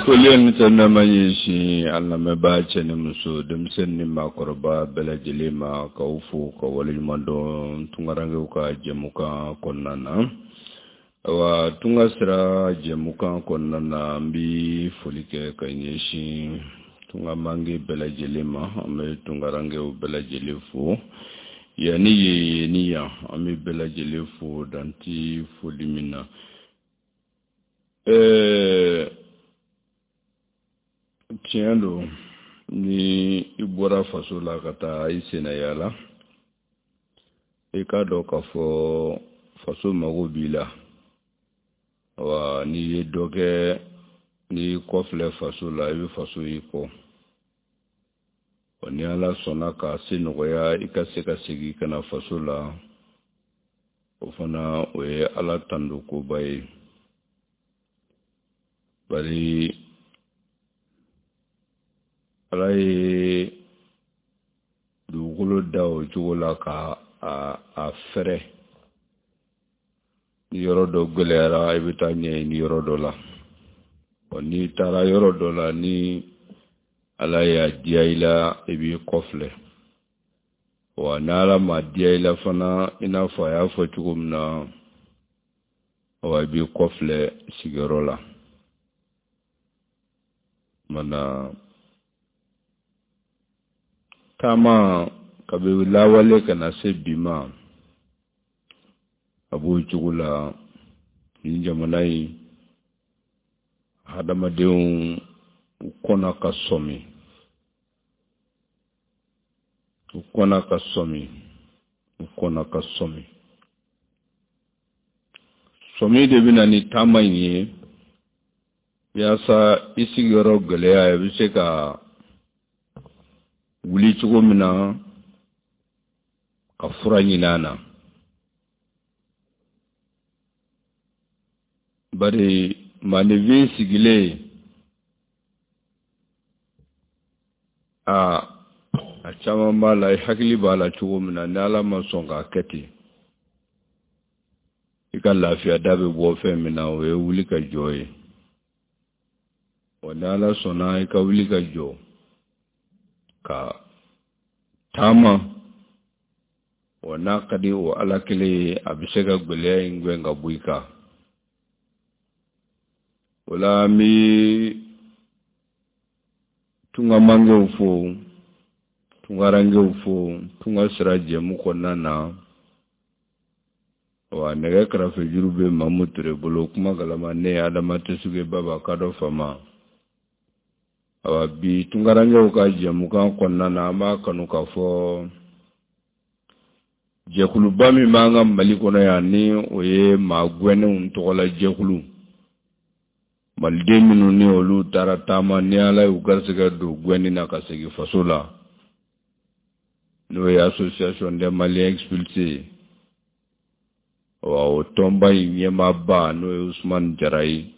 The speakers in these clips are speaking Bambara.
Foli ni tanuni ɲɛsin an lamɛnbaa cɛ ni muso, denmisɛnnin ni maakɔrɔba bɛɛ lajɛlen ma, k'aw fo ka waleɲuman dɔn tunkarankew ka jɛmukan kɔnɔna na. Awa, tunga sira jɛmukan kɔnɔna na, an bɛ foli kɛ ka ɲɛsin tunga mange bɛɛ lajɛlen ma. An bɛ tunkarankew bɛɛ lajɛlen fo yan ni yen, yen ni yan, an bɛ bɛɛ lajɛlen fo dan tɛ foli min na. Tiɲɛ don, ni i bɔra faso la ka taa i senna yaala, i k'a dɔn k'a fɔ faso mago b'i la. Wa n'i ye dɔ kɛ, n'i kɔfilɛ faso la, i bɛ faso y'i kɔ. Wa ni Ala sɔnna k'a se nɔgɔya i ka se ka segin ka na faso la, o fana o ye Ala tando koba ye. Bari Ala ye dugukolo da o cogo la ka a fɛrɛ. Ni yɔrɔ dɔ gɛlɛyara, i bɛ taa ɲɛɲini yɔrɔ dɔ la. Wa n'i taara yɔrɔ dɔ la, ni Ala y'a diya i la, i b'i kɔfilɛ. Wa ni Ala ma diya i la fana, i n'a fɔ a y'a fɔ cogo min na, wa i b'i kɔfilɛ sigiyɔrɔ la. Mana taama kabi lawale ka na se bi ma, a b'o cogo la. Nin jamana in hadamadenw, u kɔnna ka sɔmi, u kɔnna ka sɔmi, u kɔnna ka sɔmi. Sɔmi de bɛ na ni taama in ye, yaasa i sigiyɔrɔ gɛlɛya, i bɛ se ka wuli cogo min na ka fura ɲini a na. Bari maaninfin sigilen, a caman b'a la, i hakili b'a la cogo min na, ni Ala ma sɔn k'a kɛ ten, i ka lafiya da bɛ bɔ fɛn min na, o ye wuli ka jɔ ye. Wa ni Ala sɔnna i ka wuli ka jɔ ka taama, wa n'a ka di o Ala kelen ye, a bɛ se ka gɛlɛya in gɛn ka bɔ i kan. O la an bɛ tunga mangew fo, tungarankew fo tunga sira jɛmu kɔnɔna na. Wa nɛgɛ karafe juru bɛ Mamu Ture bolo, kuma galama ne ye Adama Tesuge Baba kadɔ fama. Awa, bi tungarankew ka jɛmukan kɔnɔna na, an b'a kanu k'a fɔ jɛkuluba min b'an ka Mali kɔnɔ yan, ni o ye maa gɛnnenw tɔgɔla jɛkulu, maliden minnu ni olu taara taama, ni Ala y'u garisɛgɛ don gɛnni na ka segin faso la, n'o ye Association des Maliens expulsés. Wa o tɔnba in ɲɛmaaba, n'o ye Usumani Jara ye.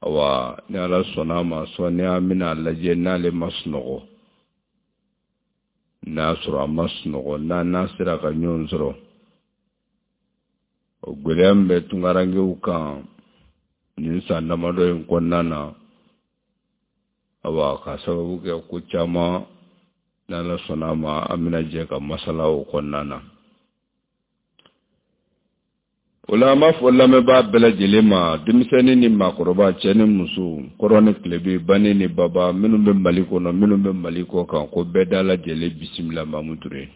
Awa, ni Ala sɔnna a ma, sɔɔni an bɛna a lajɛ n'ale ma sunɔgɔ. N'a sɔrɔ a ma sunɔgɔ, n'a n'a sera ka ɲɔgɔn sɔrɔ, o gɛlɛya min bɛ tunkarankew kan nin san damadɔ in kɔnɔna na, awa, ka sababu kɛ ko caman, n'Ala sɔnna a ma, an bɛna jɛ ka masala o kɔnɔna na. O la an b'a fɔ lamɛnbaa bɛɛ lajɛlen ma, denmisɛnnin ni maakɔrɔba, cɛ ni muso, kɔrɔn ni tilebin, bani ni baba, minnu bɛ Mali kɔnɔ, minnu bɛ Mali kɔ kan, ko bɛɛ da lajɛlen bisimila. Mamu Ture.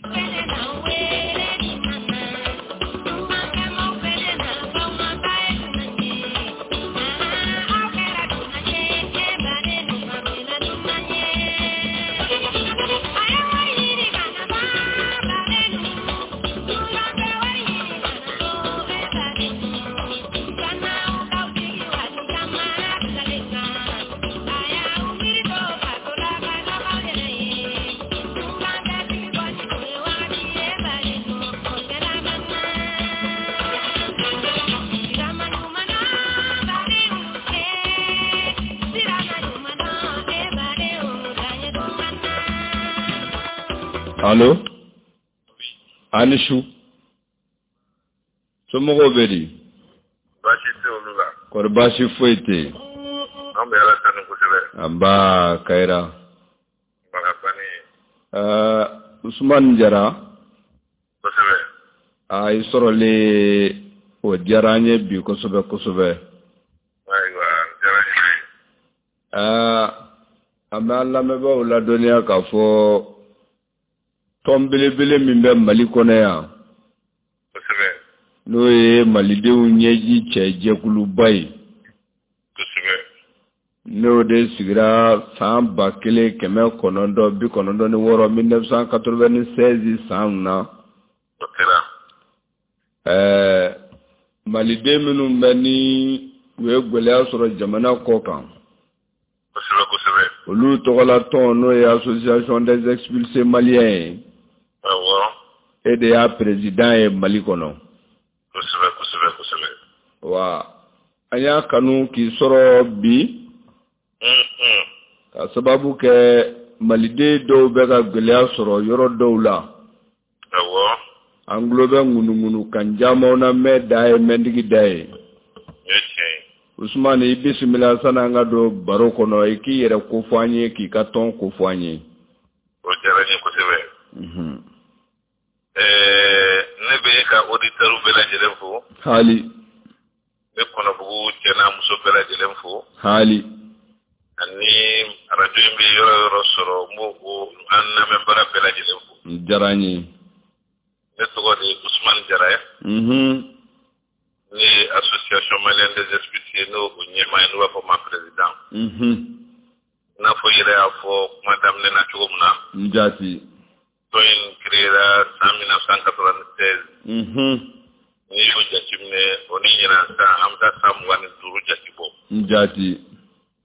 Allo, a ni su, somɔgɔw bɛ di? Baasi tɛ olu la. Kɔri baasi foyi tɛ yen? An An bɛ Ala tanu kosɛbɛ. Anba Kayira. Baga bani. Usumani Jara. Kosɛbɛ. A i sɔrɔlen o diyara an ye bi kosɛbɛ kosɛbɛ. Ayiwa, diyara n ye. An bɛ an lamɛnbaaw ladɔnniya k'a fɔ tɔn belebele min bɛ Mali kɔnɔ yan. Kosɛbɛ. N'o ye Malidenw ɲɛji cɛ jɛkuluba ye. Kosɛbɛ. N'o de sigira san 1996 1996 san na. O kɛra. Maliden minnu bɛ ni u ye gɛlɛya sɔrɔ jamana kɔ kan. Kosɛbɛ kosɛbɛ. Olu tɔgɔla tɔn n'o ye association des expulsés maliens ye. Awɔ. E de y'a président ye Mali kɔnɔ. Kosɛbɛ kosɛbɛ kosɛbɛ. Wa an y'a kanu k'i sɔrɔ bi. Ka sababu kɛ maliden dɔw bɛ ka gɛlɛya sɔrɔ yɔrɔ dɔw la. Awɔ. An tulo bɛ ŋunuŋunu kan camanw na mɛn da ye mɛntigi da ye. O ye tiɲɛ ye. Usumani i bisimila sani an ka don baro kɔnɔ i k'i yɛrɛ kofɔ an ye k'i ka tɔn kofɔ an ye. O diyara n ye kosɛbɛ. Ne bɛ e ka auditeurs bɛɛ lajɛlen fo. Haali. N bɛ Kɔnɔbugu cɛ n'a muso bɛɛ lajɛlen fo. Haali. Ani arajo in bɛ yɔrɔ yɔrɔ sɔrɔ n b'o an lamɛnbaga bɛɛ lajɛlen fo. O diyara n ye. Ne tɔgɔ de ye Usumani Jara ye. Ne ye association malienne des expulsés n'o ɲɛmaa ye n'u b'a fɔ ma président. I n'a fɔ i yɛrɛ y'a fɔ kuma daminɛ na cogo min na. N jaati. Tɔn in créera san 1996. N'i y'o jateminɛ o ni ɲinan san an bɛ taa san 25 jate bɔ. N jaati.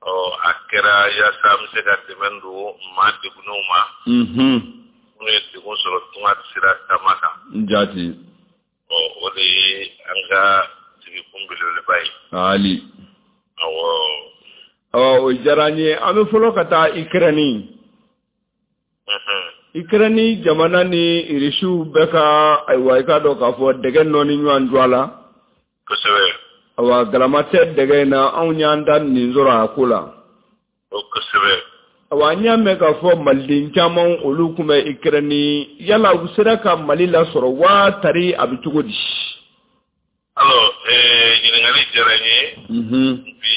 Ɔ a kɛra yaasa an bɛ se ka dɛmɛ don maa degunnenw ma. Minnu ye degun sɔrɔ tunga sira taama kan. N jaati. Ɔ o de ye an ka sigikun belebeleba ye. Haali. Awɔ. Ɔ o diyara n ye an bɛ fɔlɔ ka taa Ikɛrɛni. Ikɛrɛni jamana ni Irisiw bɛ ka ayiwa i k'a dɔn k'a fɔ dɛgɛ nɔɔni ɲɔgɔn jɔ a la. Kosɛbɛ. Ayiwa galama tɛ dɛgɛ in na anw y'an da nin sɔrɔ a ko la. O kosɛbɛ. Ayiwa an y'a mɛn k'a fɔ maliden caman olu tun bɛ Ikɛrɛni yala u sera ka Mali lasɔrɔ wa tari a bɛ cogo di. Alors ɲininkali diyara n ye. Bi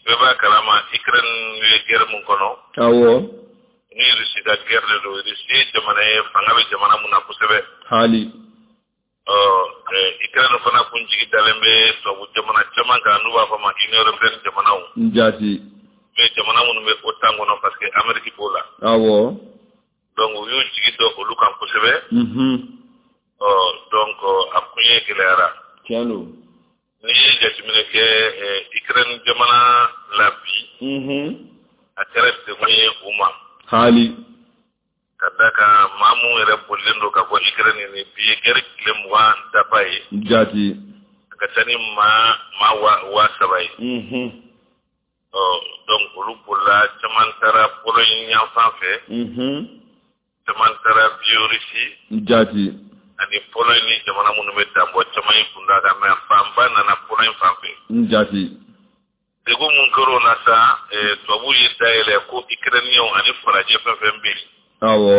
bɛɛ b'a kalama Ikɛrɛni bɛ guerre mun kɔnɔ. Awɔ. Ni Russie ka guerre de don. Russie ye jamana ye fanga bɛ jamana mun na kosɛbɛ. Haali. Ɔ Ukraine fana kun jigi dalen bɛ tubabu jamana caman kan n'u b'a fɔ ma Union européenne jamanaw. N jaati. Mais jamana minnu bɛ OTAN kɔnɔ parce que Amérique b'o la. Awɔ. Donc u y'u jigi da olu kan kosɛbɛ. Ɔ donc a koɲɛ gɛlɛyara. Tiɲɛ don. N'i ye jateminɛ kɛ Ukraine jamana la bi. A kɛra degun ye u ma. Haali. Ka da kan maa mun yɛrɛ bolilen don ka bɔ Ukraine ni bi ye guerre tile 20 dafa ye. Jaati. A ka ca ni maa 3000 ye. Ɔ donc olu bolila caman taara Pologne yanfan fɛ. Caman taara Biélorussie. Jaati. Ani Pologne ni jamana minnu bɛ danbɔ caman ye kun da kan mais fanba nana Pologne fan fɛ. Jaati. Degun mun kɛra o la sa tubabuw ye dayɛlɛ ko Ukrainiens ani farajɛ fɛn fɛn bɛ yen. Awɔ.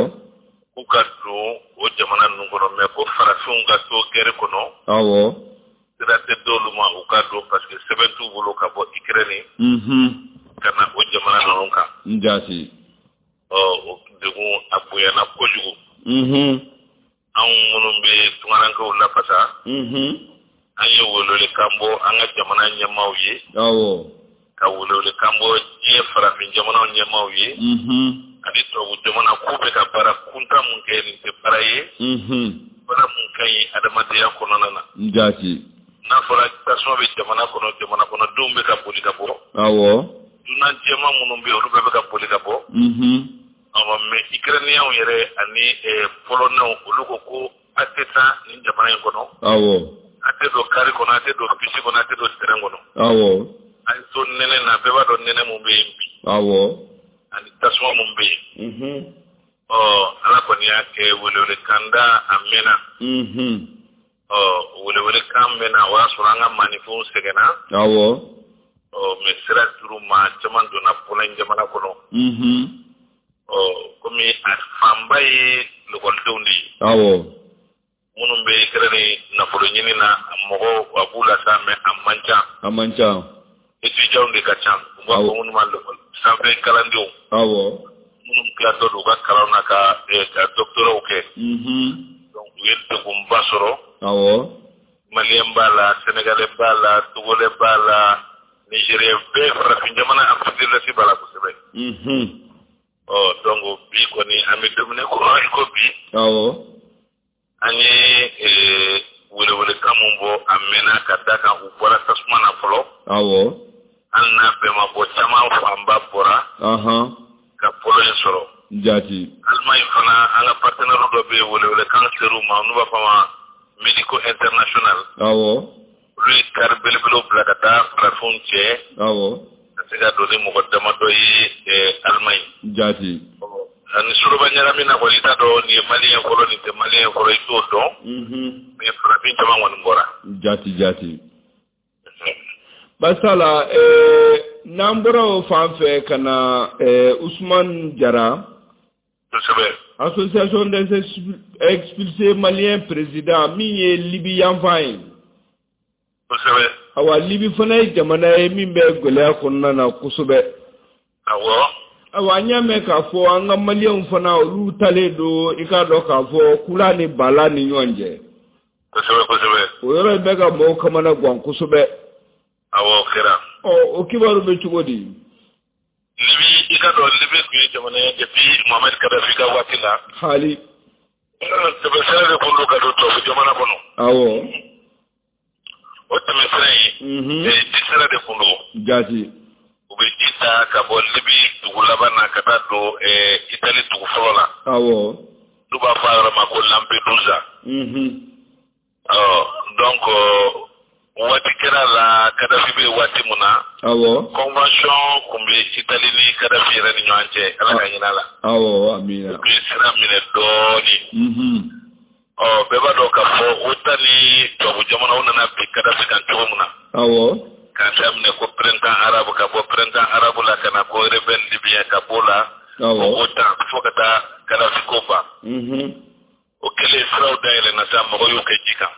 K'u ka don o jamana ninnu kɔnɔ mais ko farafinw ka to guerre kɔnɔ. Awɔ. Sira tɛ d'olu ma u ka don parce que sɛbɛn t'u bolo ka bɔ Ukraine. Ka na o jamana ninnu kan. N jaati. Ɔ o degun a bonyana kojugu. Anw minnu bɛ tunkarankew lafasa. An ye welewelekan bɔ an ka jamana ɲɛmaaw ye. Awɔ. Ka welewelekan bɔ diɲɛ farafin jamanaw ɲɛmaaw ye. Ani tubabu jamana k'u bɛ ka baara kuntan mun kɛ nin tɛ baara ye. Baara mun ka ɲi adamadenya kɔnɔna na. N jaati. N'a fɔra tasuma bɛ jamana kɔnɔ jamana kɔnɔdenw bɛ ka boli ka bɔ. Awɔ. Dunan jɛman minnu bɛ yen olu bɛɛ bɛ ka boli ka bɔ. Awɔ mais Ukrainiens yɛrɛ ani Polonais olu ko ko a tɛ taa nin jamana in kɔnɔ. Awɔ. A tɛ don kari kɔnɔ a tɛ don bisi kɔnɔ a tɛ don terrain kɔnɔ. Awɔ. An to nɛnɛ na bɛɛ b'a dɔn nɛnɛ mun bɛ yen bi. Awɔ. Ani tasuma mun bɛ yen. Ɔ Ala kɔni y'a kɛ welewelekan da a mɛnna. Ɔ welewelekan mɛnna o y'a sɔrɔ an ka maaninfinw sɛgɛnna. Awɔ. Ɔ tɛmɛ sira dir'u ma, caman donna Pologne jamana kɔnɔ. Ɔ, komi a fanba ye lakɔlidenw de ye. Minnu bɛ Ukraine nafolo ɲini na, mɔgɔw a b'u la sa, mais a man ca. A man ca. Étudiants de ka ca. U b'a fɔ minnu ma sanfɛ kalandenw. Minnu tilatɔ don u ka kalan na ka doctorat kɛ. Donc u ye degunba sɔrɔ. Malien b'a la, Sénégalais b'a la, Togolais b'a la, Nigérien bɛɛ, farafin jamana Afrique de l'Ouest b'a la kosɛbɛ. Ɔ, donc bi kɔni an bɛ don min na ko bi. An ye welewelekan mun bɔ a mɛnna ka da kan u bɔra tasuma na fɔlɔ. Hali n'a bɛɛ ma bɔ, caman fanba bɔra. Ka Pologne sɔrɔ. Jaati. Allemagne fana, an ka partenaire dɔ bɛ yen, welewelekan ser'u ma, n'u b'a fɔ a ma Medico International. Olu ye car belebelew bila ka taa farafinw cɛ. Ka se ka don ni mɔgɔ damadɔ ye Allemagne. Jaati. Ani soroba ɲagami na kɔni, i t'a dɔn nin ye malien fɔlɔ, nin tɛ malien fɔlɔ, i t'o dɔn. Mais farafin caman kɔni bɔra. Jaati jaati. Basala, n'an bɔra o fan fɛ ka na Ousmane Jara. Kosɛbɛ. Association des expulsés maliens président min ye Libi yanfan ye. Kosɛbɛ. Awa, Libi fana ye jamana ye min bɛ gɛlɛya kɔnɔna na kosɛbɛ. Awa, an y'a mɛn k'a fɔ an ka maliyɛnw fana, olu talen don, i k'a dɔn k'a fɔ kula ni bala ni ɲɔgɔn cɛ. Kosɛbɛ kosɛbɛ. O yɔrɔ in bɛ ka mɔgɔw kamana gan kosɛbɛ. Awɔ, kɛra. Ɔ, o kibaru bɛ cogo di? Libi, i ka dɔn Libi tun ye jamana ye depuis Mohamed Kadhafi ka waati la. Hali. Tɛmɛsira de kun don ka don tubabu jamana kɔnɔ. O tɛmɛsira in, ji sira de kun don. Jaati. U bɛ ji ta ka bɔ Libi dugu laban na ka taa don Itali dugu fɔlɔ la. N'u b'a fɔ a yɔrɔ ma ko Lampedusa. Ɔ, donc waati kɛra la, Kadhafi bɛ waati mun na. Convention kun bɛ Itali ni Kadhafi yɛrɛ ni ɲɔgɔn cɛ, Ala ka hinɛ la. Amina. U ye sira minɛ dɔɔnin. Ɔ, bɛɛ b'a dɔn k'a fɔ OTAN ni tubabu jamanaw nana bin Kadhafi kan cogo min na. K'a daminɛ ko printemps arabe, ka bɔ printemps arabe la ka na ko rebelle libyen, ka b'o la. OTAN fo ka taa Kadhafi ko ban. O kɛlen, siraw dayɛlɛnna sa, mɔgɔw y'u kɛ ji kan.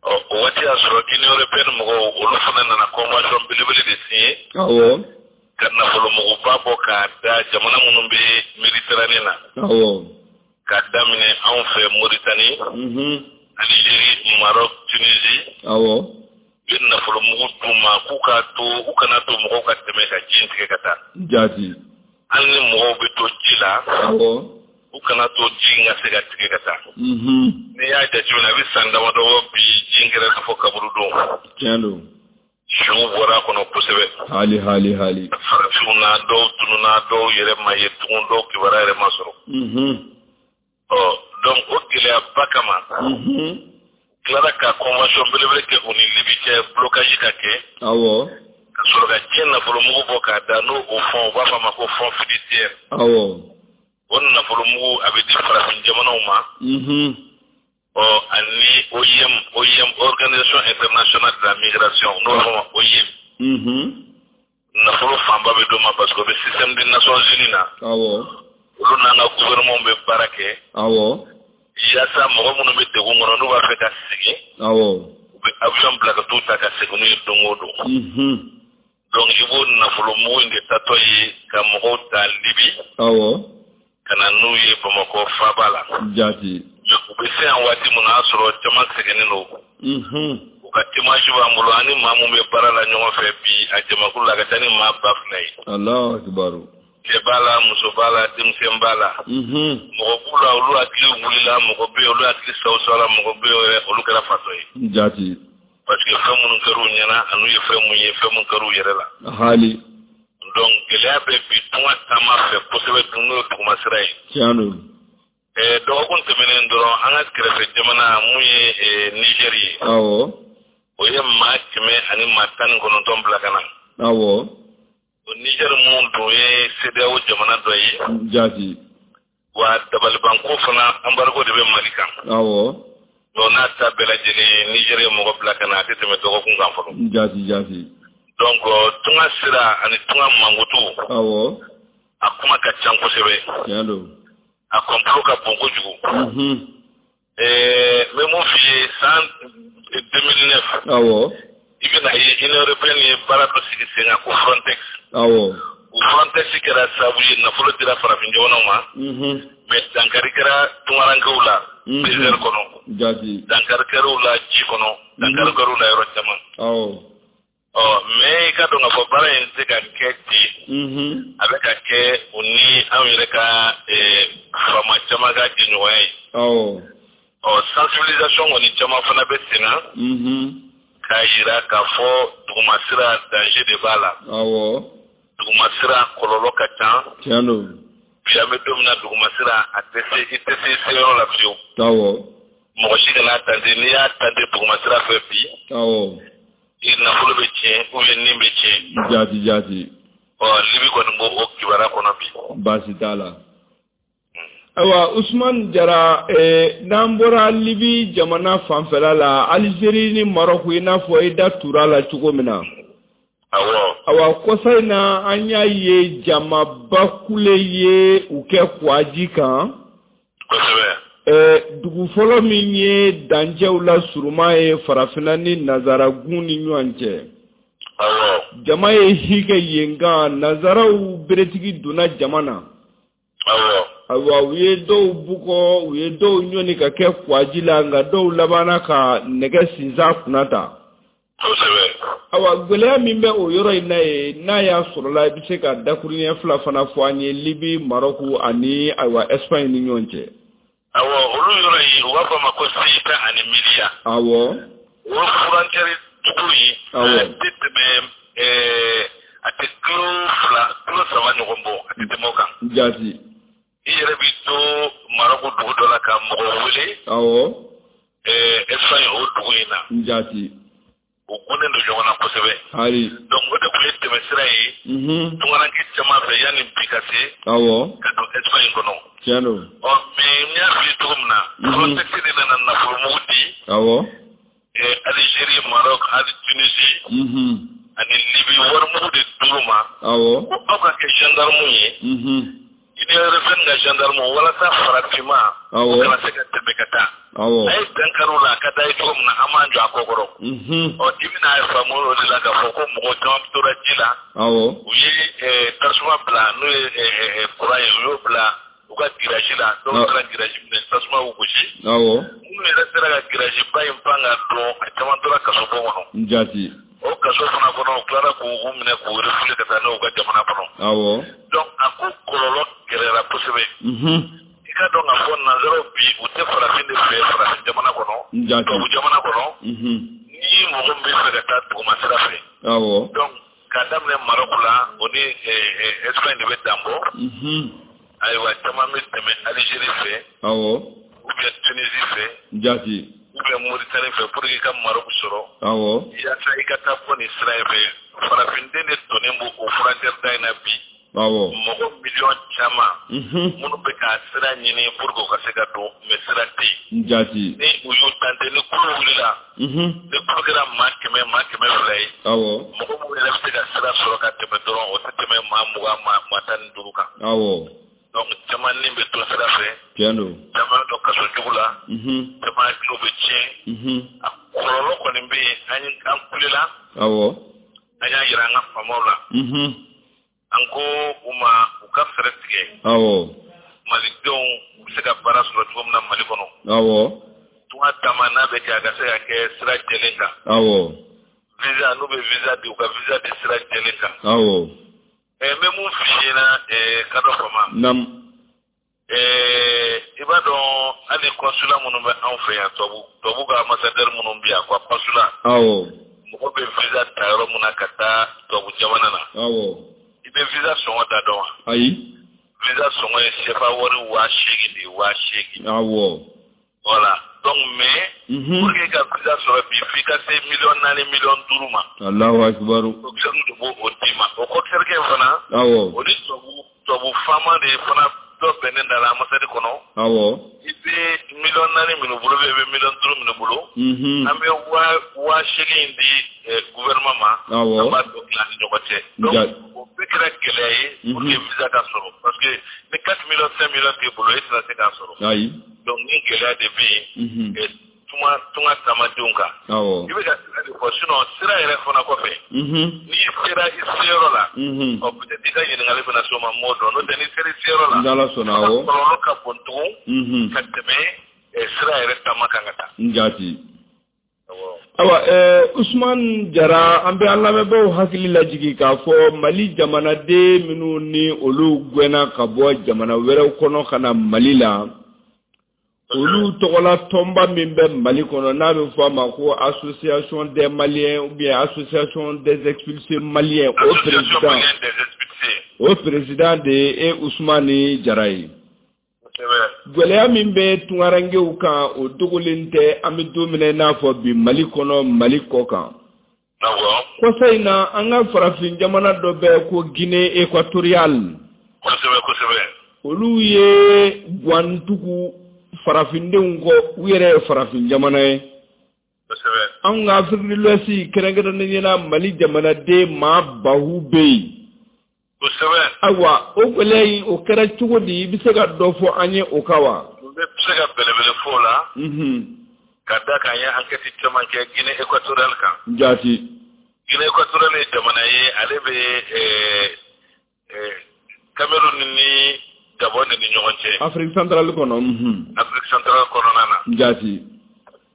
Ɔ, o waati y'a sɔrɔ Union européenne mɔgɔw, olu fana nana convention belebele de signer. Ka nafolomuguba bɔ k'a da jamana minnu bɛ Méditerranée na. K'a daminɛ anw fɛ Mauritanie, Algérie, Maroc, Tunisie. U ye nafolomugu d'u ma k'u k'a to, u kana to mɔgɔw ka tɛmɛ ka ji in tigɛ ka taa. Jaati. Hali ni mɔgɔw bɛ to ji la. U kana to ji in ka se ka tigɛ ka taa. N'i y'a jateminɛ, a bɛ san damadɔ bɔ bi, ji in kɛra i n'a fɔ kaburudon. Tiɲɛ don. Suw bɔra a kɔnɔ kosɛbɛ. Hali hali hali. Farafinw na, dɔw tununna, dɔw yɛrɛ ma ye tugun, dɔw kibaruya yɛrɛ ma sɔrɔ. Ɔ, donc o gɛlɛyaba kama, tilara ka convention belebele kɛ u ni Libi cɛ, blocage ka kɛ. Ka sɔrɔ ka diɲɛ nafolomugu bɔ k'a da, n'o o fonds, u b'a fɔ a ma ko fonds fiduciaire. O nafolomugu a bɛ di farafin jamanaw ma. Ɔ, ani OIM, OIM, Organisation internationale de la migration, n'o b'a fɔ ma OIM. Nafolo fanba bɛ d'o ma parce que o bɛ système des Nations Unies na. Olu n'an ka gouvernement bɛ baara kɛ. Yaasa mɔgɔ minnu bɛ degun kɔnɔ, n'u b'a fɛ ka segin. U bɛ avion bila ka t'u ta ka segin n'u ye don o don. Donc i b'o nafolomugu in de tatɔ ye ka mɔgɔw ta Libi. Ka na n'u ye Bamakɔ faaba la. Jaati. U bɛ se yan waati min na, o y'a sɔrɔ caman sɛgɛnnen don. U ka témoignage b'an bolo, ani maa mun bɛ baara la ɲɔgɔn fɛ bi, a jamakulu la, a ka ca ni maa 2000 ye. Alahu akibaru. Cɛ b'a la, muso b'a la, denmisɛn b'a la. Mɔgɔ b'u la, olu hakili wulila, mɔgɔ bɛ yen, olu hakili sawusawla, mɔgɔ bɛ yen, olu kɛra fatɔ ye. Jaati. Parce que fɛn minnu kɛr'u ɲɛna, an'u ye fɛn mun ye, fɛn mun kɛr'u yɛrɛ la. Hali. Donc gɛlɛya bɛ bi tunga taama fɛ kosɛbɛ, dun n'o ye duguma sira ye. Tiɲɛ don. Dɔgɔkun tɛmɛnen dɔrɔn, an ka kɛrɛfɛ jamana mun ye Niger ye. O ye maa 119 bila ka na. O Niger mun dun ye CEDEAO jamana dɔ ye. Jaati. Wa dabalibanko fana, embargo de bɛ Mali kan. Donc n'a ta bɛɛ lajɛlen, Niger ye mɔgɔ bila ka na, a tɛ tɛmɛ dɔgɔkun kan fɔlɔ. Jaati jaati. Donc tunga sira ani tunga mankutu. Awɔ. A kuma ka ca kosɛbɛ. Tiɲɛ don. A complot ka bon kojugu. N bɛ mun f'i ye, san 2009. Awɔ. I bɛna ye Union européenne ye baara dɔ sigi sen kan ko Frontex. Awɔ. O Frontex kɛra sababu ye nafolo dira farafin jamanaw ma. Mais dankari kɛra tungarankew la. Désert kɔnɔ. Jaati. Dankari kɛra u la ji kɔnɔ. Dankari kɛra u la yɔrɔ caman. Awɔ. Ɔ mais i ka dɔn k'a fɔ baara in tɛ ka kɛ ten. A bɛ ka kɛ u ni anw yɛrɛ ka faama caman ka jɛɲɔgɔnya ye. Awɔ. Ɔ sensibilisation kɔni caman fana bɛ sen na. K'a yira k'a fɔ dugumasira danger de b'a la. Awɔ. Dugumasira kɔlɔlɔ ka ca. Tiɲɛ don. Bi an bɛ don min na dugumasira a tɛ se, i tɛ se seyɔrɔ la fiyewu. Awɔ. Mɔgɔ si kana tenter, n'i y'a tenter dugumasira fɛ bi. Awɔ. I nafolo bɛ tiɲɛ ou bien nin bɛ tiɲɛ. Jaati jaati. Ɔ Libi kɔni b'o o kibaruya kɔnɔ bi. Baasi t'a la. Ayiwa Usumani Jara, n'an bɔra Libi jamana fanfɛla la, Algérie ni Maroc, i n'a fɔ i da tura la cogo min na. Awɔ. Awa kɔsa in na an y'a ye jamaba kule ye u kɛ kuwaji kan. Kosɛbɛ. Dugu fɔlɔ min ye dancɛw la surunman ye farafinna ni nazaragun ni ɲɔgɔn cɛ. Awɔ. Jama ye hi kɛ yen kan, nazaraw beretigi donna jama na. Awɔ. Ayiwa u ye dɔw bugɔ, u ye dɔw ɲɔni ka kɛ kuwaji la, nka dɔw labanna ka nɛgɛ sinsan kunna ta. Kosɛbɛ. Awa gɛlɛya min bɛ o yɔrɔ in na yen, n'a y'a sɔrɔla i bɛ se ka dakuruɲɛ fila fana fɔ an ye Libi, Maroc ani ayiwa Espagne ni ɲɔgɔn cɛ. Awɔ, olu yɔrɔ in u b'a fɔ a ma ko Ceuta ani Melilla. Awɔ. O frontière dugu in. Awɔ. A tɛ tɛmɛ a tɛ kilo 2 kilo 3 ɲɔgɔn bɔ, a tɛ tɛmɛ o kan. Jaati. I yɛrɛ b'i to Maroc dugu dɔ la ka mɔgɔ wele. Awɔ. Espagne o dugu in na. Jaati. U gunnen don ɲɔgɔn na kosɛbɛ. Ayi. Donc o de tun ye tɛmɛsira ye. Tungaranke caman fɛ yanni bi ka se. Awɔ. Ka don Espagne kɔnɔ. Tiɲɛ don. Ɔ mais n y'a f'i ye cogo min na. Frontex de nana nafolomugu di. Awɔ. Algérie, Maroc, hali Tunisie. Ani Libye warimugu de d'olu ma. Awɔ. Ko aw ka kɛ gendarme ye. Union européenne ka gendarme walasa farafinma. Awɔ. O kana se ka tɛmɛ ka taa. Awɔ. A ye dankari o la, a ka d'a ye cogo min na an b'an jɔ a kɔ kɔrɔ. Ɔ i bɛna a faamu o de la k'a fɔ ko mɔgɔ caman tora ji la. Awɔ. U ye tasuma bila n'o ye courant ye, u y'o bila u ka grillage la, dɔw taara grillage minɛ, tasuma y'u gosi. Awɔ. Minnu yɛrɛ sera ka grillage ba in pan ka don, a caman tora kasobon kɔnɔ. Jaati. O kaso fana kɔnɔ, u tilara k'u minɛ k'u refoulé ka taa n'u ka jamana kɔnɔ. Awɔ. Donc a ko kɔlɔlɔ gɛlɛyara kosɛbɛ. I ka dɔn k'a fɔ nanzaraw bi u tɛ farafin de fɛ farafin jamana kɔnɔ. Jaati. Tubabu jamana kɔnɔ. Ni mɔgɔ min bɛ fɛ ka taa duguma sira fɛ. Awɔ. Donc k'a daminɛ Maroc la, o ni Espagne de bɛ dan bɔ. Ayiwa caman bɛ tɛmɛ Algérie fɛ. Awɔ. Ou bien Tunisie fɛ. Jaati. Ou bien Mauritanie fɛ pour que i ka Maroc sɔrɔ. Awɔ. Yaasa i ka taa bɔ nin sira in fɛ. Farafinden de donnen b'o o frontière da in na bi. Awɔ. Mɔgɔ miliyɔn caman. Minnu bɛ ka sira ɲini pour que u ka se ka don, mais sira tɛ yen. Jaati. Ni u y'u tenter, ni kulu wulila. Ni kulu kɛra maa 100 maa 200 ye. Awɔ. Mɔgɔ minnu yɛrɛ bɛ se ka sira sɔrɔ ka tɛmɛ dɔrɔn, o tɛ tɛmɛ maa 20 maa 15 kan. Awɔ. Donc caman ni bɛ to sira fɛ. Tiɲɛ don. Caman bɛ don kaso jugu la. Caman hakiliw bɛ tiɲɛ. A kɔlɔlɔ kɔni bɛ yen, an kulela. Awɔ. An y'a yira an ka faamaw la. An ko u ma u ka fɛɛrɛ tigɛ. Awɔ. Malidenw u bɛ se ka baara sɔrɔ cogo min na Mali kɔnɔ. Awɔ. Tunga taama n'a bɛ kɛ a ka se ka kɛ sira jɛlen kan. Awɔ. Visa n'u bɛ visa di, u ka visa di sira jɛlen kan. Awɔ. N bɛ mun f'i ɲɛna ka dɔ fama. Naam. I b'a dɔn hali consulat minnu bɛ anw fɛ yan, tubabu ka ambassadeur minnu bɛ yan, quoi consulat. Awɔ. Mɔgɔ bɛ visa ta yɔrɔ min na ka taa tubabu jamana na. Awɔ. I bɛ visa sɔngɔ da dɔn wa? Ayi. Visa sɔngɔ ye CFA wari 8000 de ye, 8000. Awɔ. Voilà. Donc mais pour que ka visa sɔrɔ bi f'i ka se miliyɔn 4 miliyɔn 5 ma. Allahu akbar. Coxeur de b'o o d'i ma. O coxeur kɛ fana. Awɔ. O ni tubabu faama de fana dɔ bɛnnen da la ambassade kɔnɔ. Awɔ. I bɛ miliyɔn 4 minnu bolo, i bɛ miliyɔn 5 minnu bolo. An bɛ 8000 di gouvernement ma. Awɔ. An b'a dɔ tila. tila ni ɲɔgɔn cɛ. Donc o bɛɛ kɛra gɛlɛya ye pour que visa ka sɔrɔ, parce que ni 4 millions 5 millions t'e bolo, e tɛna se k'a sɔrɔ. Ayi. Donc ni gɛlɛya de bɛ yen tunga taamadenw kan. I bɛ ka sira de fɔ, sinon sira yɛrɛ fana kɔfɛ, n'i sera i seyɔrɔ la, ɔ peut-être i ka ɲininkali bɛna s'o ma, m'o dɔn, n'o tɛ n'i sera i seyɔrɔ la, n'Ala sɔnna, awɔ, kɔlɔlɔ ka bon tugun ka tɛmɛ sira yɛrɛ taama kan ka taa. N jaati. Ayiwa, Usumani Jara, an bɛ an lamɛnbaaw hakili lajigin k'a fɔ Mali jamanaden minnu ni olu gɛnna ka bɔ jamana wɛrɛw kɔnɔ ka na Mali la, olu tɔgɔla tɔnba min bɛ Mali kɔnɔ n'a bɛ fɔ a ma ko Association des Maliens ou bien Association des expulsés maliens, o président de ye Usumani Jara ye. Gɛlɛya min bɛ tunkarankew kan, o dogolen tɛ, an bɛ don min na i n'a fɔ bi, Mali kɔnɔ, Mali kɔ kan. Kɔsa in na, an ka farafin jamana dɔ bɛ ko Guinée équatoriale. Kosɛbɛ kosɛbɛ. Olu ye guwantugu farafindenw kɔ, u yɛrɛ ye farafin jamana ye. Anw ka Afrique de l'Ouest, kɛrɛnkɛrɛnnenya la Mali jamanaden maa bahu bɛ yen. Kosɛbɛ. Ayiwa, o gɛlɛya in, o kɛra cogo di? I bɛ se ka dɔ fɔ an ye o kan wa? N bɛ se ka belebele fɔ o la. Ka da kan, an ye enquête caman kɛ Guinée équatoriale kan. Jaati. Guinée équatoriale ye jamana ye, ale bɛ Cameroun ni Gabon ni ɲɔgɔn cɛ. Afrique centrale kɔnɔ. Afrique centrale kɔnɔna na. Jaati.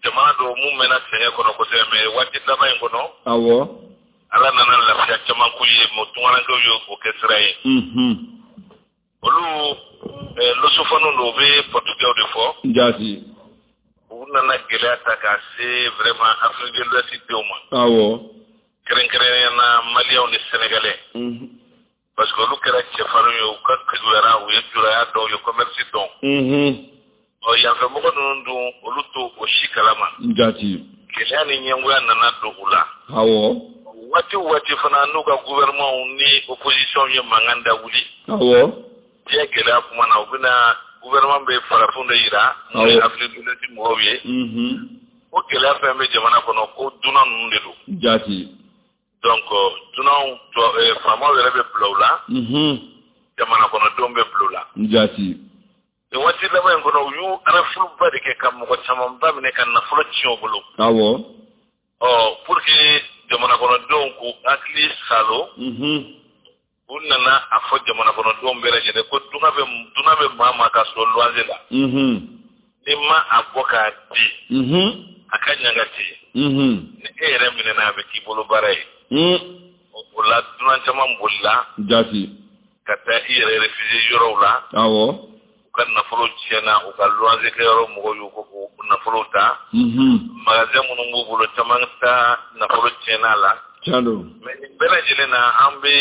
Jamana don mun mɛnna sɛgɛn kɔnɔ kosɛbɛ, mais waati laban in kɔnɔ, Ala nana lafiya caman k'u ye, mɔ tunkarankew ye o kɛ sira ye. Olu lusophone don, u bɛ portugais de fɔ. Jaati. U nana gɛlɛya ta k'a se vraiment Afrique de l'Ouest denw ma. Kɛrɛnkɛrɛnnenya na Maliyɛnw ni Sénégalais. Parce que olu kɛra cɛfarinw ye, u ka keguyara, u ye juraya dɔn, u ye commerce dɔn. Ɔ yanfɛ mɔgɔ ninnu dun, olu t'o o si kalama. Jaati. Gɛlɛya ni ɲɛngoya nana don u la. Waati o waati fana, n'u ka gouvernement ni opposition ye mankan da wuli, diɲɛ gɛlɛya kuma na, u bɛna gouvernement bɛ farafinw de yira n'o ye Afrique de l'Ouest mɔgɔw ye. O gɛlɛya fɛn bɛ jamana kɔnɔ ko dunan ninnu de don. Jaati. Donc dunanw, faamaw yɛrɛ bɛ bila u la, jamana kɔnɔdenw bɛ bila u la. Jaati. Nin waati laban in kɔnɔ, u y'u rafle de kɛ ka mɔgɔ camanba minɛ ka nafolo tiɲɛ u bolo. Ɔ pour que jamana kɔnɔdenw k'u hakili salo, u nana a fɔ jamana kɔnɔdenw bɛɛ lajɛlen ko dunan bɛ maa maa ka so luwanze la, ni ma a bɔ k'a di, a ka ɲangati, ni e yɛrɛ minɛna, a bɛ k'i bolo baara ye. O la dunan caman bolila. Jaati. Ka taa i yɛrɛ réfugié yɔrɔw la. U ka nafolo tiɲɛna, u ka luwanze kɛyɔrɔ mɔgɔw y'u ko k'u nafolo ta. Magasin minnu b'u bolo, caman ta nafolo tiɲɛna la. Tiɲɛ don. Mais nin bɛɛ lajɛlen na, an bɛ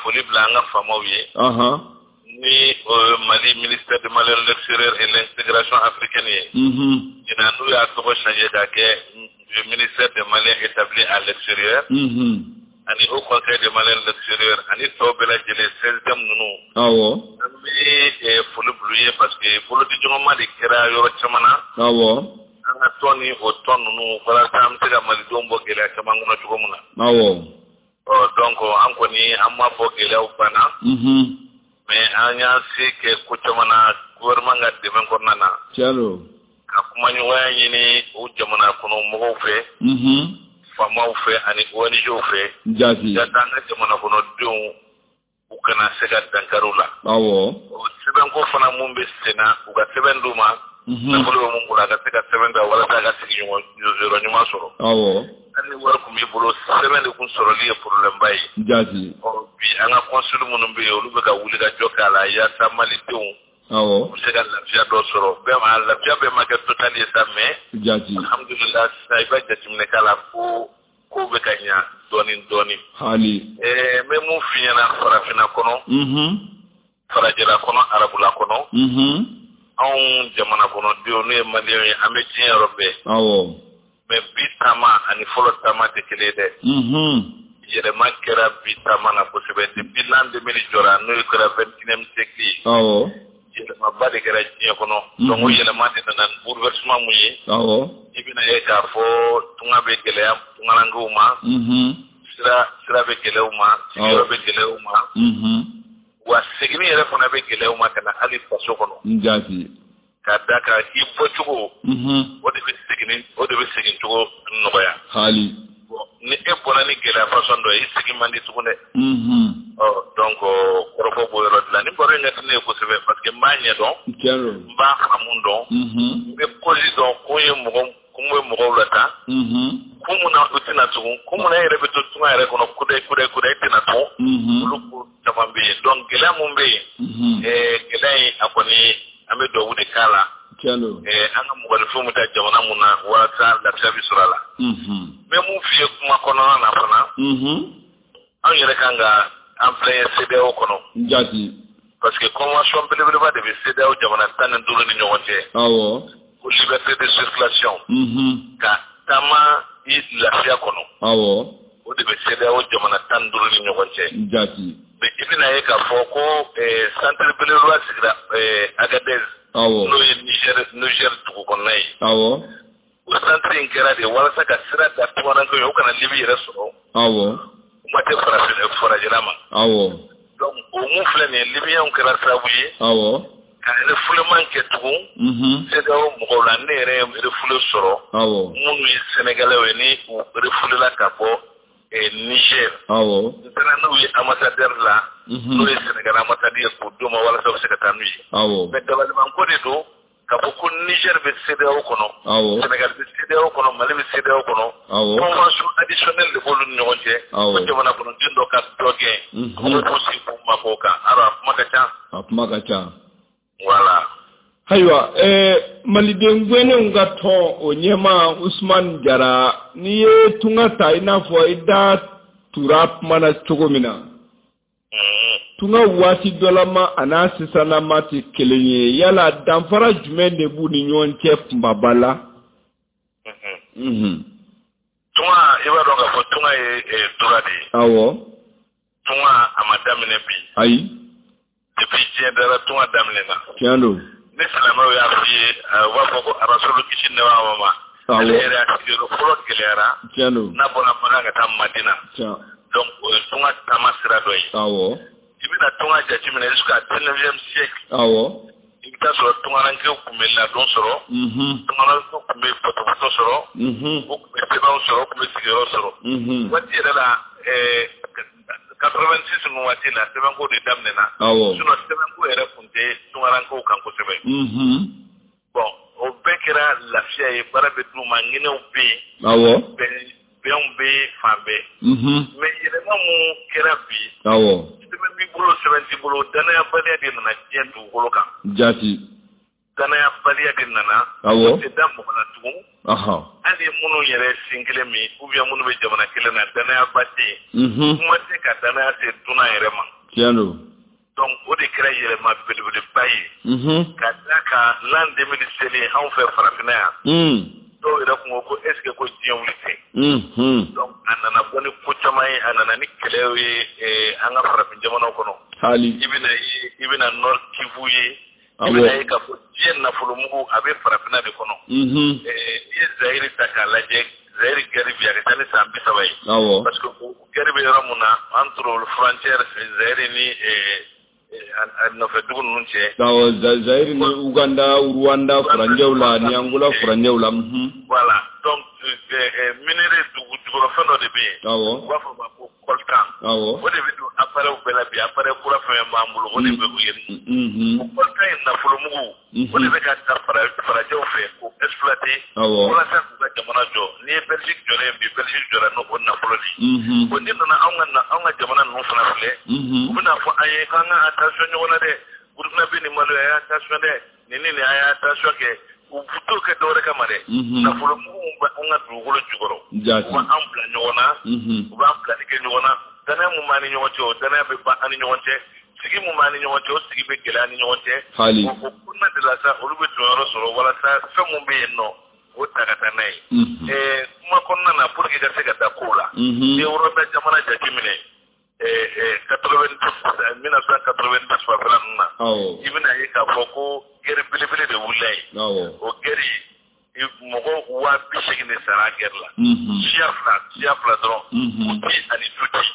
foli bila an ka faamaw ye. Ni Mali ministère de Mali de l'extérieur et l'intégration africaine ye. Ɲinan n'u y'a tɔgɔ changer k'a kɛ ministère des Maliens établis à l'extérieur. Ani Haut Conseil des Maliens de l'extérieur ani tɔw bɛɛ lajɛlen, CSDM ninnu. An bɛ foli bila u ye parce que bolodiɲɔgɔnma de kɛra yɔrɔ caman na. An ka tɔn ni o tɔn ninnu, walasa an bɛ se ka malidenw bɔ gɛlɛya caman kɔnɔ cogo min na. Ɔ donc an kɔni, an m'a fɔ gɛlɛyaw banna. Mais an y'an se kɛ ko caman na gouvernement ka dɛmɛ kɔnɔna na. Tiɲɛ don. Ka kumaɲɔgɔnya ɲini o jamana kɔnɔ mɔgɔw fɛ, faamaw fɛ ani ONG fɛ. Jaati. Ka an ka jamana kɔnɔdenw, u kana se ka dankari u la. O sɛbɛnko fana mun bɛ sen na, u ka sɛbɛn d'u ma. Nafolo bɛ mun bolo, a ka se ka sɛbɛn ta walasa a ka sigiɲɔgɔn yɔrɔ ɲuman sɔrɔ. Hali ni wari tun b'i bolo, sɛbɛn de kun sɔrɔli ye problème ba ye. Jaati. Ɔ bi an ka consul minnu bɛ yen, olu bɛ ka wuli ka jɔ k'a la yaasa malidenw u bɛ se ka lafiya dɔ sɔrɔ. Bɛɛ ma lafiya bɛɛ ma kɛ total ye sa, mais Jaati. alhamdulilah, sisan i b'a jateminɛ k'a la ko ko bɛ ka ɲa dɔɔni dɔɔni. Hali. N bɛ mun f'i ɲɛna, farafinna kɔnɔ, farajɛla kɔnɔ, arabula kɔnɔ, anw jamana kɔnɔdenw n'o ye maliyɛnw ye, an bɛ diɲɛ yɔrɔ bɛɛ. Mais bi taama ani fɔlɔ taama tɛ kelen ye dɛ. Yɛlɛma kɛra bi taama na kosɛbɛ depuis l'an 2000 jɔra, n'o kɛra 21e siècle ye. Yɛlɛmaba de kɛra diɲɛ kɔnɔ. Donc o yɛlɛma de nana ni bouleversement mun ye, i bɛna ye k'a fɔ tunga bɛ gɛlɛya tungarankew ma. Sira bɛ gɛlɛya u ma, sigiyɔrɔ bɛ gɛlɛya u ma. Wa seginni yɛrɛ fana bɛ gɛlɛya u ma ka na hali faso kɔnɔ. Jaati. Ka da kan i bɔcogo, o de bɛ segin, o de bɛ segin cogo nɔgɔya. Hali. Ni e bɔra ni gɛlɛya façon dɔ ye, i segin man di tugun dɛ. Ɔ, donc kɔrɔfɔ b'o yɔrɔ de la. Ni baro in ka di ne ye kosɛbɛ parce que n b'a ɲɛdɔn. Tiɲɛ don. N b'a faamu dɔn. N bɛ cause dɔn, kun ye mɔgɔ kun bɛ mɔgɔw la tan. Kun mun na u tɛna tugun, kun mun na e yɛrɛ bɛ to tunga yɛrɛ kɔnɔ kudayi kudayi kudayi e tɛna tugun. Olu ko caman bɛ yen. Donc gɛlɛya mun bɛ yen, gɛlɛya in a kɔni an bɛ dugawu de k'a la. Tiɲɛ don. An ka mɔgɔninfinw bɛ taa jamana mun na walasa lafiya bɛ sɔrɔ a la. N bɛ mun f'i ye kuma kɔnɔna na fana, anw yɛrɛ kan ka an filɛ ye CEDEAO kɔnɔ. Jaati. Parce que convention belebeleba de bɛ CEDEAO jamana 15 ni ɲɔgɔn cɛ. Awɔ. Ko liberté de circulation. Ka taama i lafiya kɔnɔ. Awɔ. O de bɛ CEDEAO jamana 15 ni ɲɔgɔn cɛ. Jaati. Mais i bɛna ye k'a fɔ ko centre belebeleba sigira Agadez. Awɔ. N'o ye Niger dugu kɔnɔna ye. Awɔ. O centre in kɛra de walasa ka sira da tungarankew ye, u kana Libi yɛrɛ sɔrɔ. Awɔ. Kuma tɛ farajɛla ma. Awɔ. Donc o mun filɛ nin ye, Libyens kɛra sababu ye. Awɔ. Ka refoulement kɛ tugun. CEDEAO mɔgɔw la, ne yɛrɛ ye refoulé sɔrɔ. Awɔ. Minnu ye Sénégalais ye ni u refoulé la ka bɔ Niger. Awɔ. N taara n'u ye ambassadeur la. N'o ye Sénégal ambassadeur ye k'u d'u ma walasa u bɛ se ka taa n'u ye. Awɔ. Mais dabalibanko de don k'a fɔ ko Niger bɛ CEDEAO kɔnɔ. Awɔ. Sénégal bɛ CEDEAO kɔnɔ, Mali bɛ CEDEAO kɔnɔ. Awɔ. Convention additionnelle de b'olu ni ɲɔgɔn cɛ. Awɔ. Ko jamana kɔnɔden dɔ ka dɔ gɛn. Ko k'u sigi k'u mabɔ o kan. Alors a kuma ka ca. A kuma ka ca. Voilà. Ayiwa, maliden gɛnnenw ka tɔn o ɲɛmaa Usumani Jara, n'i ye tunga ta i n'a fɔ i da tura kuma na cogo min na, tunga waati dɔ la ma a n'a sisanlama tɛ kelen ye. Yala danfara jumɛn de b'u ni ɲɔgɔn cɛ kunbaba la? Tunga, i b'a dɔn k'a fɔ tunga ye droit de ye. Awɔ. Tunga a ma daminɛ bi. Ayi. Depuis diɲɛ dara tunga daminɛna. Tiɲɛ don. Ni silamɛw y'a f'i ye, u b'a fɔ ko Arasulu kisi nɛɛma b'a ma. Ale yɛrɛ y'a sigiyɔrɔ fɔlɔ gɛlɛyara. Tiɲɛ don. N'a bɔra Makan ka taa Madina. Tiɲɛ. Donc o ye tunga taama sira dɔ ye. Awɔ. I bɛna tunga jateminɛ jusqu'à 19e siècle. Awɔ. I bɛ taa sɔrɔ tungarankew tun bɛ ladon sɔrɔ. Tungarankew tun bɛ pɔtɔpɔtɔ sɔrɔ. U tun bɛ sɛbɛnw sɔrɔ, u tun bɛ sigiyɔrɔ sɔrɔ. Waati yɛrɛ la, 86 ninnu waati la, sɛbɛnko de daminɛna. Awɔ. Sinon sɛbɛnko yɛrɛ tun tɛ tungarankew kan kosɛbɛ. Bon, o bɛɛ kɛra lafiya ye, baara bɛ d'u ma, ɲinɛw bɛ yen. Awɔ. Bɛnw bɛ fan bɛɛ. Mais yɛlɛma mun kɛra bi. Awɔ. Sɛbɛn b'i bolo, sɛbɛn t'i bolo, danayabaliya de nana diɲɛ dugukolo kan. Jaati. Danayabaliya de nana. Awɔ. O tɛ da mɔgɔ la tugun. Hali minnu yɛrɛ sin kelen min, ou bien minnu bɛ jamana kelen na, danayaba tɛ yen. Kuma tɛ ka danaya se dunan yɛrɛ ma. Tiɲɛ don. Donc o de kɛra yɛlɛma belebeleba ye. Ka d'a kan l'an 2000 selen anw fɛ farafinna yan. Dɔw yɛrɛ kun ko est ce que ko diɲɛ wuli tɛ. Donc a nana bɔ ni ko caman ye, a nana ni kɛlɛw ye an ka farafin jamanaw kɔnɔ. Hali. I bɛna ye, i bɛna Nord Kivu ye. I bɛna ye k'a fɔ diɲɛ nafolomugu a bɛ farafinna de kɔnɔ. I ye Zaire ta k'a lajɛ, Zaire guerre bi a ka ca ni san 30 ye. Awɔ. Parce que guerre bɛ yɔrɔ mun na entre frontière Zaire ni a nɔfɛ dugu ninnu cɛ. Awɔ, Zaire ni Uganda, Rwanda furancɛw la ni Angola furancɛw la. Voilà, donc minerai dugu jukɔrɔfɛn dɔ de bɛ yen. Awɔ. U b'a fɔ o ma ko coltan. Awɔ. O de bɛ don appareil bɛɛ la bi, appareil kura fɛn fɛn b'an bolo, o de bɛ o yɛrɛ. O coltan in nafolomugu, o de bɛ ka ta farajɛw fɛ k'o exploiter. Awɔ. Walasa k'u ka jamana jɔ. N'i ye Belgique jɔlen ye bi, Belgique jɔra n'o nafolo de ye. Bon, n'i nana anw ka jamana ninnu fana filɛ, u bɛna fɔ an ye k'an ka attention ɲɔgɔn na dɛ. Burukina bɛ nin Mali, a y'a attention dɛ. Nin ni nin, a y'a attention kɛ. U t'o kɛ dɔwɛrɛ kama dɛ. Nafolomugu bɛ an ka dugukolo jukɔrɔ. Jaati. U b'an bila ɲɔgɔn na. U b'an bilali kɛ ɲɔgɔn na. Danaya mun b'an ni ɲɔgɔn cɛ, o danaya bɛ ban an ni ɲɔgɔn cɛ. Sigi mun b'an ni ɲɔgɔn cɛ, o sigi bɛ gɛlɛya an ni ɲɔgɔn cɛ. Hali. O kɔnɔna de la sa, olu bɛ jɔyɔrɔ sɔrɔ walasa fɛn mun bɛ yen nɔ, o ta ka taa n'a ye. Kuma kɔnɔna na, pour que ka se ka da kow la. N'i ye Rwanda jamana jateminɛ, 1990 fanfɛla ninnu na. Awɔ. I bɛna ye k'a fɔ ko guerre belebele de wulila yen. Awɔ. O guerre, Mɔgɔ 80 000 de sara guerre la. Siya fila dɔrɔn, Hutu ani Tutsi,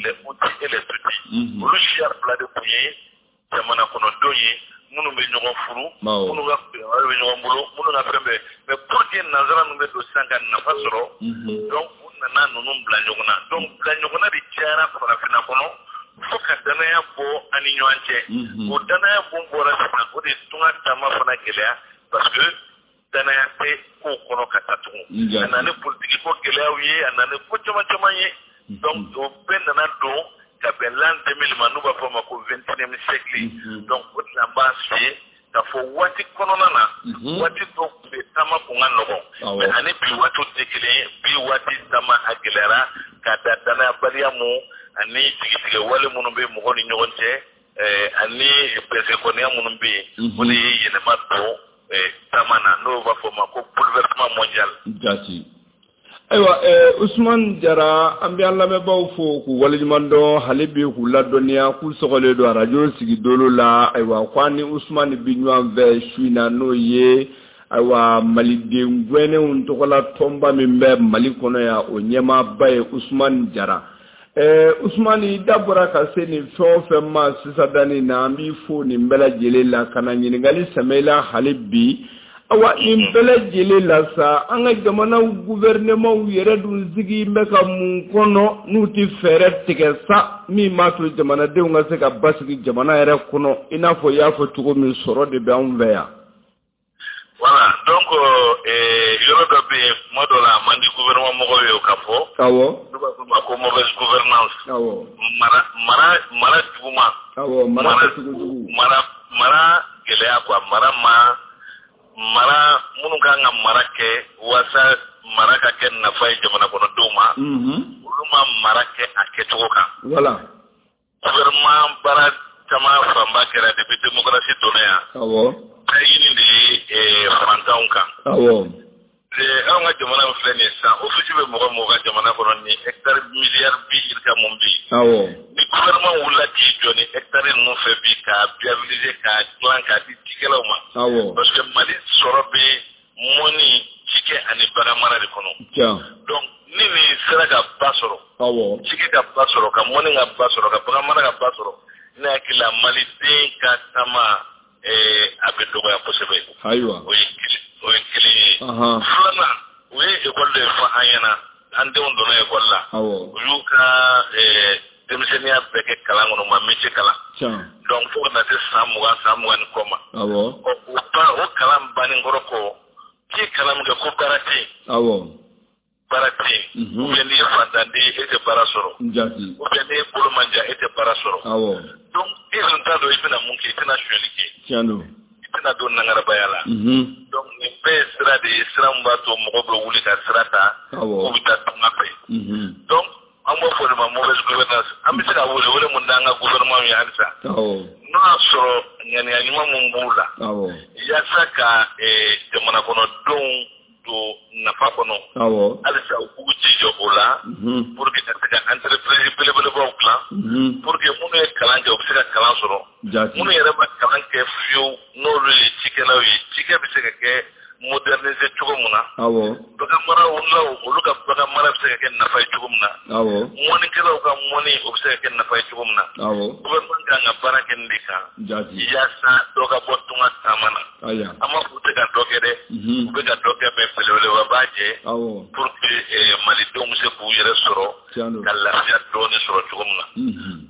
les Hutus et les Tutsis. Olu siya fila de tun ye jamana kɔnɔdenw ye minnu bɛ ɲɔgɔn furu, minnu ka bɛ ɲɔgɔn bolo, minnu ka fɛn bɛɛ. Mais pour que nanzara ninnu bɛ don sisan ka nafa sɔrɔ, donc u nana ninnu bila ɲɔgɔn na. Donc bila ɲɔgɔn na de cayara farafinna kɔnɔ fo ka danaya bɔ an ni ɲɔgɔn cɛ. O danaya mun bɔra sisan, o de ye tunga taama fana gɛlɛya, parce que danaya tɛ kow kɔnɔ ka taa tugun. A nana ni politiki ko gɛlɛyaw ye, a nana ni ko caman caman ye. Donc o bɛɛ nana don ka bɛn l'an 2000 ma, n'u b'a fɔ o ma ko 21e siècle. Donc o de la an b'a f'i ye k'a fɔ waati kɔnɔna na, waati dɔw tun bɛ taama kun ka nɔgɔn, mais ani bi waatiw tɛ kelen ye. Bi waati taama a gɛlɛyara ka da danayabaliya mun ani jigitigɛ wale minnu bɛ mɔgɔw ni ɲɔgɔn cɛ, ani bɛsɛkɔniya minnu bɛ yen, o de ye yɛlɛma don taama na, n'o b'a fɔ o ma ko bouleversement mondial. Jati. Ayiwa, Usumani Jara, an bɛ an lamɛnbaaw fo k'u waleɲuman dɔn hali bi, k'u ladɔnniya k'u sɔgɔlen don arajo sigidolo la. Ayiwa, ko an ni Usumani bi ɲɔgɔn fɛ su in na, n'o ye ayiwa maliden gɛnnenw tɔgɔla tɔnba min bɛ Mali kɔnɔ yan, o ɲɛmaaba ye Usumani Jara. Usumani, da bɔra ka se nin fɛn o fɛn ma sisan danni na, an b'i fo nin bɛɛ lajɛlen la ka na ɲininkali sɛmɛ i la hali bi. Awa, nin bɛɛ lajɛlen la sa, an ka jamanaw gouvernement yɛrɛ dun sigi bɛ ka mun kɔnɔ n'u tɛ fɛɛrɛ tigɛ sa min b'a to jamanadenw ka se ka basigi jamana yɛrɛ kɔnɔ, i n'a fɔ i y'a fɔ cogo min, sɔrɔ de bɛ anw fɛ yan? Voilà, donc yɔrɔ dɔ bɛ yen, kuma dɔ la a man di gouvernement mɔgɔw ye o ka fɔ. N'u b'a fɔ o ma ko mauvaise gouvernance. Mara mara mara juguman. Awɔ, mara kɛcogo jugu. Mara gɛlɛya quoi, mara ma mara minnu kan ka mara kɛ walasa mara ka kɛ nafa ye jamana kɔnɔdenw ma, olu ma mara kɛ a kɛcogo kan. Gouvernement baara caman fanba kɛra depuis démocratie donna yan. Ɲini de ye fantanw kan. Anw ka jamana min filɛ nin ye sisan, office bɛ mɔgɔ mɔgɔ ka jamana kɔnɔ ni hectare miliyari bi yirika mun bɛ yen. Ni gouvernement wulila k'i jɔ ni hectare ninnu fɛ bi k'a viabiliser, k'a dilan, k'a di cikɛlaw ma. Parce que Mali sɔrɔ bɛ mɔni, cikɛ ani bagan mara de kɔnɔ. Donc ni nin sera ka ba sɔrɔ, cikɛ ka ba sɔrɔ, ka mɔni ka ba sɔrɔ, ka bagan mara ka ba sɔrɔ, ne hakili la maliden ka taama a bɛ dɔgɔya kosɛbɛ. Ayiwa. O ye kelen ye. Filanan, u ye école de fɔ an ɲɛna, an denw donna école la. U y'u ka denmisɛnninya bɛɛ kɛ kalan kɔnɔ, u ma métier kalan. Donc fo ka na se san 20, san 20 ni kɔ ma. O kalan bannen kɔrɔ kɔ, k'i ye kalan min kɛ ko baara tɛ yen. Baara tɛ yen. Ou bien n'i ye fantanden ye, e tɛ baara sɔrɔ. Ou bien n'i ye bolo man jan, e tɛ baara sɔrɔ. Donc e dun t'a dɔn i bɛna mun kɛ, i tɛna sonyali kɛ. I tɛna don nangarabaya la. Donc nin bɛɛ ye sira de ye, sira min b'a to mɔgɔw bɛ wuli ka sira ta, k'u bɛ taa tunga fɛ. Donc an b'o fɔ de ma mauvaise gouvernance. An bɛ se ka wele mun da an ka gouvernement ye halisa. N'o y'a sɔrɔ ŋaniya ɲuman mun b'u la, yaasa ka jamana kɔnɔdenw don nafa kɔnɔ, halisa u k'u jija o la, pour que ka se ka entreprise belebelebaw dilan, pour que minnu ye kalan kɛ u bɛ se ka kalan sɔrɔ, minnu yɛrɛ ma kalan kɛ fiyewu n'olu ye cikɛlaw ye, cikɛ bɛ se ka kɛ moderniser cogo min na, bagan marawulaw olu ka bagan mara bɛ se ka kɛ nafa ye cogo min na, mɔnikɛlaw ka mɔni o bɛ se ka kɛ nafa ye cogo min na. Gouvernement kan ka baara kɛ nin de kan, yaasa dɔ ka bɔ tunga taama na. An m'a fɔ u tɛ ka dɔ kɛ dɛ, u bɛ ka dɔ kɛ, mais belebeleba b'a jɛ pour que malidenw bɛ se k'u yɛrɛ sɔrɔ ka lafiya dɔɔni sɔrɔ cogo min na.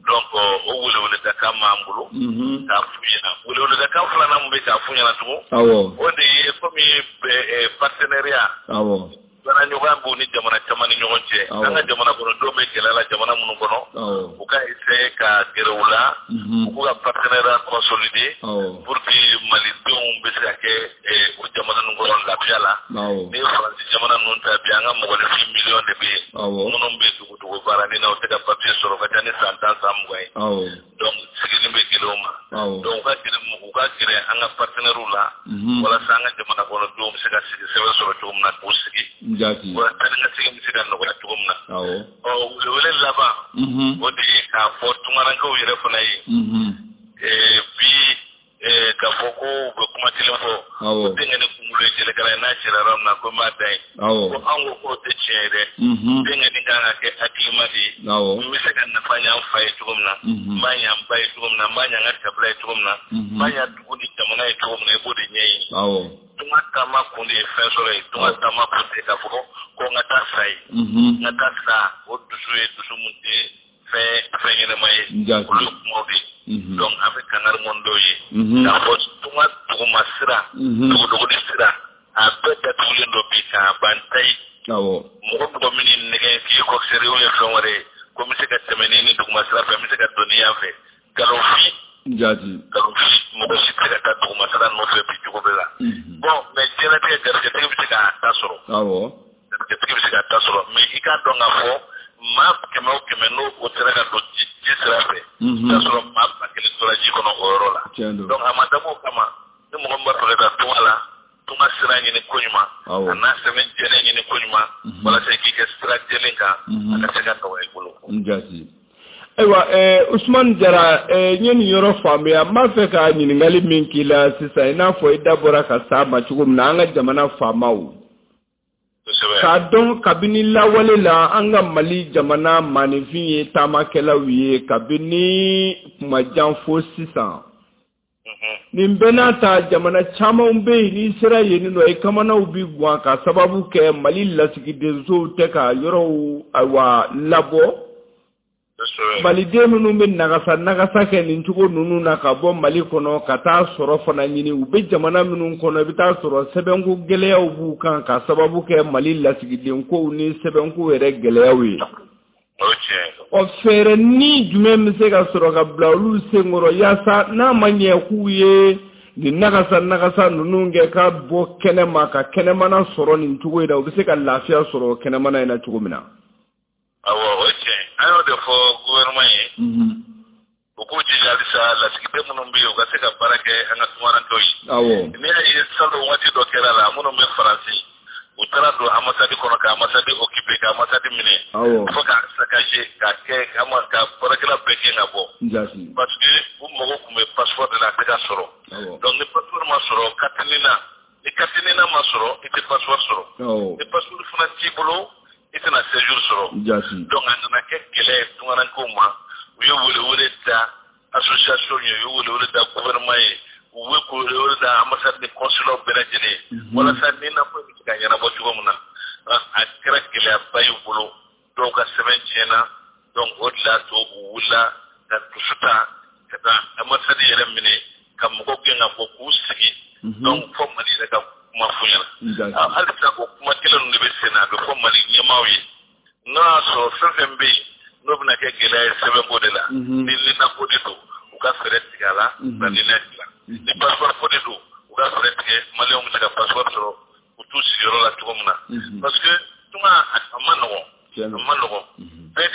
Donc o weleweledakan b'an bolo k'a f'u ɲɛna. Weleweledakan filanan min bɛ k'a f'u ɲɛna tugun, o de ye komi partenariat, baaraɲɔgɔnya b'u ni jamana caman ni ɲɔgɔn cɛ. An ka jamana kɔnɔdenw bɛ gɛlɛya la jamana minnu kɔnɔ, u ka essayer ka gɛrɛ u la, u k'u ka partenariat consolider pour que malidenw bɛ se ka kɛ o jamana ninnu kɔnɔ lafiya la. Ni ye Faransi jamana ninnu ta bi, an ka mɔgɔninfin miliyɔn de bɛ yen minnu bɛ dugu baara ni na, u tɛ ka papier sɔrɔ, ka ca ni san 10, san 20 ye. Donc sigili bɛ gɛlɛya u ma. Donc u ka gɛrɛ an ka partenaires la, walasa an ka jamana kɔnɔdenw bɛ se ka sigi sɛbɛn sɔrɔ cogo min na, k'u sigi. Walasa ni ka sigi bɛ se ka nɔgɔya cogo min na. Welewele laban, o de ye k'a fɔ tungarankew yɛrɛ fana ye. Bi ka fɔ ko u bɛ kuma kelen fɔ, ko denkɛ kunkolo ye jɛlɛkala ye, n'a cɛla yɔrɔ min na ko n b'a da yen. Ko anw ko k'o tɛ tiɲɛ ye dɛ. Denkɛ kan ka kɛ hakilima de ye. N bɛ se ka nafa ɲɛ n fa ye cogo min na, n b'a ɲɛ n ba ye cogo min na, n b'a ɲɛ n ka kabila ye cogo min na, n b'a ɲɛ dugu ni jamana ye cogo min na, i b'o de ɲɛɲini. Tunga taama kun de ye fɛn sɔrɔ ye. Tunga taama kun tɛ k'a fɔ ko n ka taa sa ye. N ka taa sa, o dusu ye dusu mun tɛ fɛn ɲɛnama ye. Olu ye kumaw de ye. Donc an bɛ kangari mun dɔw ye k'a fɔ tunga duguma sira, dogodogoni sira, a bɛɛ datugulen don bi k'a ban ta ye. Mɔgɔ mɔgɔ min y'i nɛgɛ k'i ye coxeur ye ou bien fɛn wɛrɛ ye, ko n bɛ se ka tɛmɛ ni duguma sira fɛ, n bɛ se ka don ni yan fɛ, nkalonfin. Nkalonfin, mɔgɔ si tɛ se ka taa duguma sira nɔfɛ bi cogo bɛɛ la. Bon, mais diɲɛlatigɛ garijɛtigi bɛ se k'a ta sɔrɔ. Garijɛtigi bɛ se k'a ta sɔrɔ, mais i k'a dɔn k'a fɔ maa 100 o 100 n'o o sera ka don ji sira fɛ, i b'a sɔrɔ maa 1000 tora ji kɔnɔ o yɔrɔ la. Donc a ma dabɔ o kama, ni mɔgɔ min b'a fɛ ka taa tunga la, tunga sira ɲini koɲuman, a n'a sɛbɛn jɛlen ɲini koɲuman, walasa i k'i kɛ sira jɛlen kan, a ka se ka nɔgɔya i bolo. Ayiwa, Usumani Jara, n ye nin yɔrɔ faamuya. N b'a fɛ ka ɲininkali min k'i la sisan, i n'a fɔ i da bɔra ka s'a ma cogo min na, an ka jamana faamaw k'a dɔn kabini lawale la, an ka Mali jamana maaninfin ye taamakɛlaw ye kabini kuma jan fo sisan. Nin bɛɛ n'a ta, jamana caman bɛ yen, n'i sera yen nɔ, i kamanaw bi guwan ka sababu kɛ Mali lasigidensow tɛ ka yɔrɔw ayiwa labɔ. Maliden minnu bɛ nagasa nagasa kɛ nin cogo ninnu na ka bɔ Mali kɔnɔ ka taa sɔrɔ fana ɲini, u bɛ jamana minnu kɔnɔ, i bɛ taa sɔrɔ sɛbɛnko gɛlɛyaw b'u kan ka sababu kɛ Mali lasigidenkow ni sɛbɛnko yɛrɛ gɛlɛyaw ye. Ɔ, fɛɛrɛ ni jumɛn bɛ se ka sɔrɔ ka bila olu senkɔrɔ yaasa n'a ma ɲɛ k'u ye nin nagasa nagasa ninnu kɛ ka bɔ kɛnɛma ka kɛnɛmana sɔrɔ nin cogo in na, u bɛ se ka lafiya sɔrɔ kɛnɛmana in na cogo min na? Awɔ, o ye tiɲɛ. An y'o de fɔ gouvernement ye. U k'u jija halisa, lasigiden minnu bɛ yen, u ka se ka baara kɛ an ka tungarankew ye. N'i y'a ye salon waati dɔ kɛra la, minnu bɛ Faransi, u taara don ambassade kɔnɔ ka ambassade occupé, ka ambassade minɛ, fo ka saccagé, ka kɛ ka baarakɛla bɛɛ gɛn ka bɔ. Parce que u mago tun bɛ passeport de la, a tɛ ka sɔrɔ. Donc ni passeport ma sɔrɔ, carte NINA, ni carte NINA ma sɔrɔ, i tɛ passeport sɔrɔ. Ni passeport fana t'i bolo, i tɛna séjour sɔrɔ. Donc a nana kɛ gɛlɛya ye tungarankew ma. U ye welewele da association ye, u ye welewele da gouvernement ye, u ye welewele da ambassade ni consulat bɛɛ lajɛlen ye, walasa NINA ko bɛ se ka ɲɛnabɔ cogo min na. A kɛra gɛlɛyaba ye u bolo, dɔw ka sɛbɛn tiɲɛna. Donc o de y'a to u wulila ka dusu ta ka taa ambassade yɛrɛ minɛ, ka mɔgɔw gɛn ka bɔ, k'u sigi. Donc fɔ Mali yɛrɛ ka kuma f'u ɲɛna. Halisa o kuma kelen ninnu de bɛ sen na, a bɛ fɔ Mali ɲɛmaaw ye, n'o y'a sɔrɔ fɛn fɛn bɛ yen n'o bɛna kɛ gɛlɛya ye sɛbɛnko de la, ni NINA ko de don, u ka fɛɛrɛ tigɛ a la ka NINA dilan. Ni passeport ko de don, u ka fɛɛrɛ tigɛ, maliyɛnw bɛ se ka passeport sɔrɔ u t'u sigiyɔrɔ la cogo min na. Parce que tunga a ma nɔgɔn, a ma nɔgɔn. Bɛɛ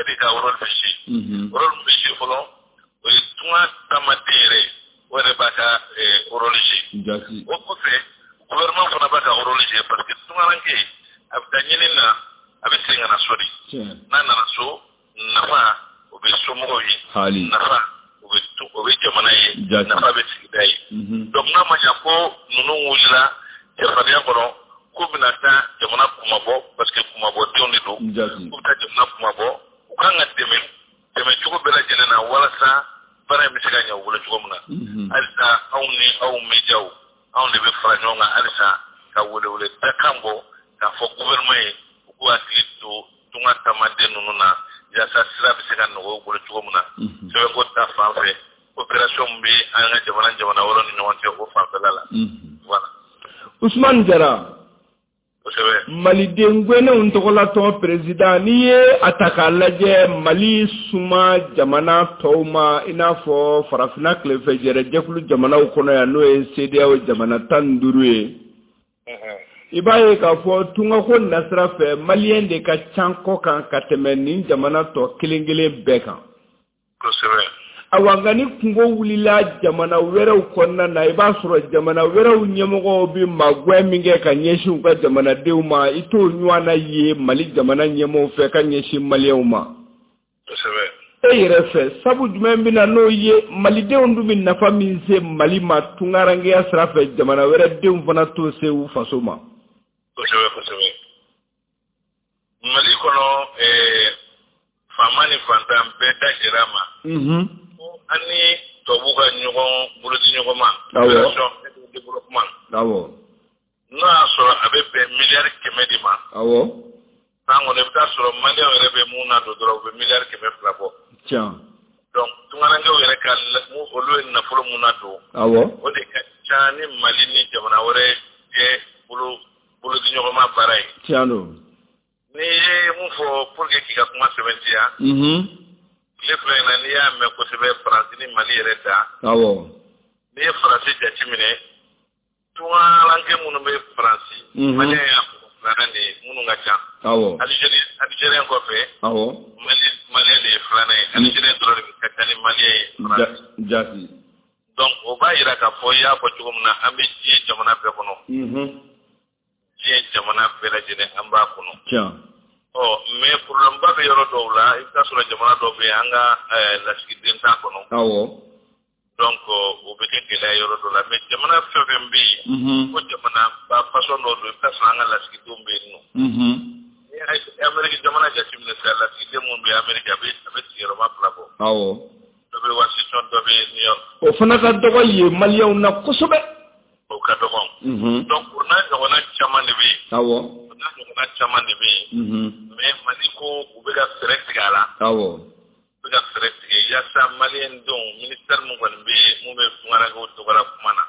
de ka rôle bɛ jouer. Rôle min bɛ jouer fɔlɔ, o ye tunga taamaden yɛrɛ ye, o yɛrɛ b'a ka rôle jouer. O kɔfɛ, gouvernement fana b'a ka rôle jouer, parce que tungaranke a bɛ taa ɲini na, a bɛ segin ka na so de. N'a nana so, nafa o bɛ somɔgɔw ye, nafa o bɛ jamana ye, nafa bɛ sigida ye. Donc n'a ma ɲɛ ko ninnu wulila cɛfarinya kɔnɔ k'u bɛna taa jamana kumabɔ, parce que kumabɔdenw de don, k'u bɛ taa jamana kumabɔ, u kan ka dɛmɛ dɛmɛ cogo bɛɛ lajɛlen na walasa baara in bɛ se ka ɲɛ u bolo cogo min na. Halisa anw ni aw médiaw, anw de bɛ fara ɲɔgɔn kan halisa ka welewele dakan bɔ k'a fɔ gouvernement ye, u k'u hakili to tunga taamaden ninnu na, yaasa sira bɛ se ka nɔgɔya u bolo cogo min na. Sɛbɛnko ta fan fɛ, coopération min bɛ an ka jamana jamana wɛrɛw ni ɲɔgɔn cɛ, o fanfɛla la. Voilà. Usumani Jara, Maliden gɛnnenw tɔgɔlatɔn président, n'i ye a ta k'a lajɛ Mali suma jamana tɔw ma, i n'a fɔ farafinna tilefɛ jɛrɛjɛkulu jamanaw kɔnɔ yan, n'o ye CEDEAO jamana 15 ye, i b'a ye k'a fɔ tungako nasira fɛ, maliyɛn de ka ca kɔ kan ka tɛmɛ nin jamana tɔ kelen kelen bɛɛ kan. Awa, nka ni kungo wulila jamana wɛrɛw kɔnɔna na, i b'a sɔrɔ jamana wɛrɛw ɲɛmɔgɔw bɛ magwɛn min kɛ ka ɲɛsin u ka jamanadenw ma, i t'o ɲɔgɔnna ye Mali jamana ɲɛmɔgɔw fɛ ka ɲɛsin maliyɛnw ma. E yɛrɛ fɛ, sabu jumɛn bɛ na n'o ye? Malidenw dun bɛ nafa min se Mali ma tunkarankeya sira fɛ, jamana wɛrɛ denw fana t'o se u faso ma. Kosɛbɛ, kosɛbɛ. Mali kɔnɔ, faama ni fantan bɛɛ da jɛra a ma. An ni tubabuw ka ɲɔgɔn bolodi ɲɔgɔn ma. Relation de développement. N'o y'a sɔrɔ a bɛ bɛn miliyari 100 de ma. San kɔnɔ, i bɛ taa sɔrɔ Maliyɛnw yɛrɛ bɛ mun na don dɔrɔn, u bɛ miliyari 200 bɔ. Donc tunkarankew yɛrɛ ka olu ye nafolo mun na don. O de ka ca ni Mali ni jamana wɛrɛ cɛ bolodi ɲɔgɔnma baara ye. Tiɲɛ don. N'i ye mun fɔ pour que k'i ka kuma sɛbɛntiya. Tile 2 in na, n'i y'a mɛn kosɛbɛ, Faransi ni Mali yɛrɛ da. N'i ye Faransi jateminɛ, tunkaranke minnu bɛ Faransi, Maliyɛn y'a filanan de ye minnu ka ca. Algérien kɔfɛ. Maliyɛn de ye filanan ye. Algérien dɔrɔn de ka ca ni Maliyɛn ye Faransi. Donc o b'a yira k'a fɔ, i y'a fɔ cogo min na, an bɛ diɲɛ jamana bɛɛ kɔnɔ. Diɲɛ jamana bɛɛ lajɛlen, an b'a kɔnɔ. Ɔ, mais problème ba bɛ yɔrɔ dɔw la. I bɛ taa sɔrɔ jamana dɔw bɛ yen, an ka lasigiden t'a kɔnɔ. Donc o bɛ kɛ gɛlɛya yɔrɔ dɔ la. Mais jamana fɛn fɛn bɛ yen ko jamana ba façon dɔ don, i bɛ taa sɔrɔ an ka lasigidenw bɛ yen nɔ. Ni ye Amérique jamana jateminɛ sisan, lasigiden minnu bɛ Amérique, a bɛ sigiyɔrɔma 2 bɔ. Dɔ bɛ Washington, dɔ bɛ New York. O fana ka dɔgɔ yen Maliyɛnw na kosɛbɛ. O ka dɔgɔ. Donc o n'a ɲɔgɔnna caman de bɛ yen. O n'a ɲɔgɔnna caman de bɛ yen. Mais Mali ko u bɛ ka fɛɛrɛ tigɛ a la. U bɛ ka fɛɛrɛ tigɛ yaasa Maliyɛn denw, ministère mun kɔni bɛ yen, mun bɛ tunkarankew tɔgɔla kuma na.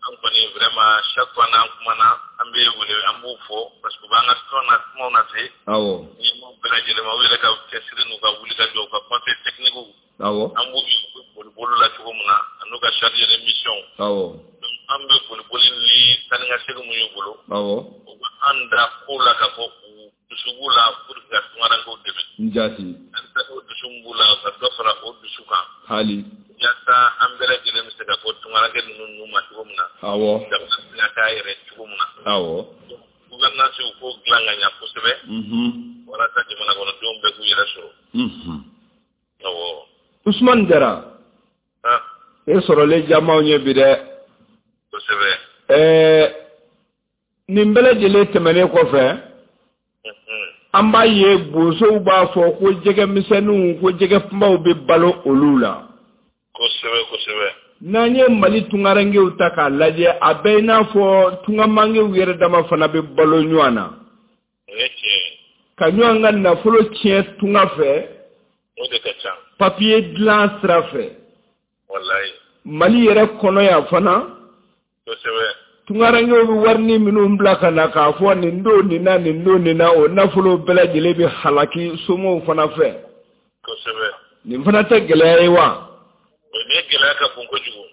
An kɔni vraiment, chaque fois n'an kumana, an bɛ wele, an b'u fɔ parce que u b'an ka tɔn na kumaw na se. Ɲɛmaaw bɛɛ lajɛlen ma, u yɛrɛ ka cɛsiri n'u ka wulikajɔ, u ka conseil technique. An b'u ye, u bɛ boli bolo la cogo min na, a n'u ka chargé de mission. An bɛ boli boli ni taa ni ka segin mun y'u bolo. U bɛ an da ko la k'a fɔ u dusu b'u la pour que ka tunkarankew dɛmɛ. Halisa o dusu min b'u la, ka dɔ fara o dusu kan. Yaasa an bɛɛ lajɛlen bɛ se ka bɔ tunkaranke ninnu nu ma cogo min na. Jamana bɛ se ka k'a yɛrɛ cogo min na. Gouvernance, u k'o dilan ka ɲa kosɛbɛ. Walasa jamana kɔnɔdenw bɛɛ k'u yɛrɛ sɔrɔ. Awɔ. Usumani Jara. E sɔrɔlen jamaw ye bi dɛ. Kosɛbɛ. Nin bɛɛ lajɛlen tɛmɛnen kɔfɛ, an b'a ye bosow b'a fɔ ko jɛgɛmisɛnninw, ko jɛgɛ kunbaw bɛ balo olu la. Kosɛbɛ, kosɛbɛ. N'an ye Mali tunkarankew ta k'a lajɛ, a bɛ i n'a fɔ tunkamankew yɛrɛ dama fana bɛ balo ɲɔgɔn na. O ye tiɲɛ ye. Ka ɲɔgɔn ka nafolo tiɲɛ tunga fɛ. O de ka ca. Papiye dilan sira fɛ. Walayi. Mali yɛrɛ kɔnɔ yan fana. Tunkarankew bɛ warini minnu bila ka na k'a fɔ nin don nin na, nin don nin na, o nafolo bɛɛ lajɛlen bɛ halaki somɔgɔw fana fɛ. Nin fana tɛ gɛlɛya ye wa? O ni gɛlɛya ka bon kojugu.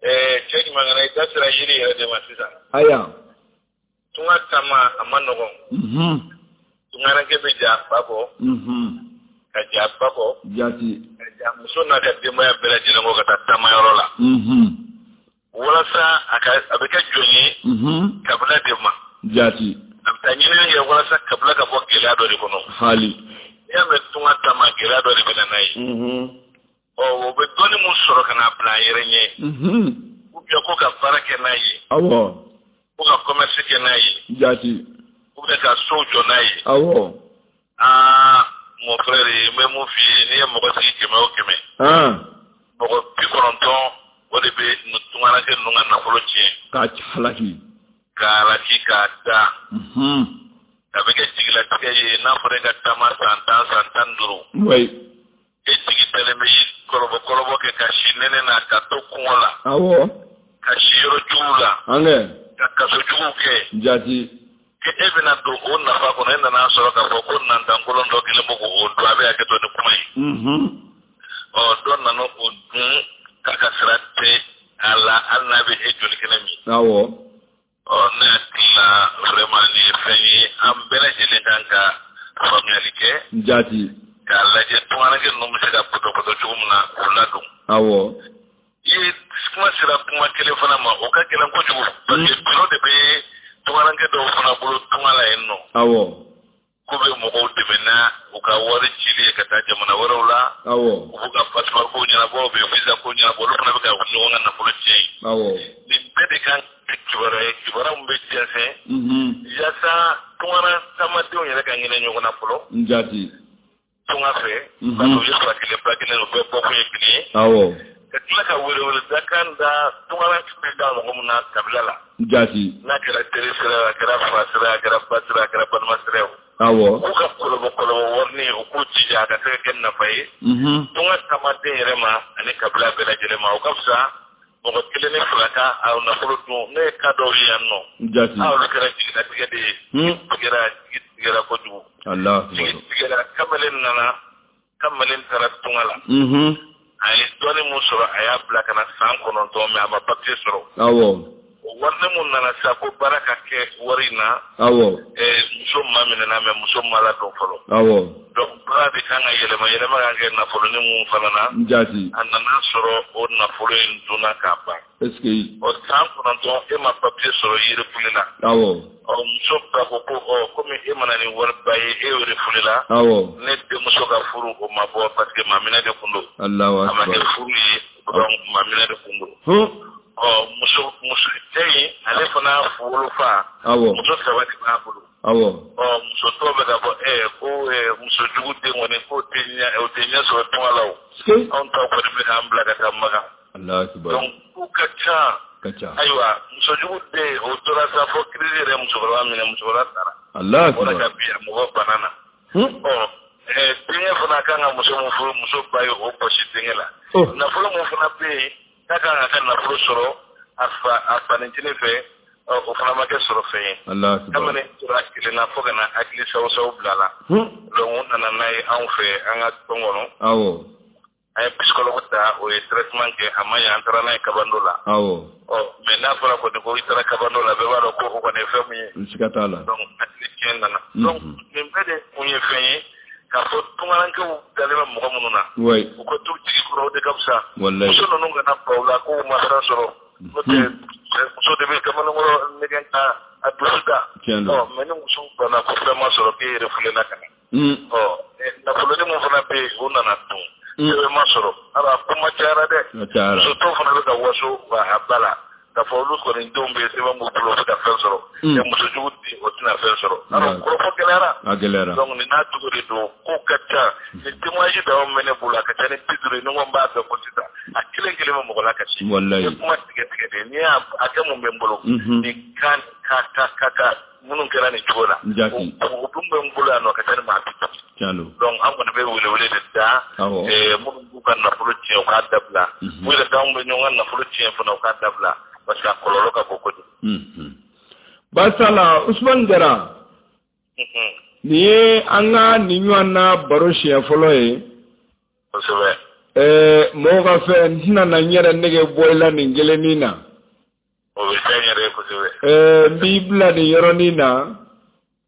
Cɛ ɲuman, i da sera yiri yɛrɛ de ma sisan. Aya. Tunga taama, a ma nɔgɔn. Tunkaranke bɛ ja ba kɔ. Ka ja ba kɔ. Ka ja muso n'a ka denbaya bɛɛ lajɛlen kɔ ka taa taamayɔrɔ la. Walasa a ka a bɛ kɛ jɔn ye kabila de ma. A bɛ taa ɲinini kɛ walasa kabila ka bɔ gɛlɛya dɔ de kɔnɔ. N'i y'a mɛn tunga taama, gɛlɛya dɔ de bɛ na n'a ye. Ɔ, o bɛ dɔnni mun sɔrɔ ka n'a bila a yɛrɛ ɲɛ. Ou bien ko ka baara kɛ n'a ye. Ko ka commerce kɛ n'a ye. Ou bien ka sow jɔ n'a ye. Aa, mon frère, n bɛ mun f'i ye? N'i ye mɔgɔ sigi 100 o 100, mɔgɔ 90, o de bɛ tunkaranke ninnu ka nafolo tiɲɛ. K'a halaki. K'a halaki, k'a da. A bɛ kɛ jigilatigɛ ye n'a fɔra e ka taama san 10, san 15. E jigi dalen bɛ kɔlɔbɔ kɔlɔbɔ kɛ, ka si nɛnɛ na, ka to kɔngɔ la. Ka si yɔrɔ juguw la. Ka kaso juguw kɛ. E bɛna don o nafa kɔnɔ, e nana sɔrɔ k'a fɔ ko nantankolon dɔ kelen bɛ k'o dun, a bɛ hakɛ to ni kuma ye. Ɔ, dɔ nana o dun k'a ka sira tɛ a la, hali n'a bɛ e joli kɛnɛ min. Ɔ, ne hakili la, vraiment, nin ye fɛn ye an bɛɛ lajɛlen kan ka faamuyali kɛ. K'a lajɛ tunkaranke ninnu bɛ se ka pɔtɔpɔtɔ cogo min na k'u ladon. I ye kuma sera kuma kelen fana ma, o ka gɛlɛn kojugu, parce que bureau de bɛ tunkaranke dɔw fana bolo tunga la yen nɔ. K'u bɛ mɔgɔw dɛmɛ na u ka wari cili ye ka taa jamana wɛrɛw la. Awɔ. U b'u ka passeport ko ɲɛnabɔ, u bɛ visa ko ɲɛnabɔ, olu fana bɛ ka ɲɔgɔn ka nafolo tiɲɛ yen. Awɔ. Nin bɛɛ de kan ka kibaruya ye, kibaruya min bɛ jɛnsɛn. Yaasa tungara taamadenw yɛrɛ ka hinɛ ɲɔgɔn na fɔlɔ. Jaati. Tunga fɛ. Parce que u ye fa kelen ba kelen, u bɛɛ bɔkun ye kelen ye. Awɔ. Ka tila ka weleweledakan da tungara bɛ da mɔgɔ min na kabila la. Jaati. N'a kɛra teri sira ye, a kɛra fa sira ye, a kɛra ba sira ye, a kɛra balima sira ye. Awɔ. U k'u ka kɔlɔbɔ kɔlɔbɔ warini, u k'u jija a ka se ka kɛ nafa ye. Tunga taamaden yɛrɛ ma ani kabila bɛɛ lajɛlen ma, o ka fisa mɔgɔ kelen ni fila ka a nafolo dun. Ne ye cas dɔw ye yan nɔ. Jaati. Aa, olu kɛra jigilatigɛ de ye. Tigɛra, jigi tigɛra kojugu. Alahu. Jigi tigɛra, kamalen nana, kamalen taara tunga la. A ye dɔɔnin mun sɔrɔ, a y'a bila ka na san 9, mais a ma papier sɔrɔ. Awɔ. O warini mun nana sisan ko baara ka kɛ wari in na. Awɔ. Muso ma minɛna, mais muso ma ladon fɔlɔ. Awɔ. Donc baara de kan ka yɛlɛma, yɛlɛma kan kɛ nafolonin mun fana na. Jaati. A nana sɔrɔ o nafolo in dunna k'a ban. Est ce que. O san 9 e ma papier sɔrɔ, i refoulé la. Awɔ. Ɔ, muso ba ko ko ɔ, komi e ma na ni wariba ye, e refoulé la. Awɔ. Ne denmuso ka furu o ma bɔ parce que maminɛ de kun don. Alahu A ma kɛ akbar. furu ye, donc maminɛ de kun don. Ɔ, muso muso cɛ in, ale fana wolofa. Awɔ. Muso saba de b'a bolo. Awɔ. Ɔ, muso tɔw bɛ ka fɔ ko muso jugu den kɔni k'o tɛ ɲɛ, o tɛ ɲɛ sɔrɔ tunga la o. Anw taw kɔni bɛ k'an bila ka taa Makan. Alahu akbar. Donc k'u ka ca. Ka ca. Ayiwa, muso jugu den o tora sa fo crise yɛrɛ musokɔrɔba minɛ, musokɔrɔba sara. Alahu akbar. O de ka bi a mɔgɔ bana na. Ɔ, denkɛ fana kan ka muso min furu, muso ba ye o bɔsi denkɛ la. Nafolo min fana bɛ yen, k'a kan ka ka nafolo sɔrɔ a fa, a fanicinin fɛ, o fana ma kɛ sɔrɔ fɛn ye. Alahu akbar. Kamalen tora kelen na fo ka na hakili sawu-sawu bila la. Donc u nana n'a ye anw fɛ an ka tɔn kɔnɔ. Awɔ. An ye psychologue ta, o ye traitement kɛ, a ma ɲɛ, an taara n'a ye kabando la. Awɔ. Ɔ, mais n'a fɔra kɔni ko i taara kabando la, bɛɛ b'a dɔn ko o kɔni ye fɛn min ye. Siga t'a la. Donc hakili tiɲɛ nana. Donc nin bɛɛ de kun ye fɛn ye k'a fɔ tunkarankew dalen bɛ mɔgɔ minnu na. U ka t'u jigi kɔrɔ, o de ka fisa. Walayi. Muso ninnu kana ban u la k'u ma fɛn sɔrɔ. N'o tɛ, muso de bɛ kamalenkɔrɔ nɛgɛn ka a dusu da. Tiɲɛ don. Ɔ, mais ni muso banna ko fɛn ma sɔrɔ k'e yɛrɛ fulela ka na. Ɔ, nafolonin mun fana bɛ yen, o nana dun. Sɛbɛn ma sɔrɔ. Ala, kuma cayara dɛ. A cayara. Muso tɔw fana bɛ ka waso a ba la. K'a fɔ olu kɔni denw bɛ sɛbɛn b'u bolo, u bɛ ka fɛn sɔrɔ. Mɛ muso jugu den, o tɛna fɛn sɔrɔ. Alors, kɔrɔfɔ gɛlɛyara. A gɛlɛyara. Donc nin n'a cogo de don, ko ka ca. Nin témoignage dama min bɛ ne bolo, a ka ca ni 50 ye, ni n ko n b'a bɛɛ fɔ sisan, a kelen kelen bɛ mɔgɔ la kasi. Walayi. N ye kuma tigɛ tigɛ de, n'i y'a a kɛ mun bɛ n bolo. Nin kan ka ka ka ka minnu kɛra nin cogo la. Jaati. O dun bɛ n bolo yan nɔ, a ka ca ni maa 50. Tiɲɛ don. Donc an kɔni bɛ welewele de da. Awɔ. Minnu b'u ka nafolo tiɲɛ, u k'a dabila. U yɛrɛ t'anw bɛ ɲɔgɔn ka nafolo tiɲɛ fana, u k'a dabila. Parce que a kɔlɔlɔ ka bon kojugu. Basala Usman Jara. Nin ye an ka nin ɲɔgɔn na baro siɲɛ fɔlɔ ye. Kosɛbɛ. Mɔgɔw ka fɛn, n tɛna na n yɛrɛ nege bɔ i la nin kelennin na. O bɛ diya n yɛrɛ ye kosɛbɛ. N b'i bila nin yɔrɔnin na.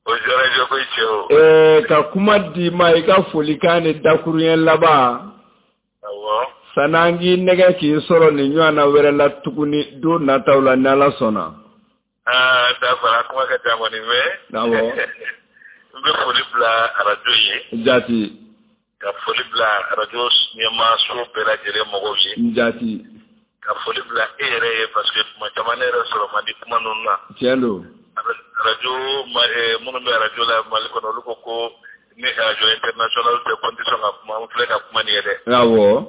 O diyara n ye koyi cɛ o. Ka kuma d'i ma, i ka folikan ni dakuruɲɛ laban. Awɔ. Sanni an k'i nɛgɛ k'i sɔrɔ nin ɲɔgɔn na wɛrɛ la tuguni don nataw la ni Ala sɔnna. Aa, d'accord, a kuma ka ca kɔni mais. Awɔ. N bɛ foli bila arajo ye. Jaati. Ka foli bila arajo ɲɛmaaso bɛɛ lajɛlen mɔgɔw ye. Jaati. Ka foli bila e yɛrɛ ye parce que tuma caman ne yɛrɛ sɔrɔ man di kuma ninnu na. Tiɲɛ don. Arajo minnu bɛ arajo la Mali kɔnɔ, olu ko ko ni arajo international tɛ ko n tɛ sɔn ka kuma, n filɛ ka kuma nin ye dɛ. Awɔ.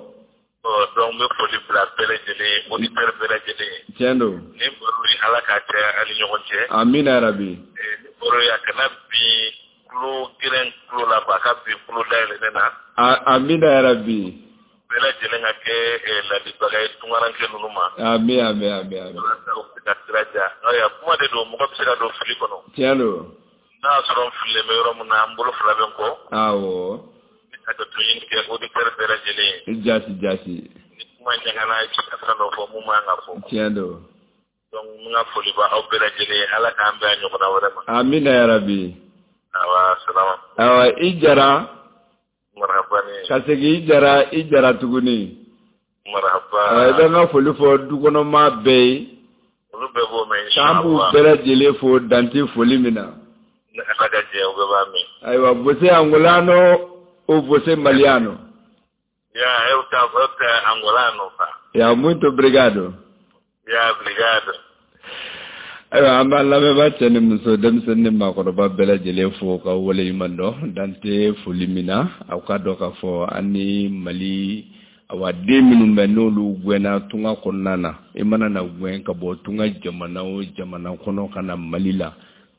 Ɔ, donc n bɛ foli bila bɛɛ lajɛlen ye, auditeur bɛɛ lajɛlen ye. Tiɲɛ don. Ni baro ye, Ala k'a caya an ni ɲɔgɔn cɛ. Amina yarabi. Ni baro ye, a kana bin tulo gɛlɛn tulo la, a ka bin tulo dayɛlɛnnen na. Amina yarabi. Bɛɛ lajɛlen ka kɛ ladibaga ye tunkaranke ninnu ma. Ami, ami, ami, ami. Walasa u bɛ se ka sira diya. Ayiwa, kuma de don, mɔgɔ bɛ se ka don fili kɔnɔ. Tiɲɛ don. N'a y'a sɔrɔ n fililen bɛ yɔrɔ min na, n bolo fila bɛ n kɔ. Awɔ. Ni ka to ɲini kɛ auditeur bɛɛ lajɛlen ye. Jaati, jaati. Ni kuma ɲagana, i bɛ se ka fɛn dɔ fɔ mun man kan ka fɔ. Tiɲɛ don. Donc n ka foli b'aw bɛɛ lajɛlen ye, Ala k'an bɛn a ɲɔgɔnna wɛrɛ ma. Amina yarabi. Awa, salama. Awa, i Jara. Marhaba ni. Ka segin i Jara, i Jara tuguni. Marhaba. Awa, i bɛ n ka foli fɔ dukɔnɔmaa bɛɛ ye. Olu bɛɛ b'o mɛn, K'an b'u inshallah. bɛɛ lajɛlen fo dante foli min na. Ala ka jɛ u bɛɛ b'a mɛn. Ayiwa, você angolano ou você maliano? Ya, eu tá angolano fa. Ya, muito obrigado. Ya, obrigado. Ayiwa, an b'an lamɛnbaa cɛ ni muso, denmisɛnnin ni maakɔrɔba bɛɛ lajɛlen fo ka waleɲuman dɔn. Dan tɛ foli min na, aw ka dɔn k'a fɔ an ni Mali awa den minnu bɛ n'olu gɛnna tunga kɔnɔna na, i mana na gɛn ka bɔ tunga jamana o jamana kɔnɔ ka na Mali la,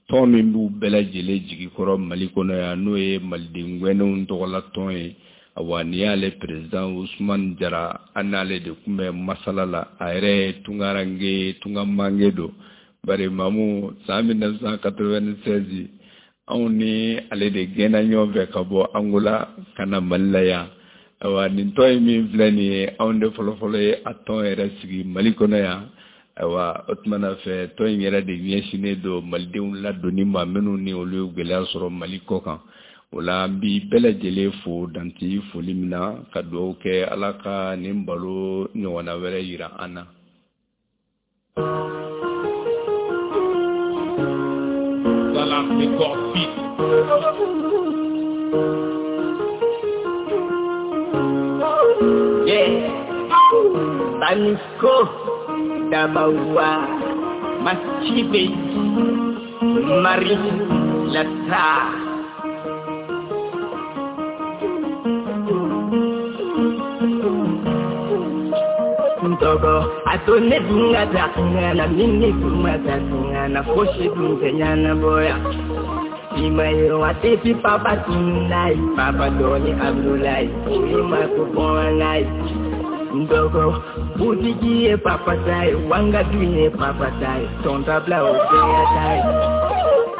tɔn min b'u bɛɛ lajɛlen jigi kɔrɔ Mali kɔnɔ yan, n'o ye Maliden gɛnnenw tɔgɔla tɔn ye. Awa, nin y'ale président Usumani Jara, an n'ale de tun bɛ masala la. A yɛrɛ ye tungaranke, tunga mange don. Bari Mamu, san 1996, anw ni ale de gɛnna ɲɔgɔn fɛ ka bɔ Angola ka na Mali la yan. Ayiwa, nin tɔn in min filɛ nin ye, anw de fɔlɔfɔlɔ ye a tɔn yɛrɛ sigi Mali kɔnɔ yan. Ayiwa, o tuma na fɛ, tɔn in yɛrɛ de ɲɛsinnen don malidenw ladonni ma, minnu ni olu ye gɛlɛya sɔrɔ Mali kɔ kan. O la, an bi bɛɛ lajɛlen fo danti foli min na, ka dugawu kɛ Ala ka nin balo ɲɔgɔnna wɛrɛ yira an na. Salam Record Beat. Yeah. Baniko Dabawa Machibe Marie Lata. Ntogo atone dunga takungana mini dunga takungana foshi dunga nyana boya. Imayo atepi papa tunai papa doni Abdulai ima kubonai. Ndogo butiki ye papa tai wanga duye papa tai tonta bla obeya tai.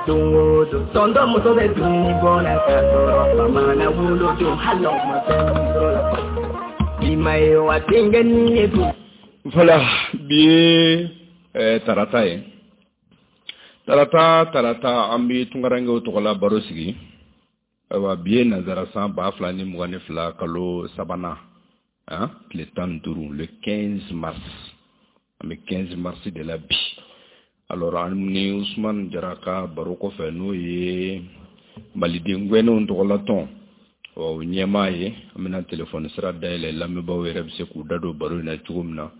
Dungo do tondo muso de duni bona kasoro mama na wulo do halo ma. Imayo atenga ni edu. Voilà, bi ye tarata ye. Tarata an bi tunkarankew tɔgɔla baro sigi. Ayiwa, bi ye nanzara san 2022 kalo sabanan, hein, tile 15, le 15 mars. An bɛ 15 mars de la bi. Alors, an ni Usumani Jara ka baro kɔfɛ, n'o ye Maliden gɛnnenw tɔgɔla tɔn o ɲɛmaa ye, an bɛna telefɔni sira dayɛlɛ, lamɛnbaaw yɛrɛ bɛ se k'u da don baro in na cogo min na.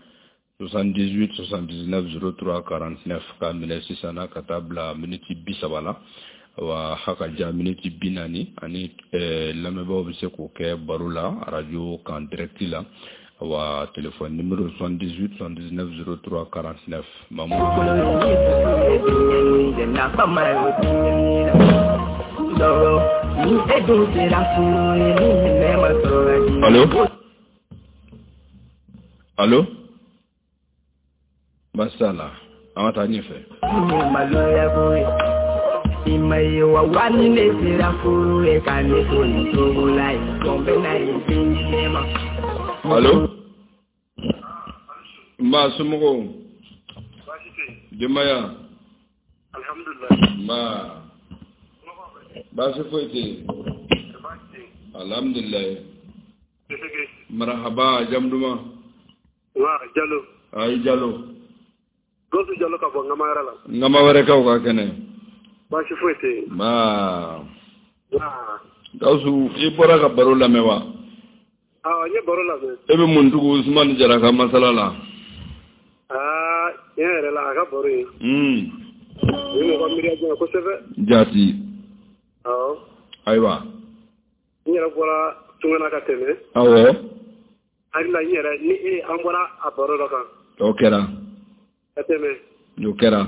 78 79 03 49 k'a minɛ sisan na ka taa bila miniti 30 la. Wa ha ka ja miniti 40 ani lamɛnbaaw bɛ se k'o kɛ baro la arajo kan direct la. Wa téléphone numéro 78 79 03 49. Mamu. Allo? Allo? Masala, an ka taa ɲɛfɛ. Allo? Nba, somɔgɔw? Denbaya? Alhamdulillah. Nba. Baasi foyi tɛ yen. Alhamdulillah. Marahaba, jamu duman? Wa, Jalo. Ayi, Jalo. Gosu Jalo ka bɔ Ngamayɔrɔ la. Ngama wɛrɛkaw ka kɛnɛ. Baasi foyi tɛ yen. Nba. Gawusu, i bɔra ka baro lamɛn wa? Awɔ, n ye baro lamɛn. E bɛ mun tugu Usumani Jara ka masala la? Aa, tiɲɛ yɛrɛ la, a ka baro ye. O ye mɔgɔ miiriya janya kosɛbɛ. Jaati. Awɔ. Ayiwa. N yɛrɛ bɔra Tungana ka tɛmɛ. Awɔ. Hakili la, n yɛrɛ ni e an bɔra a baro dɔ kan. O kɛra. Ka tɛmɛ. O kɛra.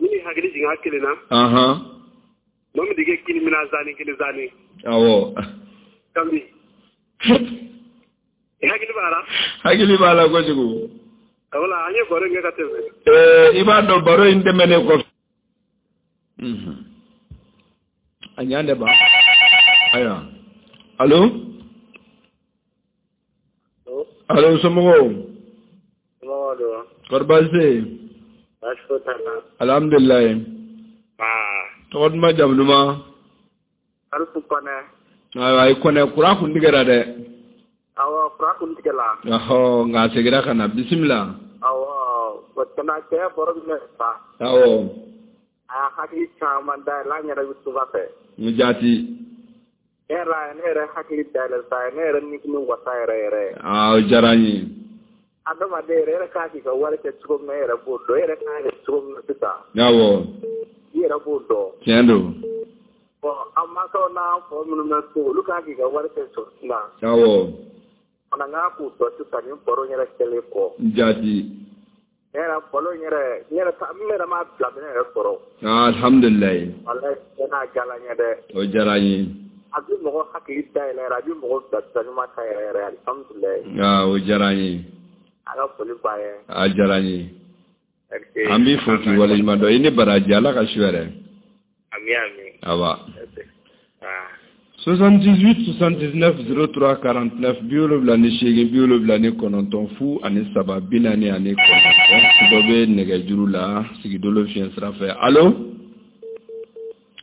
Ni ni hakili jiginna kelen na. Maa min dege kini mina zani kini zani. Awɔ. Kambi. I hakili b'a la? Hakili b'a la kojugu. Wala, an ye baro in kɛ ka tɛmɛ. I b'a dɔn baro in tɛmɛnen kɔfɛ. A ɲan de ba. Ayiwa. Allo? Allo, somɔgɔw? Somɔgɔw don. Kɔri baasi tɛ yen? Baasi foyi t'an na. Alhamdulilayi. Tɔgɔ duman, jamu duman? Alifu Kɔnɛ. Ayiwa, i Kɔnɛ, kuran kun tigɛra dɛ. Awɔ, kuran kun tigɛla. Ɔhɔ, nka a seginna ka na, bisimila. Awɔ, o tɛna cɛ baro bɛ fa. Awɔ. A hakili caman dayɛlɛ an yɛrɛ bɛ tuba fɛ. N jaati. Ne yɛrɛ hakili dayɛlɛ sa ne yɛrɛ ni kun wasa yɛrɛ yɛrɛ. Aa o diyara n ye. Adamaden yɛrɛ yɛrɛ k'a k'i ka wari kɛ cogo min na e yɛrɛ b'o dɔn e yɛrɛ k'a kɛ cogo min na sisan. Awɔ. I yɛrɛ b'o dɔn. Tiɲɛ don. Bon an mansaw n'an faw minnu bɛ so olu k'a k'i ka wari kɛ cogo min na. Awɔ. Fana k'a k'u dɔn sisan nin baro yɛrɛ kɛlen kɔ. Jaati. Ne yɛrɛ balo n yɛrɛ n yɛrɛ n yɛrɛ m'a bila minɛ yɛrɛ sɔrɔ. Alhamdulilayi. Walayi tiɲɛ na a diyara n ye dɛ. O diyara n ye. A bɛ mɔgɔ hakili dayɛlɛ yɛrɛ a bɛ mɔgɔ bila sira ɲuman kan yɛrɛ yɛrɛ alhamdulilayi. Aa o diyara n ye. A ka foli b'a ye. A diyara n ye. An b'i fo k'i waleɲuman dɔn i ni baraji Ala ka su hɛrɛ. Ami ami. Awa. 78 79 03 49 78 79 0 ani 3 49 dɔ bɛ nɛgɛjuru la sigidolo fiɲɛ sira fɛ. Allo,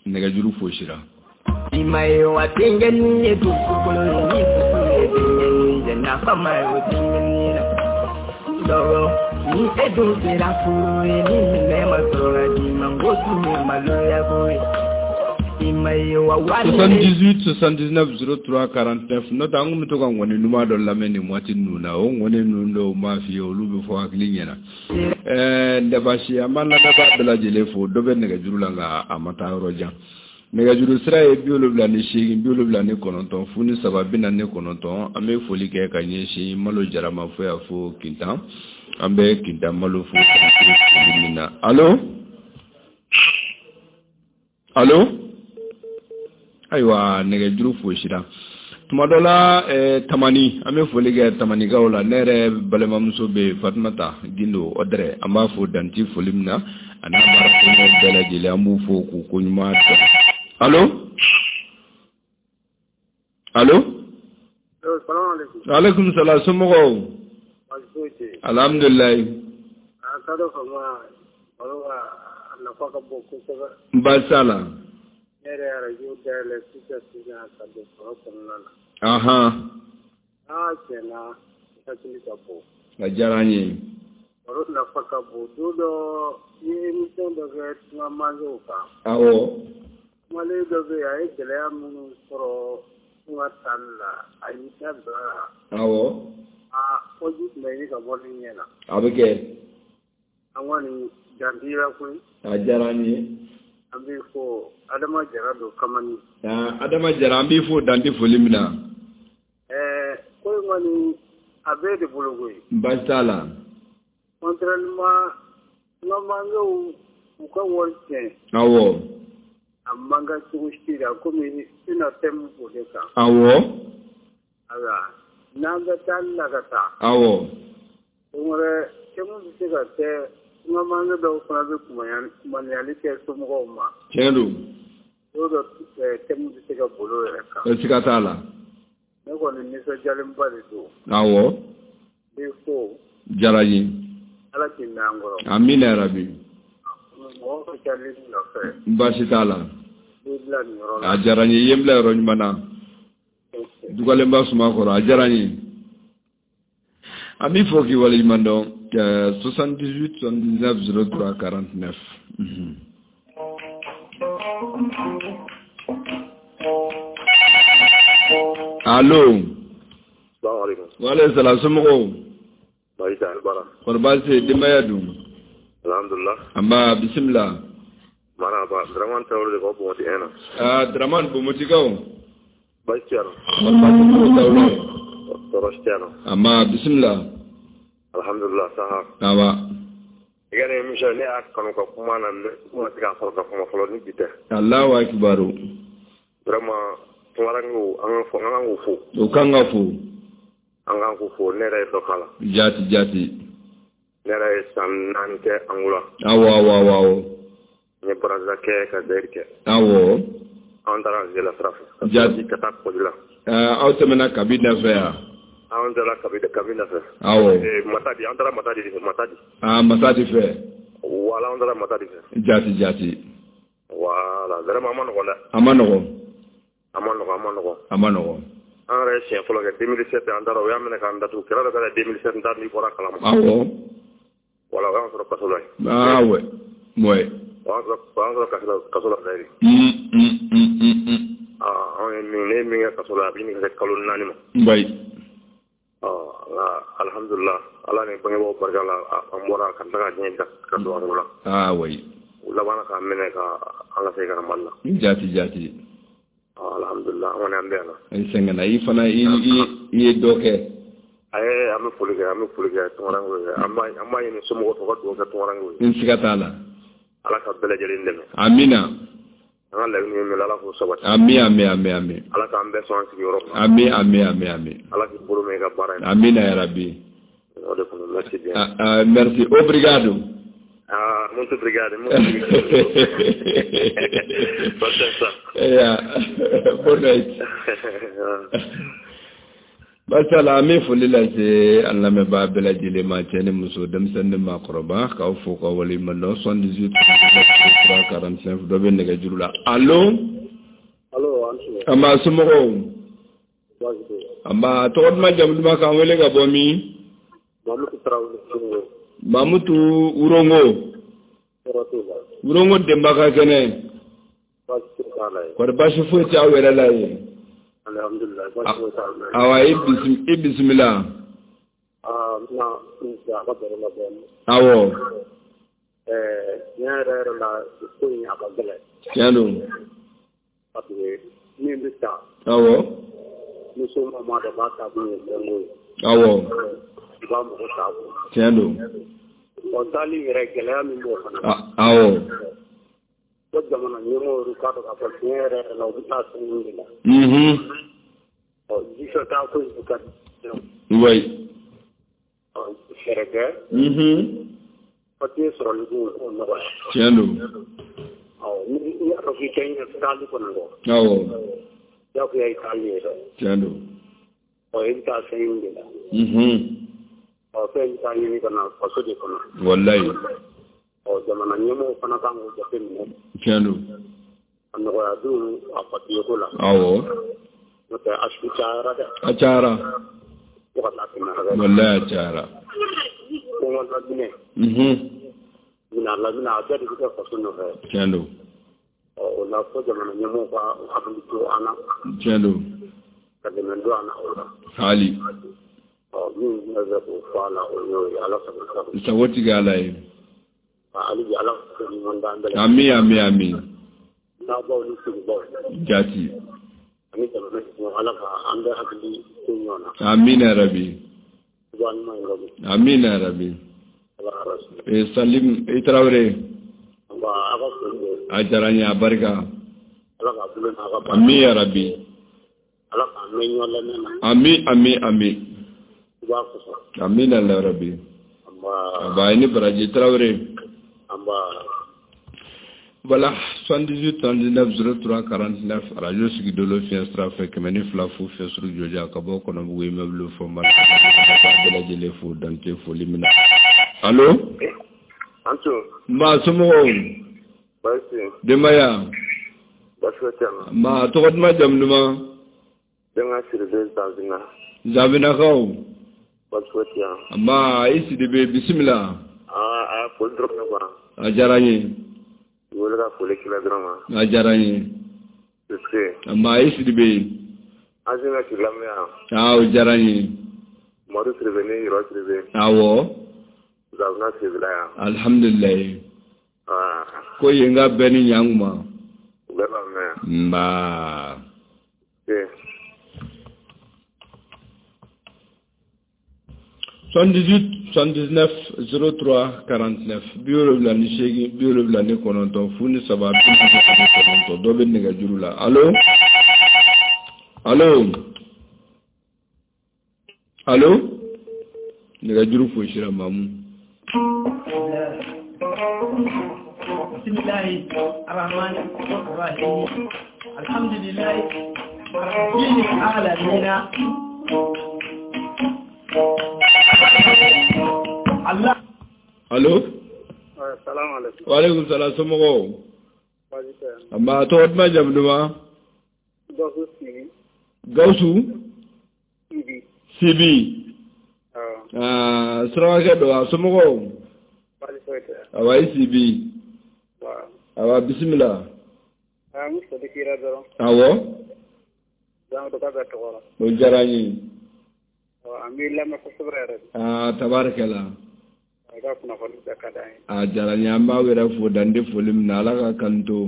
nɛgɛjuru fosira. I ma ye wa denkɛnin ye dugukolo ye ni dugu ye denkɛnin ye nafa ma ye o denkɛnin la. Dɔgɔ ni e dun sera furu ye ni minɛ ma sɔrɔ ka d'i ma n ko tun ye maloya ko ye. 78 79 03 49 n'o tɛ an kun bɛ to ka ŋɔni ɲuman dɔ lamɛn nin waati ninnu na o ŋɔni ninnu dɔw m'a f'i ye olu bɛ fɔ hakili ɲɛna. Ɛɛ an b'an lamɛnbaa bɛɛ lajɛlen fo dɔ bɛ nɛgɛjuru la nka a ma taa yɔrɔ jan. Nɛgɛjuru sira ye 78 79 0 3 49. An bɛ foli kɛ ka ɲɛsin Malo Jara ma fo yan fo Kintan. An bɛ Kintan Malo fo foli min na. Allo, allo. Ayiwa nɛgɛjuru fosira. Tuma dɔ la Tamani an bɛ foli kɛ Tamanikaw la. Ne yɛrɛ balimamuso bɛ Fatumata Gindo Ɔdɛrɛ an b'a fo danti foli min na a n'a baarakɛɲɔgɔn bɛɛ lajɛlen an b'u fo k'u ko ɲuman dɔn. Allo, allo. Aleykum salaam somɔgɔw. Alhamdulilayi. Baasi t'a la. Ne yɛrɛ arajo dayɛlɛ sisan sisan ka don foro kɔnɔna na. Ahan. Aa tiɲɛ na hakili ka bon. A diyara n ye. Baro nafa ka bon. Don dɔ i ye émission dɔ kɛ tunga mansew kan. Awɔ. Kumalen dɔ bɛ yen a ye gɛlɛya minnu sɔrɔ tunga taali la a y'i da bila la. Awɔ. Aa kɔji tun bɛ ɲini ka bɔ ne ɲɛ na. A bɛ kɛ. An kɔni dan t'i la koyi. A diyara n ye. An b'i fo Adama Jara don Kamani. Adama Jara an b'i fo dan tɛ foli min na. Ko in kɔni a bɛɛ de bolo koyi. Baasi t'a la. Contrairement n ka mankew u ka wari tiɲɛ. Awɔ. A man kan cogo si la komi i na thème b'o de kan. Awɔ. Ayiwa n'an bɛ taali la ka taa. Awɔ. Don wɛrɛ thème bɛ se ka kɛ. N ka manke dɔw fana bɛ kumaniyali kɛ somɔgɔw ma. Tiɲɛ don. Dɔw dɔ thème bɛ se ka boli o yɛrɛ kan. Siga t'a la. Ne kɔni nisɔndiyalenba de don. Awɔ. N b'i fo. Diyara n ye. Ala k'i mɛn an kɔrɔ. Amina yarabi. Mɔgɔ ka ca ne nɔfɛ. Baasi t'a la. N b'i bila nin yɔrɔ la. A diyara n ye i ye n bila yɔrɔ ɲuman na. Dugalenba suma kɔrɔ a diyara n ye. An b'i fo k'i waleɲuman dɔn. 78 79 03 49. Allo. Salamu aleykum. Wa aleykum salam somɔgɔw. Baasi tɛ yen baara. Kɔri baasi tɛ yen denbaya dun. Alhamdulilah. Anba bisimila. Marhaba Dramane Tarawele de ka bɔ Bonbonti 1 na. Aa Dramane Bonbontigaw. Baasi tɛ yan nɔ. Kɔri baasi t'u Tarawele. Tɔɔrɔ si tɛ yan nɔ. Anba bisimila. Alhamdulillah saha. Awa. I ka nin émission ne y'a kanu ka kuma na mais n ma se k'a sɔrɔ ka kuma fɔlɔ ni bi tɛ. Alahu akibaru. Vraiment tunkarankew an kan k'u fo. O kan ka fo. An kan k'u fo ne yɛrɛ ye dɔ k'a la. Jaati jaati. Ne yɛrɛ ye san 4 kɛ Angola. Awɔ awɔ awɔ awɔ. N ye Brazza kɛ ka Zaire kɛ. Awɔ. An taara Nzela sira fɛ. Jaati. Ka taa Kɔji la. Aw tɛmɛna Kabinda fɛ yan. An taara Kabinda fɛ. Awɔ. Matadi an taara Matadi de fɛ Matadi. Ah Matadi fɛ. Voilà an taara Matadi fɛ. Jaati jaati. Voilà vraiment a ma nɔgɔn dɛ. A ma nɔgɔn. A ma nɔgɔn a ma nɔgɔn. A ma nɔgɔn. An yɛrɛ ye siɲɛ fɔlɔ kɛ 2007 an taara o y'a minɛ k'an datugu kɛlɛ dɔ kɛra 2007 n t'a dɔn n'i bɔra a kalama. Awɔ. Voilà o y'an sɔrɔ kaso la yen. Ah ouais. Ouais. O y'an sɔrɔ kaso la d'ailleurs. Anw ye min, ne ye min kɛ kaso la, a bɛ ɲini ka se kalo 4 ma. Oui. Nka alhamdulillah, Ala ni bangebaaw barika la, an bɔra ka tila ka diɲɛ ka don an la. Ah oui. U labanna k'an minɛ ka an ka segin ka na Mali la. Jaati jaati. Alhamdulillah, an kɔni an bɛ yan nɔ. I sɛgɛnna, i fana i ye dɔ kɛ. Ayi, an bɛ foli kɛ, an bɛ foli kɛ tunkarankew ye. An b'a ɲini somɔgɔw fɛ u ka dugawu kɛ tunkarankew ye. N siga t'a la. Ala ka bɛɛ lajɛlen dɛmɛ. Amina. An ka laɲini ye min ye, Ala k'o sabati. Ami ami ami ami. Ala k'an bɛɛ sɔn an sigiyɔrɔ ma. Ami ami ami ami. Ala k'i bolo mɛn i ka baara in na. Amina ya Rabbi. O de kun don, merci bien. Ah, merci, obrigado. Ah, muito obrigado, muito obrigado. Pode ser. Yeah. Boa noite. Masala, an bɛ foli lase an lamɛnbaa bɛɛ lajɛlen ma, cɛ ni muso, denmisɛnnin ni maakɔrɔba, k'aw fo k'aw waleɲuman dɔn. 78 3 45, dɔ bɛ nɛgɛjuru la. Allo. Allo, an su. An b'a somɔgɔw. An b'a tɔgɔ duman, jamu duman, k'an wele ka bɔ min? Mamutu Tarawele. Mamutu Wurongo. Wurongo denba ka kɛnɛ. Kɔri baasi foyi tɛ aw yɛrɛ la yen? Alhamdulillah. Awa, i bisimila. Awɔ. Tiɲɛ yɛrɛ yɛrɛ la, ko in a ka gɛlɛn. Tiɲɛ don. Parce que min bɛ taa. Awɔ. Ni somɔgɔw m'a dɔn k'a taakun ye fɛn ko ye. Awɔ. I b'a mɔgɔ t'a kun. Tiɲɛ don. Ɔ, taali yɛrɛ gɛlɛya min b'o fana. Awɔ. Ko jamana ɲɛmɔgɔw yɛrɛ k'a dɔn k'a fɔ tiɲɛ yɛrɛ yɛrɛ la, u bɛ taa fɛn de la. Ɔ, jifɛ taa ko in ka di. Oui. Ɔ, fɛɛrɛ kɛ. Papiye sɔrɔli ko k'o nɔgɔya. Tiɲɛ don. Ɔ, ni i y'a dɔn k'i tɛ ɲɛ taali kɔni kɔ. Awɔ. Diyagoya i taali ye dɛ. Tiɲɛ don. Ɔ, i bɛ taa fɛn ɲini de la. Ɔ, fɛn bɛ taa ɲini ka na faso de kɔnɔ. Walayi. Ɔ, jamana ɲɛmɔgɔw fana kan k'o jateminɛ. Tiɲɛ don. A nɔgɔya dun a papiye ko la. Awɔ. N'o tɛ a su cayara dɛ. A cayara. Fo ka taa tɛmɛ hakɛ. Walayi a cayara. Kɔngɔ laminɛ. Minɛ laminɛ, a bɛɛ de bɛ kɛ faso nɔfɛ. Tiɲɛ don. Ɔ, o la fo jamana ɲɛmɔgɔw ka hakili to an na. Tiɲɛ don. Ka dɛmɛ don an na o la. Hali. Ɔ, min bɛ fɛ k'o fɔ a la, o y'o ye. Ala sago sago. Sago tigi Ala ye. Hali bi Ala ka ɲuman d'an bɛɛ la. Ami ami ami. N'abaw ni sigibaw. Jaati. Ani jamana ɲɛmɔgɔ, Ala ka an bɛɛ hakili to ɲɔgɔn na. Amina ya Rabbi. Amina ya Rabbi. Salim i Tarawele. A diyara n ye, a barika. Ami ya Rabbi. Ami ami ami. Amina ya Rabbi. Aba i ni baraji Tarawele. Voilà, 78 39 03 49, radio Sigidolo fiɲɛ sira fɛ, 102 fu fiɲɛ suru jɔja ka bɔ Kɔnɔbugu immeuble fɔ ma bɛɛ lajɛlen fo dante foli min na. Allo. Anto. Ma somɔgɔw. Baasi. Denbaya. Baasi tɛ yan. Ma tɔgɔ duman, jamu duman? Denka Sidibe Zanzina. Zanbinakaw. Baasi tɛ yan. Ma i Sidibe, bisimila. Aa, a foli dɔrɔn ne quoi. A diyara n ye. I wele ka foli k'i la dɔrɔn ma. A diyara n ye. Sise. Ma i Sidibe. An sina k'i lamɛn yan. Aa, o diyara n ye. Madu Sidibe ni Yɔrɔ Sidibe. Awɔ. Zanzina Sidibe la yan. Alhamdulilayi. Aa. Ko yen ka bɛn ni ɲankuma. U bɛɛ b'a mɛn yan. Nba. Se. 78 79 03 49, 78 79 03 49, dɔ bɛ nɛgɛjuru la. Allo. Allo. Allo. Nɛgɛjuru fosira Mamu. Bismillahi arrahmani arrahim. Alhamdulillahi rabbil alamin. Allah. Allo. Salamu alaikum. Wa alaikum salam, somɔgɔw. Baasi tɛ. Nba, tɔgɔ duman, jamu duman? Gawusu Sibi. Gawusu? Sibi. Sibi. Awɔ. Aa, surakakɛ don wa, somɔgɔw? Baasi foyi tɛ. Awa, i Sibi. Wa. Awa bisimila. An bɛ foli k'i la dɔrɔn. Awɔ. Jango ka bɛn tɔgɔ la. O diyara n ye. An b'i lamɛn kosɛbɛ yɛrɛ de. Aa tabarikɛla. A ka kunnafoni bɛɛ ka d'an ye. A diyara n ye, an b'aw yɛrɛ fo dan tɛ foli min na, Ala ka kan to.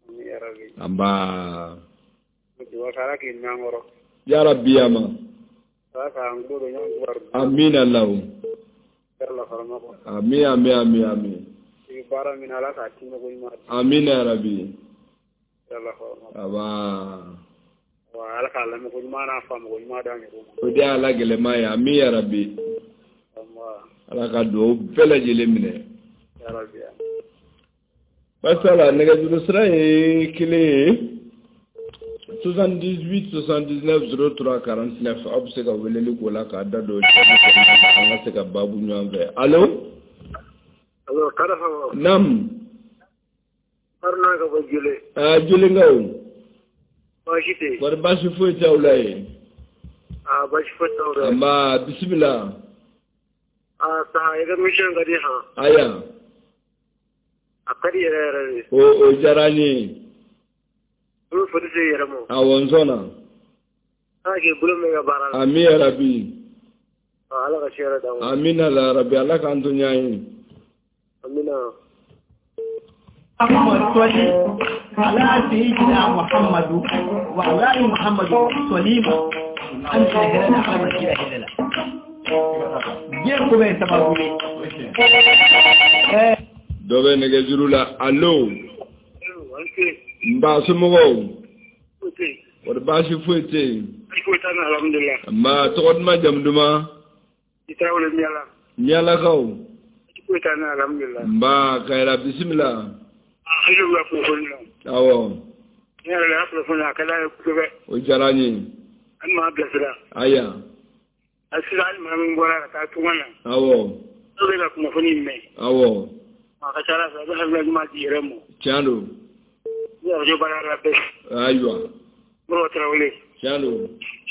Ami yarabi. Anba. Dugawu kɛ Ala k'i mɛn an kɔrɔ. Yarabi ama. Ala k'an tulo don ɲɔgɔn kibaru. Amina Alahu. Yala farama kɔ. Ami ami ami ami. I bɛ baara min na, Ala k'a tiimɛ ko ɲuman. Amina yarabi. Yala farama. Aba. Wa Ala k'a lamɛn ko ɲuman n'a faamu ko ɲuman d'an yɛrɛ ma. O de y'ala gɛlɛman ye, ami yarabi. Ala ka dugawu bɛɛ lajɛlen minɛ. Yarabi. Basala nɛgɛjuru sira ye kelen ye. 78 79 03 49 aw bɛ se ka weleli k'o la k'a da don an ka se ka baabu ɲɔgɔn fɛ. Allo. Allo, Karafa. Naam. Haruna ka bɔ Jole. Aa Jolenkaw. Baasi tɛ yen. Kɔri baasi foyi t'aw la yen. Aa baasi foyi t'aw la. Nba bisimila. Aa saha i ka mission ka di han. Aya. A ka di yɛrɛ yɛrɛ de. O diyara n ye. N bɛ foli se i yɛrɛ ma. Awɔ n sɔnna. Ala k'i bolo mɛn i ka baara la. Ami yarabi. Ala ka se yɛrɛ d'an ma. Amina la rabi, Ala k'an to ɲɔgɔn ye. Amina. Salli ala sayyidina Muhammadu wa ala ali Muhammadu salima an ta hɛrɛ la, Ala ma kira hɛrɛ la. Diɲɛ ko bɛɛ ye sababu ye. Dɔ bɛ nɛgɛjuru la. Allo. Nba somɔgɔw. Kɔri baasi foyi tɛ yen. Foyi t'an na alhamdulilah. Nba tɔgɔ duman jamu duman. I Tarawele Miɲala. Miɲalakaw. Foyi t'an na alhamdulilah. Nba Kayira bisimila. An y'u ka kunnafoni la. Awɔ. Ne yɛrɛ y'a kunnafoni a ka d'an ye kosɛbɛ. O diyara n ye. An m'a bilasira. Aya. A sisan hali maa min bɔra ka taa tunga na. Awɔ. N'o bɛ ka kunnafoni in mɛn. Awɔ. A ka ca Ala fɛ a bɛ hakilina ɲuman di yɛrɛ ma. Tiɲɛ don. Ni arajo baara la bɛɛ. Ayiwa. Moribo Tarawele. Tiɲɛ don.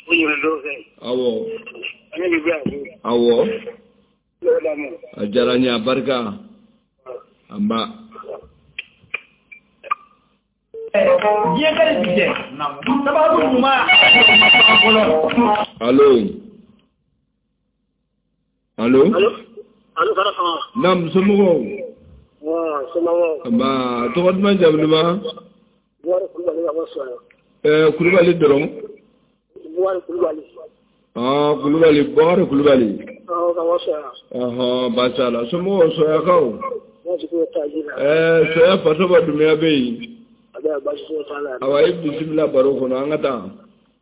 O ɲinɛ dɔw fɛ. Awɔ. An bɛ bila. Awɔ. A diyara n ye, a barika. Anba. Diɲɛ ka di bi dɛ. Sababu ɲuman. Allo. Allo. Allo Karafa. Naam somɔgɔw. Wa somɔgɔw. Nba tɔgɔ duman jamu duman. Buwari Kulubali ka bɔ Soya. Kulubali dɔrɔn. Buwari Kulubali. Ah Kulubali, Buwari Kulubali. Awɔ ka bɔ Soya. Ɔhɔn baasi t'a la. Somɔgɔw Soyakaw. Baasi foyi t'a la. Soya Fatoba Dunbiya bɛ yen. A bɛ baasi foyi t'a la. Awa i bisimila baro kɔnɔ an ka taa.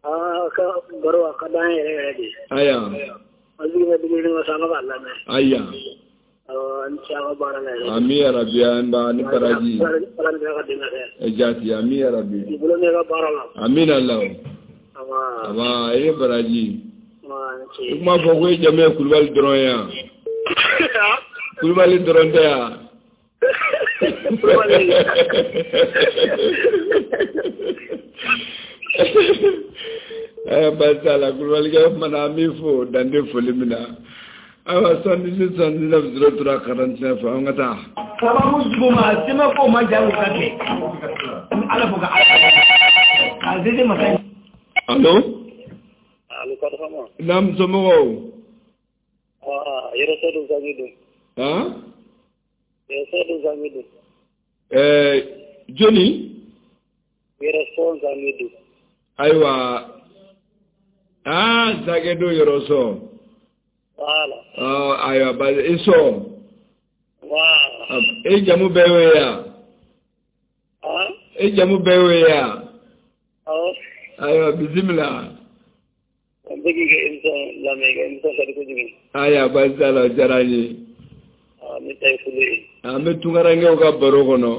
Aa ka baro a ka d'an yɛrɛ yɛrɛ de. Aya. An sigi bɛ dumuni ma sa an bɛ k'a lamɛn. Aya. Awɔ an ni ce aw ka baara la yɛrɛ. Ami yarabi an ba ni baraji. Ala ni ka dɛmɛ kɛ. Jaati ami yarabi. I bolo mɛn ka baara la. Amina Alahu. Awa. Aba i ni baraji. Awa ni ce. I kuma fɔ ko i jamu ye Kulubali dɔrɔn ye yan. Kulubali dɔrɔn tɛ yan. Kulubali. Baasi t'a la Kulubalikɛ kumana an b'i fo dan tɛ foli min na. Ayiwa 78 79 03 49 an ka taa. Sababu jugu ma sɛmɛ ko ma ja o ka kɛ. Ala fo ka Ala k'a zeze masa. Allo. Allo Karafa. Naam somɔgɔw. Aa yɛrɛ sɔ don zangi don. Han. Yɛrɛ sɔ don zangi don. Jɔni. Yɛrɛ sɔ zangi don. Ayiwa. Aa Zagedo yɔrɔ sɔ. Voilà. Ayiwa basi i sɔ. Voilà. E jamu bɛɛ y'o ye yan. E jamu bɛɛ y'o ye yan. Awɔ. Ayiwa bisimila. An bɛ k'i ka émission lamɛn, i ka émission ka di kojugu. Ayiwa baasi t'a la o diyara n ye. Ne ta ye foli ye. An bɛ tunkarankew ka baro kɔnɔ.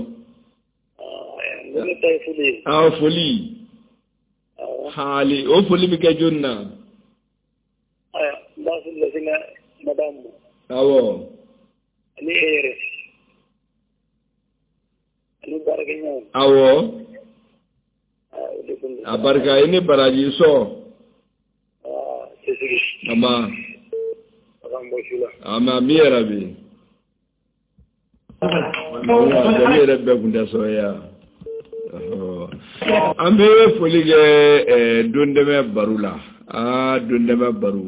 Ne ta ye foli ye. Awɔ foli. Haali o foli bɛ kɛ jɔni na. Ayiwa n b'a foli lase n ka madame ma. Awɔ. Ani e yɛrɛ. Ani baarakɛɲɔgɔnw. Awɔ. O de kun don. A barika i ni baraji sɔ. Cɛsiri. Nba. Ala k'an bɔ su la. Ami yarabi. Jamu yɛrɛ bɛɛ kun tɛ sɔrɔ yan. An bɛ foli kɛ don dɛmɛ baro la. Aa don dɛmɛ baro.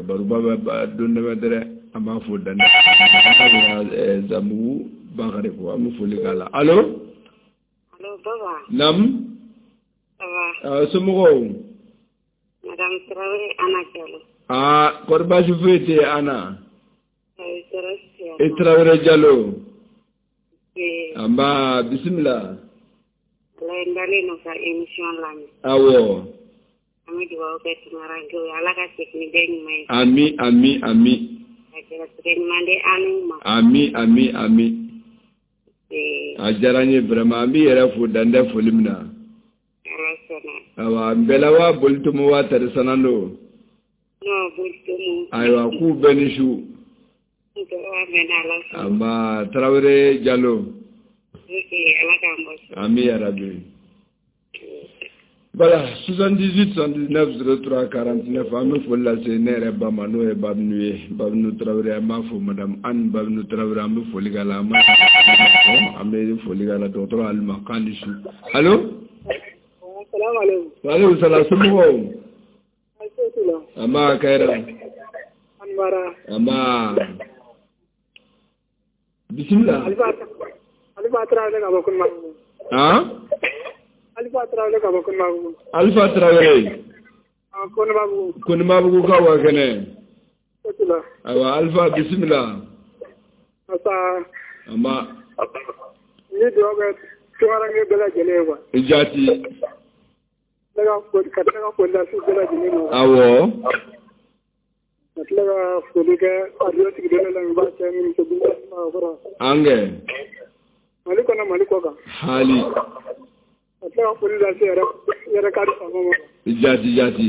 Baroba bɛ don dɛmɛ dɛrɛ. An b'a fo dan. Zamugu Bakari ko an bɛ foli k'a la. Allo. Allo baba. Naamu. Ça va. Somɔgɔw. Madame Traoré Ana Diallo. Aa kɔri baasi foyi tɛ yen Ana. E Traoré Diallo. Anba bisimila. Walayi n dalen don ka émission lamɛn. Awɔ. An bɛ dugawu kɛ tunkarankew ye Ala ka segin ni bɛɛ ɲuman ye. Ami ami ami. Ka gɛrɛsɛgɛ ɲuman di an n'u ma. Ami ami ami. A diyara n ye vraiment an b'i yɛrɛ fo dan tɛ foli min na. Ala sɔnna. Awa Nbɛla wa Bolitomo wa Tari Sanando. Non Bolitomo. Ayiwa k'u bɛɛ ni su. Anba Traoré Diallo. Ok Ala k'an bɔ. Ami yarabi. Voilà 78 79 03 49 an bɛ foli lase ne yɛrɛ ba ma n'o ye Babinu ye Babinu Traoré an b'a fo madame Anne Babinu Traoré an bɛ foli k'a la an bɛ foli k'a la dɔgɔtɔrɔ Alima k'an ni su. Allo. Salaamaaleykum. Waaleykum salaam somɔgɔw. Anba Kayira. An baara. Anba. Bisimila. Alifa Traoré ka bɔ Konimabugu. Han. Alifa Traoré ka bɔ Konimabugu. Alifa Traoré. Konimabugu. Konimabugu ka wa kɛnɛ. Kosɛbɛ. Ayiwa Alifa bisimila. Asa. Anba. N ye dugawu kɛ tunkaranke bɛɛ lajɛlen ye quoi. Jaati. Ne ka foli ka tila ka foli lase bɛɛ lajɛlen ma. Awɔ. Ka tila ka foli kɛ radio sigilen lamɛnbaa cɛ ni muso denmisɛnnin maakɔrɔ. An kɛ. Mali kɔnɔ Mali kɔ kan. Hali. Ka tila ka foli lase yɛrɛ kadi faama ma. Jaati jaati.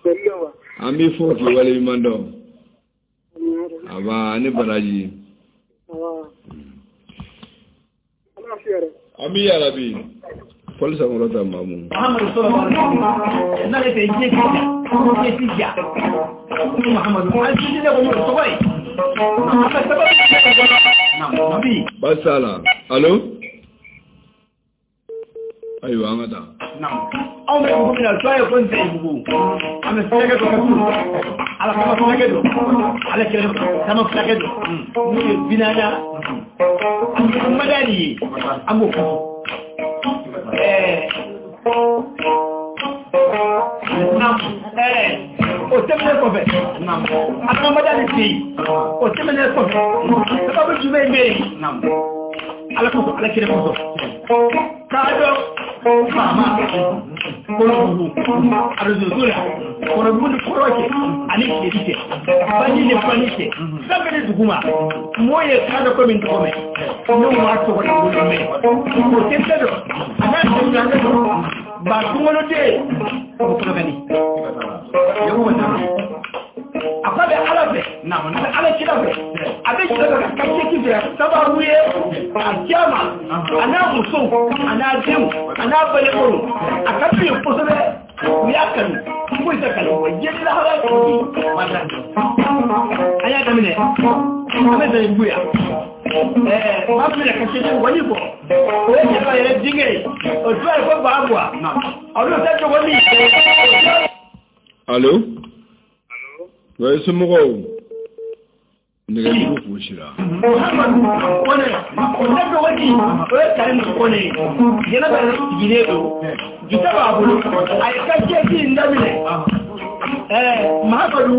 Foli la wa. An b'i fo k'i waleɲuman dɔn. Aba ni baraji. Ami yarabi. Fɔli sankɔrɔta Mamu. Muhammadu sallallahu alaihi wasallam n'ale tɛ diɲɛ diɲɛ ti ja Muhammadu an ti ne ko tɔgɔ ye a ka sababu bi baasi t'a la. Allo. Ayiwa an ka taa. Anw bɛ dugu min na tɔ ye ko n tɛ dugu an bɛ fulakɛ dɔ ka tu ala kama fulakɛ don ala kɛlɛ kama fulakɛ don n'o ye binada an bɛ madani ye an b'o kaso. O tɛmɛnen kɔfɛ adamadenya de tɛ yen o tɛmɛnen kɔfɛ sababu jumɛn bɛ yen ala kosɔn ala kelen kosɔn k'a dɔn faama kɔnɔbugu arajoso la kɔnɔbugu ni kɔrɔ cɛ ani tilebin cɛ baji ni fani cɛ fɛn bɛɛ ni dugu ma mɔɔ ye kan dɔ ko min tɔgɔ mɛn n'o m'a tɔgɔ la wolo mɛn o tɛ fɛn dɔn a n'a tɛmɛ dɔn ba kunkoloden o bɛ kɔnɔgani a ko a bɛ ala fɛ a bɛ ala kira fɛ a bɛ jira ka kacɛ fɛ sababu ye a caman a n'a musow a n'a denw a n'a balimaw a ka d'u ye kosɛbɛ u y'a kanu foyi tɛ kanu wa diɲɛ lahara an y'a daminɛ an bɛ Zɛribugu yan maa min bɛna kacɛ wali bɔ o ye jɛnɛba yɛrɛ denkɛ ye o tɔgɔ ye ko Babuwa olu tɛ dɔgɔnin. Allo. Oui, somɔgɔw. Nɛgɛjuru fosira. Muhammadu Kone o tɛ dɔgɔnin o ye Karimu Kone ye jɛnɛba yɛrɛ sigilen don jita b'a bolo a ye kacɛ in daminɛ Mahamadu.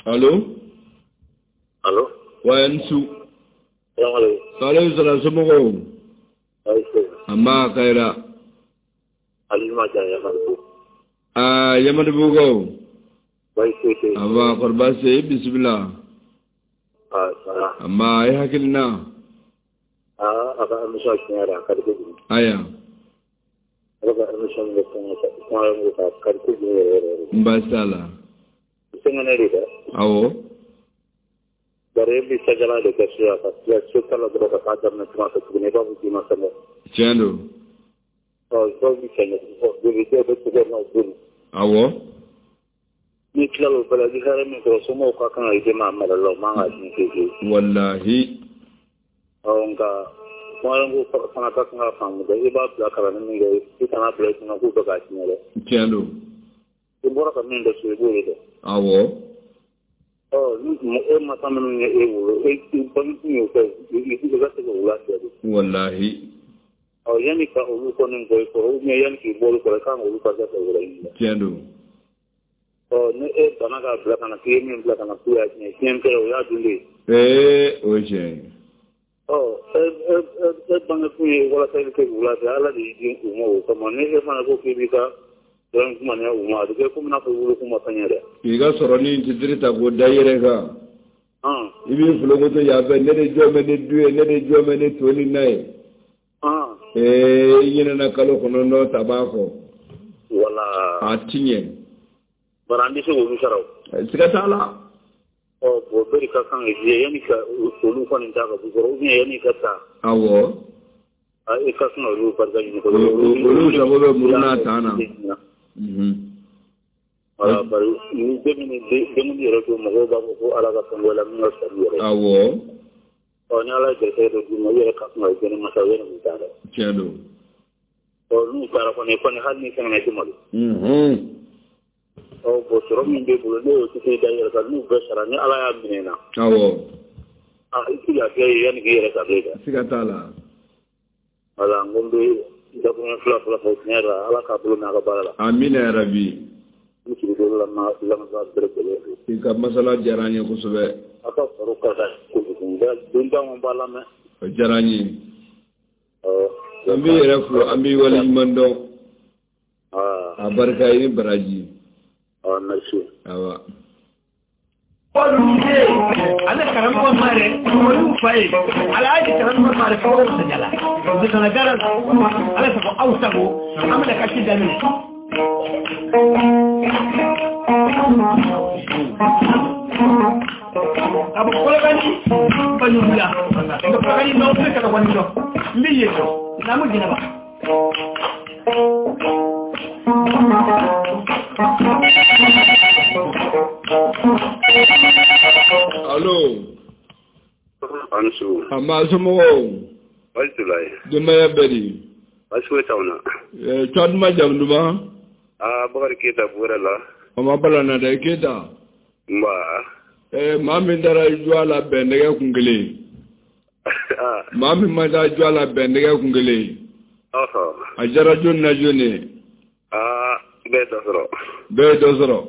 Allo. Allo. Wa n su. Salaamaaleykum. Salaam somɔgɔw. Anba Kayira. Alima Jan Yamadugu. Aa Yamadugukaw. Anba kɔri baasi tɛ i bisimila. Anba i hakilina. A ka émission tiɲɛ yɛrɛ a ka di kojugu. Aya. A ka émission min kɛ kuma a ka di kojugu yɛrɛ yɛrɛ. N baasi t'a la. Sɛgɛnɛ de dɛ. Awɔ. Bari e bɛ sajala de kɛ so yan ka tila so ta la dɔrɔn ka taa daminɛ tuma fɛ tuguni i b'a fɔ k'i ma sɛgɛn. Tiɲɛ don. Ɔ dɔw bɛ sɛgɛn boli dɔw bɛ tigɛ n'aw boli. Awɔ. N'i tilala o bɛɛ la, i bɛ hɛrɛ min sɔrɔ, somɔgɔw ka kan ka i dɛmɛ a mara la, o man kan ka tiɲɛ fiyewu fiyewu. Walahi. Ɔ nka tunkarankew fana ka kan ka faamu dɛ, i b'a bila kalanni min kɛ, i kana bila i kunna k'u bɛ k'a tiɲɛ dɛ. Tiɲɛ don. I bɔra ka min dɔn so, i b'o de dɔn. Awɔ. Ɔ ni e masa minnu ye e wolo, e bange y'o kɛ, i ka se k'o lafiya de. Walahi. Ɔ yanni ka olu kɔni bɔ i kɔrɔ, ou bien yanni k'i bɔ olu kɔrɔ, i kan k'olu ka kɛ wɛrɛ ɲini. Tiɲɛ don. Ɔ ni e banna k'a bila ka na, k'i ye min bila ka na k'u y'a tiɲɛ, tiɲɛ kɛra o y'a dun de ye. Ee, o ye tiɲɛ ye. Ɔ e bange kun ye walasa i bɛ se k'u lafiya, Ala de y'i di u ma o kama. Ni e fana ko k'i b'i ka dɔrɔn kuma ɲɛ u ma, a bɛ kɛ komi n'a fɔ i wolo kun ma fɛn ɲɛ dɛ. K'i ka sɔrɔ ni titiri ta k'o da i yɛrɛ kan. I b'i fulokoto yan fɛ, ne de jɔ bɛ ni du ye, ne de jɔ bɛ ni to ni na ye. Ee, i ɲinɛna kalo 9 ta b'a kɔ. Wala. A ti ɲɛ. Bari an bɛ se k'olu sara o. Siga t'a la. Ɔ bon bɛɛ de ka kan ka jija yanni ka olu kɔni ta ka bɔ kɔrɔ, ou bien yanni ka taa. Awɔ. I ka kan ka olu barika ɲini kosɛbɛ. Olu sago bɛ muru n'a tan na. Wala, bari ni denkundi yɛrɛ to, mɔgɔw b'a fɔ ko Ala ka fɛn bɔ la min ka fisa n'i yɛrɛ ye. Awɔ. Ɔ ni Ala ye garisɛgɛ dɔ d'i ma, i yɛrɛ ka kan ka jɛni masa yanni k'u taa dɛ. Tiɲɛ don. Ɔ n'u taara kɔni hali ni sɛgɛnna i tɛ malo. Ɔ bon sɔrɔ min b'e bolo, n'o y'o tɛ da i yɛrɛ kan, n'u bɛɛ sara, ni Ala y'a minɛ i na. Awɔ. A i tɛ lafiya ye yanni k'i yɛrɛ ta bilen dɛ. Siga t'a la. Wala, n ko n bɛ dakuruɲɛ fila fɔlɔ fɔ tiɲɛ yɛrɛ la, Ala k'a bolo mɛn a ka baara la. Amina yarabi. N sigi la lamɛnbaa bɛɛ lajɛlen fo. I ka masala diyara an ye kosɛbɛ. Aw ka baro ka di kojugu, den caman b'a lamɛn. O diyara an ye. An b'i yɛrɛ fo, an b'i waleɲuman dɔn. A barika i ni baraji. Merci. Awa. Ale karamɔgɔ mare olu fa ye alhaji karamɔgɔ mare fo sajala bisana gara ala sago aw sago an bɛna kasi daminɛ. Ka bɔ Kolokani Banjulula nka Kolokani dɔn bɛ ka wani dɔn n bɛ yen dɔn naamu jɛnɛba. Allo. An su. A ma somɔgɔw. Baasi t'u la ye. Denbaya bɛɛ di. Baasi foyi t'anw na. Tɔgɔ duman jamu duman. Aa Bakari Keyita Buwɛrɛ la. O ma bala na dɛ Keyita. Nba. Maa min taara jɔ a la bɛn nɛgɛ kun kelen. Maa min ma taa jɔ a la bɛn nɛgɛ kun kelen. A diyara jɔni na jɔni ye. Aa bɛɛ ye dɔ sɔrɔ. Bɛɛ ye dɔ sɔrɔ.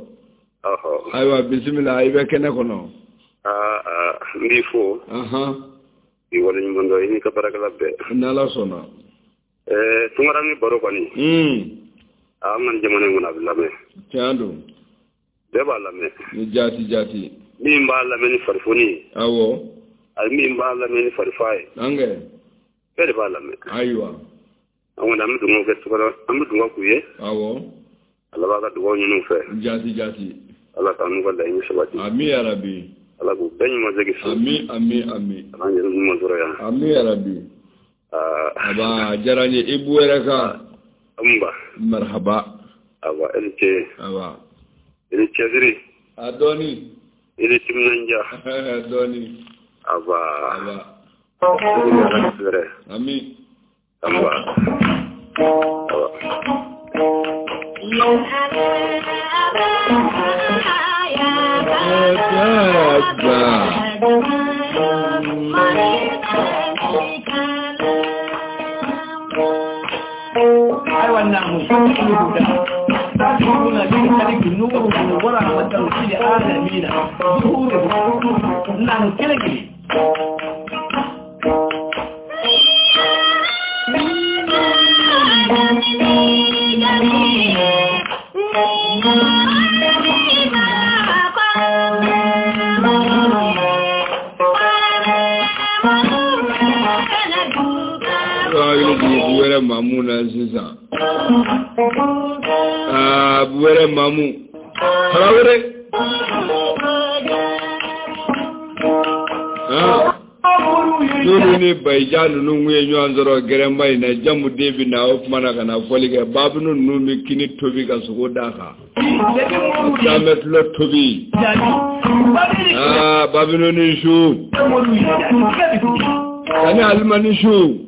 Ayiwa bisimila i bɛ kɛnɛ kɔnɔ. Aa n b'i fo. I waleɲuman dɔn i n'i ka baarakɛla bɛɛ. N'Ala sɔnna. Tunkaranke baro kɔni. An ka jamana in kɔnɔ a bɛ lamɛn. Tiɲɛ don. Bɛɛ b'a lamɛn. Ni jaati jaati. Min b'a lamɛn ni farifoni ye. Awɔ. Ani min b'a lamɛn ni farifa ye. Ankɛ. Bɛɛ de b'a lamɛn. Ayiwa. An kɔni an bɛ dugawu kɛ an bɛ dugawu k'u ye. Awɔ. Ala b'a ka dugawu ɲini u fɛ. Jaati jaati. Ala k'an n'u ka laɲini sabati. Ami yarabi. Ala k'u bɛɛ ɲuman segin so. Ami ami ami. Ala k'an yɛrɛ ɲuman sɔrɔ yan. Ami yarabi. Aba a diyara n ye i bu yɛrɛ kan. Nba. Marhaba. Awa e ni ce. Awa. I ni cɛsiri. A dɔɔni. I ni timinandiya. Dɔɔni. Aba. Aba. Ami. Aba. Aba. Ayiwa naamu naamu kelen kelen. Buwɛrɛ mamu na sisan. Aa Buwɛrɛ mamu. Tarawele. Moriw N'olu ni Bayija ninnu kun ye ɲɔgɔn sɔrɔ gɛrɛnba in na, jamu den bɛ na o tuma na ka na fɔli kɛ. Babinu ninnu bɛ kini tobi ka sogo d'a kan. Sanbɛ tulɔ tobi. Aa Babinu ni su. Ani Alima ni su.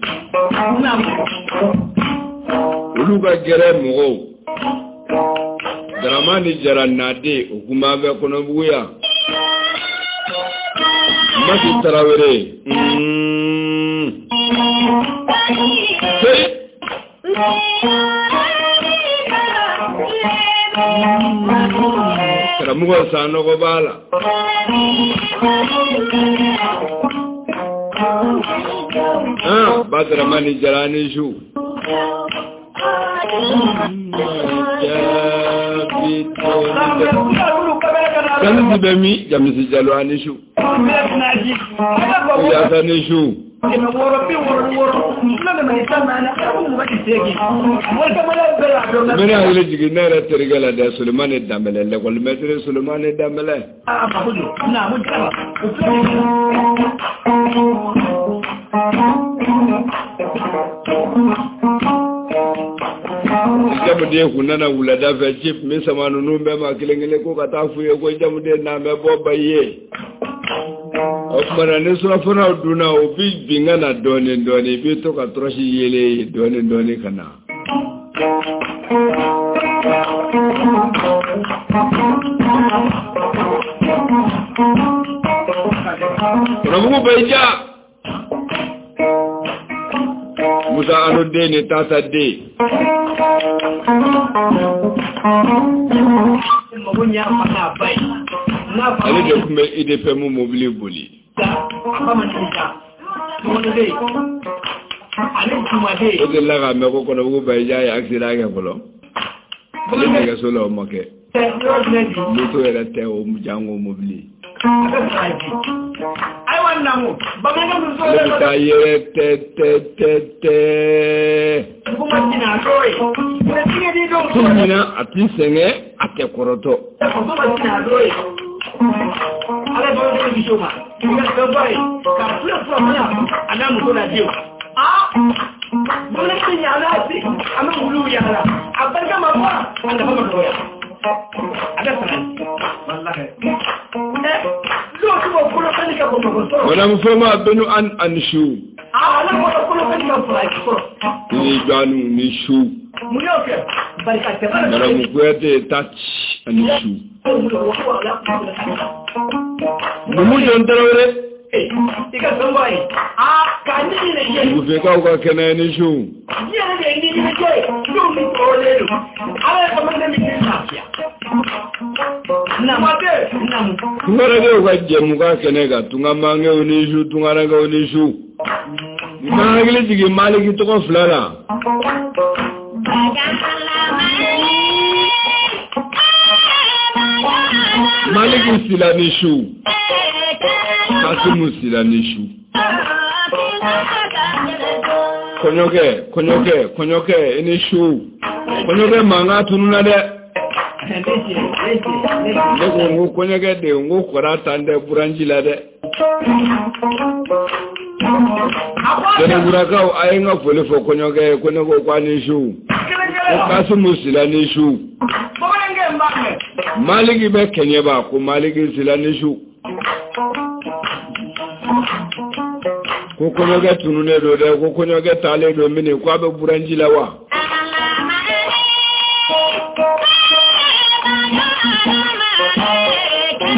Olu ka gɛrɛ mɔgɔw. Daramani Jara Nade o kun b'an fɛ Kɔnɔbugu yan. Masi Tarawele. Karamɔgɔ Sanɔgɔ b'a la. Ba Daramani Jara ni su. Jamisi bɛ min? Jamisi Jalo ani su. Yasa ni su. N bɛna hakili jigin ne yɛrɛ terikɛ la dɛ, Solomani Danbɛlɛ, l'école maître Solomani Danbɛlɛ. Jamuden kun nana wulada fɛ, ci tun bɛ sama ninnu bɛɛ ma kelen kelen ko ka taa f'u ye ko jamuden n'an bɛ bɔ ba ye. O tuma na ni surafanaw dunna, o bi bin ka na dɔɔnin dɔɔnin, i bɛ to ka tɔrɔsi yelen dɔɔnin dɔɔnin ka na. Kɔnɔbugu Bayija. Musa Ano den ni Tata den. Ale de tun bɛ IDPM mobili boli. O delila k'a mɛn ko Kɔnɔbugu Bayija ye accident kɛ fɔlɔ. Ale nɛgɛso la o ma kɛ. Moto yɛrɛ tɛ o jango mobili. Ale bɛ taa yɛrɛ tɛ tɛ tɛ tɛ. Ko ɲina a t'i sɛgɛn, a tɛ kɔrɔtɔ. Madame Foma Benu an Anshu. Ni Janu ni Shu. Madame Kouyaté Tach Anshu. Numu John Traoré. Bufekaw ka kɛnɛ ni su. Tungarankew ka jɛmu ka kɛnɛ kan, tungamankew ni su, tungarankew ni su. N ma hakili jigin Maliki tɔgɔ fila la. Maliki Sila ni su. Kasimu Sila ni su. Kɔɲɔkɛ, kɔɲɔkɛ, kɔɲɔkɛ, i ni su. Kɔɲɔkɛ mankan tununna dɛ. Ne ko n ko kɔɲɔkɛ de, n ko kɔrɔ tan tɛ buranji la dɛ. Sɛnɛburakaw a ye n ka foli fɔ kɔɲɔkɛ ye, ko ne ko k'a ni su. Ko Kasimu Sila ni su. Maliki bɛ Kɛɲɛba, ko Maliki Sila ni su. Ko kɔɲɔkɛ tununnen don dɛ, ko kɔɲɔkɛ taalen don mini, ko a bɛ buranji la wa?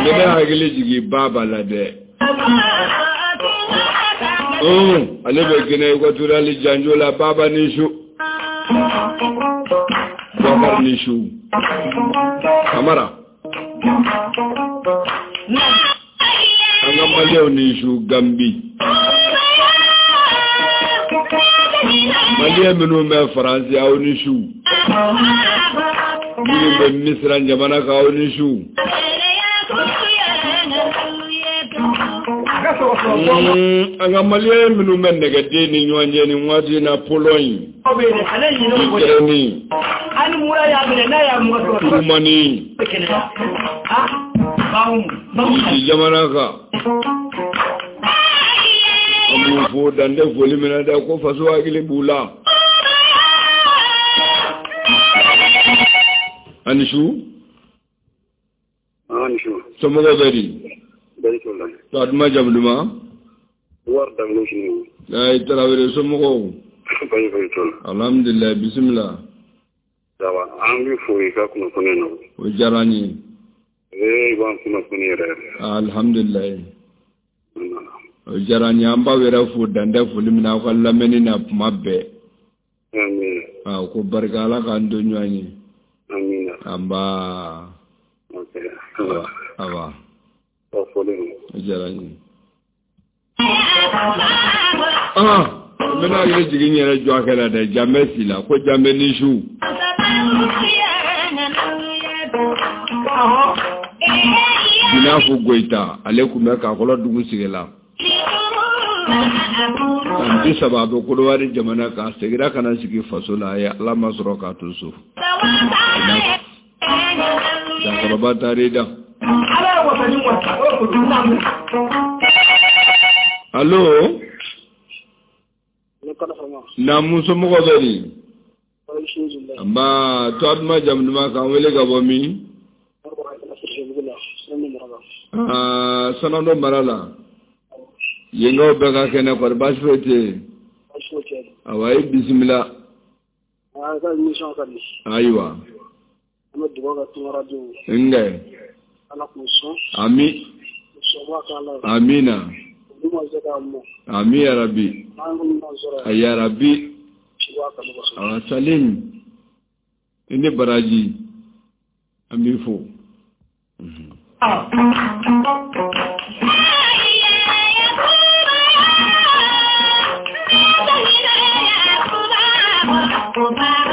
Ne bɛ hakili jigin Baba la dɛ. Ale bɛ Guinée équatoriale janjo la, Baba ni su. Bakari ni su. Kamara. An ka Maliyɛnw ni su Gambi. Maliyɛn minnu bɛ Faransi, aw ni su. Minnu bɛ Misira jamana kan, aw ni su. An ka Maliyɛn minnu bɛ nɛgɛden ni ɲɔgɔn cɛ nin waati in na, Pologne, Ukraine, Roumanie, Russie jamana kan. An b'u b'u fo dan tɛ foli min na dɛ, ko faso hakili b'u la. Ani su. Ani su. Somɔgɔw bɛ di? Bɛɛ t'o la. To a duman jamu duman? Wari dango sini. Ayi Tarawele, somɔgɔw? Baasi foyi t'o la. Alhamdulilayi, bisimila. Sawa, an b'i fo i ka kunnafoni na. O diyara n ye. Ee, i b'an kunnafoni yɛrɛ yɛrɛ. Alhamdulilayi. O diyara n ye, an b'aw yɛrɛ fo dan tɛ foli min na aw ka lamɛnni na tuma bɛɛ. Amiina. Ko barika, Ala k'an to ɲɔgɔn ye. Amiina. Anba. Ok. Awa. O foli don. O diyara n ye. N bɛna hakili jigin n yɛrɛ jɔ a kɛ la dɛ, janbɛ si la, ko janbɛ ni su. Binafu Goyita, ale tun bɛ Kakɔlɔ dugu sigi la. San 30 a bɛ Kodowari jamana kan, a seginna ka na sigi faso la, a ye Ala ma sɔrɔ k'a to so. Jakɔrɔba taar'i da. Allo? Naamu, somɔgɔw bɛ di? Nba, tɔgɔ duman jamu duman, k'an wele ka bɔ min? Sanando mara la. Yenkaw bɛɛ ka kɛnɛ, kɔri baasi foyi tɛ yen? Awa, i bisimila. Ayiwa. Nkɛ. Ami. Amina. Ami ya Rabbi. Ya Rabbi. Awa, Salim. I ni baraji. An b'i fo.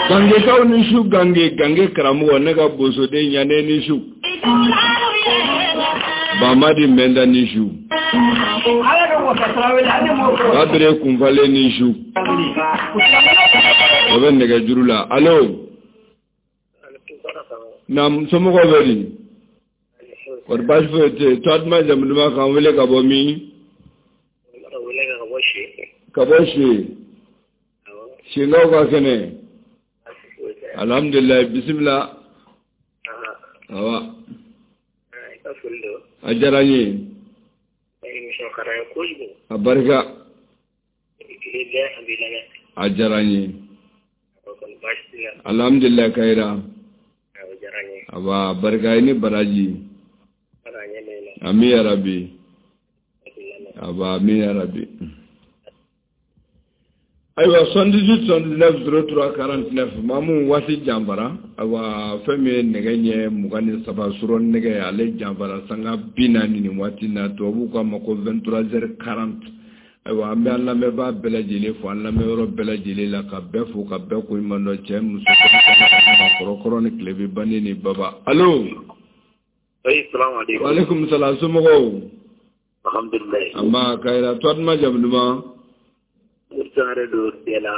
Gangekaw ni su, gange gange karamɔgɔ, ne ka bosoden ɲanen ni su. Bamadi Mɛnda ni su. Babere kunfalen ni su. O bɛ nɛgɛjuru la. Allo? Naam, somɔgɔw bɛ di? Kɔri baasi foyi tɛ yen? Tɔgɔ duman jamu duman, k'an wele ka bɔ min? Ka bɔ Se. Senkaw ka kɛnɛ. Alhamdulilayi, bisimila. Awa. A diyara n ye. A barika. A diyara n ye. Alhamdulilayi, Kayira. Awa, barika, i ni baraji. Ami ya Rabbi. Awa, ami ya Rabbi. Ayiwa, 78 79 03 49, maamu waati janfara. Ayiwa, fɛn min ye nɛgɛ ɲɛ 23 surɔ nɛgɛ, ale janfara sanga 40 nin waati na, tubabuw k'a ma ko 23h40. Ayiwa, an bɛ an lamɛnbaa bɛɛ lajɛlen fo, an lamɛnyɔrɔ bɛɛ lajɛlen la, ka bɛɛ fo, ka bɛɛ ko ɲuman dɔn, cɛ muso kɔrɔkɔrɔ ni tilebin bandi ni baba. Allo? Salamu aleykum. Wa aleykum salam, somɔgɔw? Alhamdulilayi. Anba, Kayira, tɔgɔ duman jamu duman? Sangare don Dela.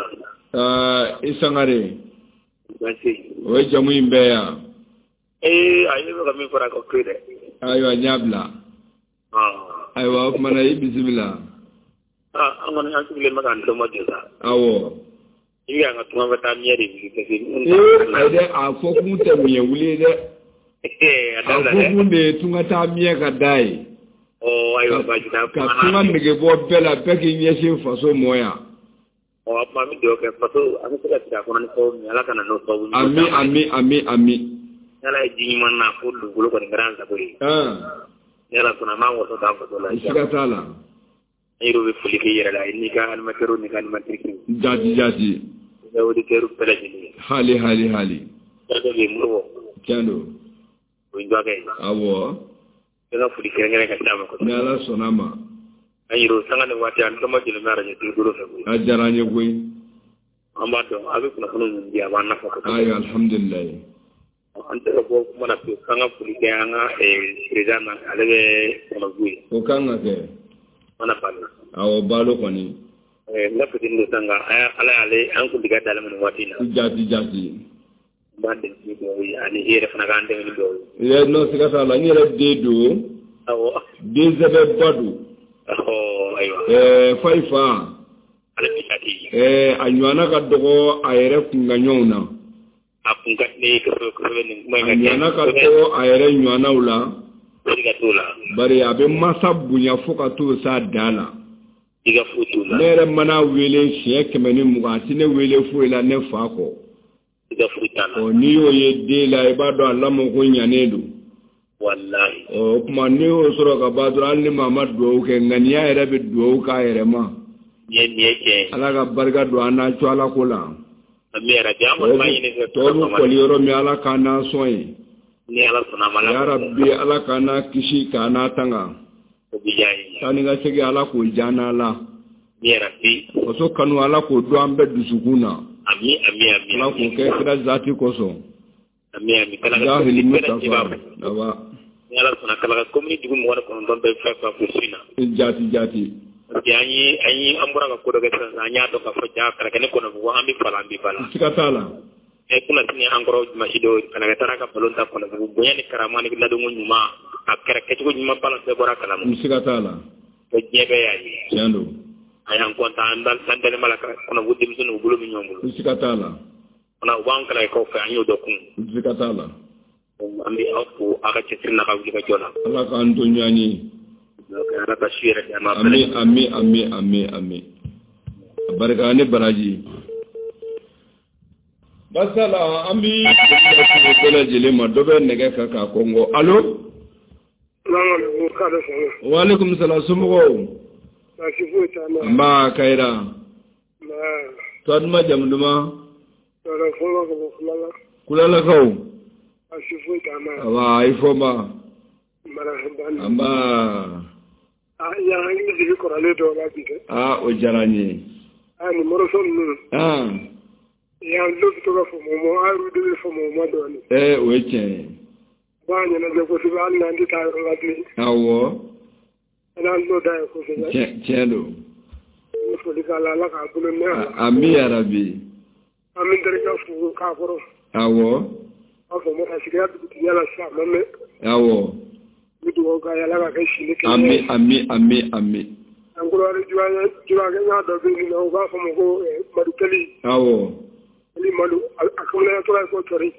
I Sangare. Baasi. O ye jamu in bɛɛ yan. Ee, a ye ne bɛ ka min fara ka to dɛ. Ayiwa, n y'a bila. Ayiwa, o kumana i bisimila. An kɔni an sigilen bɛ k'an dɔn jɔ sa. Awɔ. I bɛ an ka tunga bɛ taa miɲɛ de wuli parce que. Ee, ayi dɛ, a fɔ kun tɛ miɲɛ wuli ye dɛ. A fɔ kun de ye tunga taa miɲɛ ka da ye. Ayiwa, baasi t'a. Ka tunga nege bɔ bɛɛ la, bɛɛ k'i ɲɛsin faso mɔ yan. Ɔ, a tuma an bɛ dugawu kɛ faso, an bɛ se ka sigi a kɔnɔ ni sababu min ye, Ala ka na n'o sababu ɲuman ye. Ami, ami, ami, ami. Ni Ala ye ji ɲuman na, fo dugukolo kɔni kɛra an sago ye. Ni Ala sɔnna, an b'an waso k'an faso la. Siga t'a la. An yɛrɛ bɛ foli k'i yɛrɛ la, n'i ka animateur n'i ka animatrice. Jaati, jaati. I ka auditeur bɛɛ lajɛlen. Hali, hali, hali. Dɔ bɛ yen, Moribo. Tiɲɛ don. O ye dɔgɔkɛ ye. Awɔ. Ne ka foli kɛrɛnkɛrɛn ka d'a ma kosɛbɛ. Ni Ala sɔnna a ma. An yɛrɛ sanga ni waati, an tɔmɔ jeli bɛ arajo bolo fɛ koyi. A diyara an ye koyi. An b'a dɔn a bɛ kunnafoni min di, a b'an nafa kosɛbɛ. Ayiwa, alhamdulilayi. An tɛ ka bɔ kuma na pewu, k'an ka foli kɛ an ka président na, ale bɛ Kɔnɔbugu ye. O kan ka kɛ. Mana Balo. Awɔ, Balo kɔni. N ka fitinin don sisan nka Ala y'ale an kuntigi d'ale ma nin waati in na. Jaati, jaati. N b'an dɛmɛ ni dugawu ye, ani i yɛrɛ fana k'an dɛmɛ ni dugawu ye. Non, siga t'a la, n yɛrɛ den don. Awɔ. Den sɛbɛba don. Ayiwa. Fayi fa. Ale bɛ jate. A ɲɔgɔnna ka dɔgɔ a yɛrɛ kunkaɲɔgɔnw na. A kun ka di ne ye kosɛbɛ kosɛbɛ nin kuma in ka A ɲɔgɔnna ka dɔgɔ a yɛrɛ ɲɔgɔnnaw la. Siga t'o la. Bari a bɛ masa bonya fo ka t'o s'a dan na. Siga foyi t'o la. Ne yɛrɛ mana wele siɲɛ 120, a tɛ ne wele foyi la ne fa kɔ. Siga foyi t'a la. Ɔ n'i y'o ye den la, i b'a dɔn a lamɔ ko ɲanen don. Walahi. Ɔ o tuma n'i y'o sɔrɔ ka ban dɔrɔn, hali ni maa ma dugawu kɛ, ŋaniya yɛrɛ bɛ dugawu k'a yɛrɛ ma. Nin ye tiɲɛ ye. Ala ka barika don an n'a co Ala ko la. Ami yarabi, an kɔni b'a ɲini fɛ. Tɔw bɛ kɔli yɔrɔ min, Ala k'an n'a sɔn ye. Ni Ala sɔnna a ma. Ya Rabbi, Ala k'an n'a kisi k'an n'a tanga. O bɛ diya n ye. Taa ni ka segin, Ala k'o diya an n'a la. Yarabi. Faso kanu, Ala k'o don an bɛɛ dusukun na. Ami ami ami. Ala k'o kɛ kira zati kosɔn. Ami ami. Jahili Mustafa. Aba. Ni Ala sɔnna, Kalaga commune dugu 29 bɛɛ fɛn fɛn fo su in na. Jaati jaati. Parce que an ye an ye an bɔra ka ko dɔ kɛ sisan, an y'a dɔn k'a fɔ ja Kalaga ne Kɔnɔbugu an bɛ fa la, an bɛ ba la. Siga t'a la. Kunna sini an kɔrɔ dimanche dɔ Kalaga taara ka ballon ta Kɔnɔbugu, bonya ni karama ni ladonko ɲuman, a kɛra kɛcogo ɲuman ballon bɛɛ bɔra kalama. Siga t'a la. Ko diɲɛ bɛɛ y'a ye. Tiɲɛ don. A y'an content, an dalen b'a la Kɔnɔbugu denmisɛnninw bolo bɛ ɲɔgɔn bolo. Siga t'a la. Fana u b'an Kalagakaw fɛ, an y'o dɔn kun. Siga t'a la. An bɛ aw fo aw ka cɛsiri n'a ka wulikajɔ la. Ala k'an to ɲɔgɔn ye. Ala ka su yɛrɛ d'an ma. Ami ami ami ami ami. Barika ni baraji. Basala, an bi bɛɛ lajɛlen ma, dɔ bɛ nɛgɛ kan k'a kɔngɔ. Allo. Wa aleykum salam, somɔgɔw. Baasi foyi t'an na. Nba Kayira. Tɔgɔ duman, jamu duman? Tɔɔrɔ fɔlɔ ka bɔ Kulala. Kulalakaw. Baasi foyi t'an na. Awa, i fɔ ma. Nba. Aa, yan hakili jigin kɔrɔlen dɔw la bi dɛ. Aa, o diyara n ye. Aa, nin morceau ninnu. Yan dɔw bɛ to ka fɔ mɔgɔ ma, an yɛrɛ de bɛ fɔ mɔgɔ ma dɔɔnin. O ye tiɲɛ ye. U b'a ɲɛnajɛ kosɛbɛ, hali n'an tɛ taa yɔrɔ la bilen. Awɔ. An t'o da ye kosɛbɛ. Tiɲɛ don. N bɛ foli k'a la, Ala k'a bolo mɛn a la. Ami yarabi. An bɛ n terikɛ fo k'a kɔrɔ. Awɔ. An fɔ ma ka sigira dugutigiya la sisan, a ma mɛn. Awɔ. N bɛ dugawu k'a ye, Ala k'a kɛ sini kɛnɛ ye. Ami ami ami ami. An kɔrɔwari jurakɛ dɔ bɛ yen nɔ, u b'a fɔ ma ko Madu Kɛli. Awɔ. Ni Madu, a kamananya tora ko tɔri.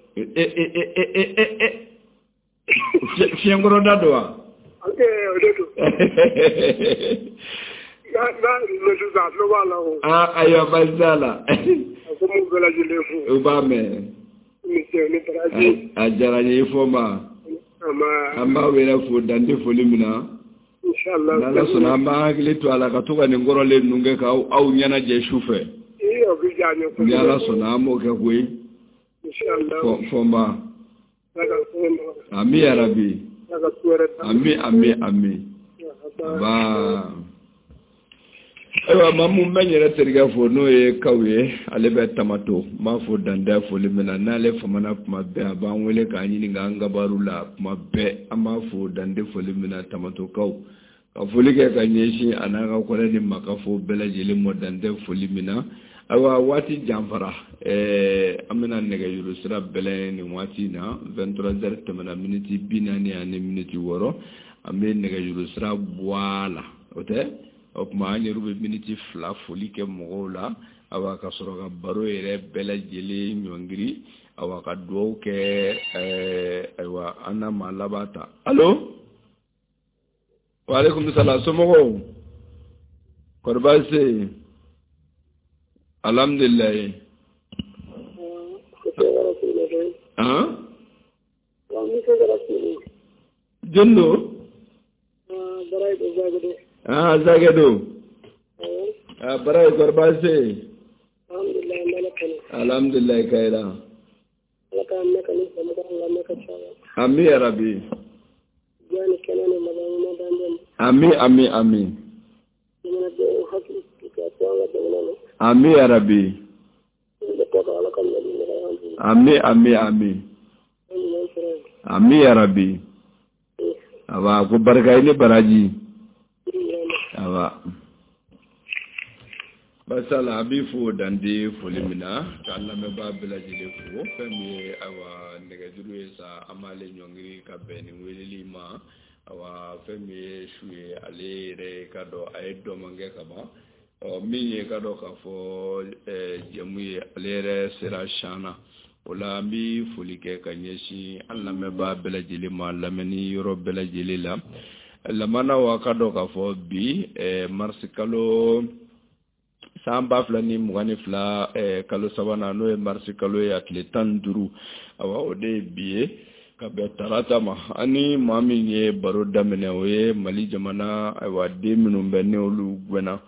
Fiɲɛkɔrɔda don wa? O de don. N'a mɛ sisan, a tulo b'a la o. Aa, ayiwa, baasi t'a la. A ko m'u bɛɛ lajɛlen fo. U b'a mɛn. Ni ce ni baraji. A diyara n ye, i fɔ ma. An b'aw yɛrɛ fo dan tɛ foli min na. Inshallah. N'Ala sɔnna, an b'an hakili to a la ka to ka nin kɔrɔlen ninnu kɛ k'aw ɲɛnajɛ su fɛ. O bɛ diya n ye kosɛbɛ. Ni Ala sɔnna, an b'o kɛ koyi. Inshallah. Fɔ n ba. Ami yarabi. Ami ami ami. Ba. Ayiwa, maa mun bɛ n yɛrɛ terikɛ fo, n'o ye Kaw ye, ale bɛ Tamato. N b'a fo dantɛ foli min na, n'ale famana kuma bɛɛ, a b'an wele k'an ɲininka an kabaru la kuma bɛɛ. An b'a fo dantɛ foli min na, Tamato Kaw. Ka foli kɛ ka ɲɛsin a n'a ka kɔrɛ ni makafo bɛɛ lajɛlen ma dantɛ foli min na. Ayiwa, waati janfara, an bɛna nɛgɛjuru sira bɛlɛn nin waati in na, 23 heures tɛmɛna miniti 46, an bɛ nɛgɛjuru sira bɔ a la, o tɛ? O tuma an yɛrɛ bɛ miniti 2 foli kɛ mɔgɔw la, awa ka sɔrɔ ka baro yɛrɛ bɛɛ lajɛlen ɲɔngiri, awa ka dugawu kɛ, ayiwa, an na maa laban ta. Allo? Wa aleykum salam, somɔgɔw? Kɔri baasi tɛ yen? Alhamdulilayi. Jɔn don? Zage don. Bara ye, kɔri baasi tɛ yen? Alhamdulilayi, Kayira. Ami yarabi. Ami ami ami. Ami yarabi. Ami ami ami. Ami yarabi. Aba ko barika i ni baraji. Aba. Basala, a b'i fo dande foli min na, k'an lamɛnbaa bɛɛ lajɛlen fo. Fɛn min ye ayiwa nɛgɛjuru ye sa, an b'ale ɲɔngiri ka bɛn nin weleli ma. Awa fɛn min ye su ye, ale yɛrɛ ka dɔn a ye dɔn kɛ ka ban. Ɔ min ye ka dɔn k'a fɔ jɛmu ye, ale yɛrɛ sera sian na. O la an bɛ foli kɛ ka ɲɛsin an lamɛnbaa bɛɛ lajɛlen ma, lamɛnni yɔrɔ bɛɛ lajɛlen la. Lamanaw, a ka dɔn k'a fɔ bi marisi kalo san 2022, kalo sabanan, n'o ye marisi kalo ye, a tile 15, awa o de ye bi ye, ka bɛn tarata ma. Ani maa min ye baro daminɛ, o ye Mali jamana, ayiwa, den minnu bɛ ni olu gɛnna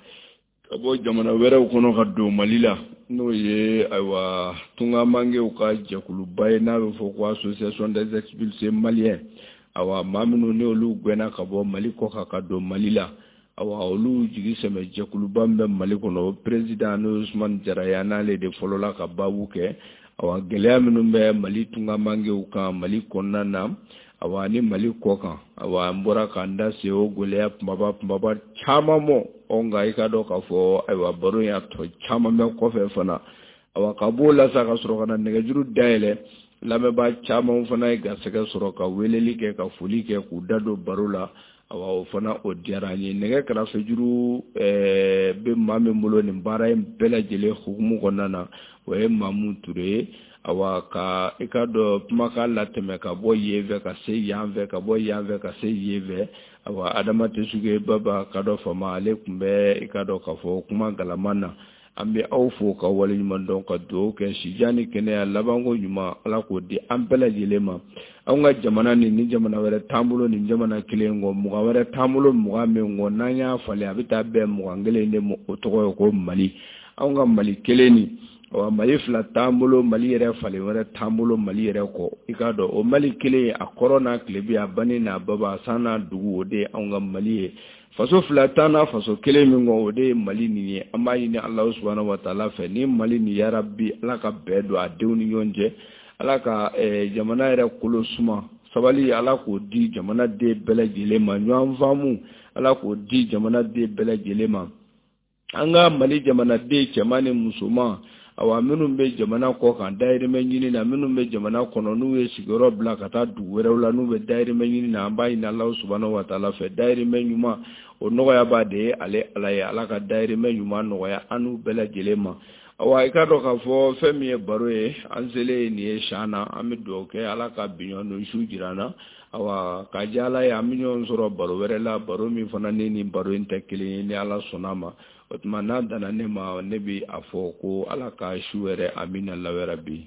ka bɔ jamana wɛrɛw kɔnɔ ka don Mali la, n'o ye, ayiwa, tungamangew ka jɛkuluba ye n'a bɛ fɔ ko Association des expulsés maliens. Awa maa minnu ni olu gɛnna ka bɔ Mali kɔ kan ka don Mali la, awa olu jigi sɛmɛ jɛkuluba min bɛ Mali kɔnɔ, o président, n'o ye Usumani Jara ye, n'ale de fɔlɔla ka baabu kɛ. Awa gɛlɛya minnu bɛ Mali tungamangew kan Mali kɔnɔna na, awa ni Mali kɔ kan, awa an bɔra k'an da se o gɛlɛya kumaba kumaba caman mɔ. Ɔ nka i ka dɔn k'a fɔ, ayiwa, baro in a tɔ caman bɛ kɔfɛ fana. Awa ka b'o la sa, ka sɔrɔ ka na nɛgɛjuru dayɛlɛ. Lamɛnbaa caman fana ye garisɛgɛ sɔrɔ ka weleli kɛ, ka foli kɛ, k'u da don baro la. Awa o fana o diyara an ye. Nɛgɛ kɛrɛfɛjuru bɛ maa min bolo nin baara in bɛɛ lajɛlen hukumu kɔnɔna na, o ye Mamu Ture ye. Awa ka i ka dɔn kumakan latɛmɛ ka bɔ yen fɛ ka se yan fɛ, ka bɔ yan fɛ ka se yen fɛ, awa Adama Tesuge Baba ka dɔ fama, ale tun bɛ i ka dɔn k'a fɔ kuma galama na. An bɛ aw fo ka waleɲuman dɔn, ka dugawu kɛ sijan ni kɛnɛya labanko ɲuman, Ala k'o di an bɛɛ lajɛlen ma. Anw ka jamana ni jamana wɛrɛ t'an bolo nin jamana kelen kɔ, 20 wɛrɛ t'an bolo 20 min kɔ, n'an y'a falen a bɛ taa bɛn 21 de ma, o tɔgɔ ye ko Mali. Anw ka Mali kelen nin, awa Mali fila t'an bolo, Mali yɛrɛ falen wɛrɛ t'an bolo Mali yɛrɛ kɔ. I k'a dɔn o Mali kelen, a kɔrɔ n'a tilebi, a banni n'a baba, a san n'a dugu, o de ye anw ka Mali ye. Faso fila t'an na faso kelen min kɔ, o de ye Mali nin ye. An b'a ɲini Alahu subahana wa taala fɛ, ni Mali nin, yarabi, Ala ka bɛn don a denw ni ɲɔgɔn cɛ, Ala ka jamana yɛrɛ kolo suma, sabali Ala k'o di jamana den bɛɛ lajɛlen ma, ɲɔgɔn faamu Ala k'o di jamana den bɛɛ lajɛlen ma. An ka Mali jamanaden cɛman ni musoman, awa minnu bɛ jamana kɔ kan dayirimɛ ɲini na, minnu bɛ jamana kɔnɔ n'u ye sigiyɔrɔ bila ka taa dugu wɛrɛw la, n'u bɛ dayirimɛ ɲini na, an b'a ɲini Alahu subahana wa taala fɛ, dayirimɛ ɲuman o nɔgɔya b'a de ye ale Ala ye. Ala ka dayirimɛ ɲuman nɔgɔya an n'u bɛɛ lajɛlen ma. Awa i ka dɔn k'a fɔ fɛn min ye baro ye, an selen nin ye sian na, an bɛ dugawu kɛ Ala ka biɲɔ don su jira an na. Awa ka diya Ala ye, an bɛ ɲɔgɔn sɔrɔ baro wɛrɛ la, baro min fana ni nin baro in tɛ kelen ye, ni Ala sɔnna ma. O tuma n'a danna ne ma, ne bɛ a fɔ ko Ala ka su wɛrɛ, amina lawɛrɛ bi.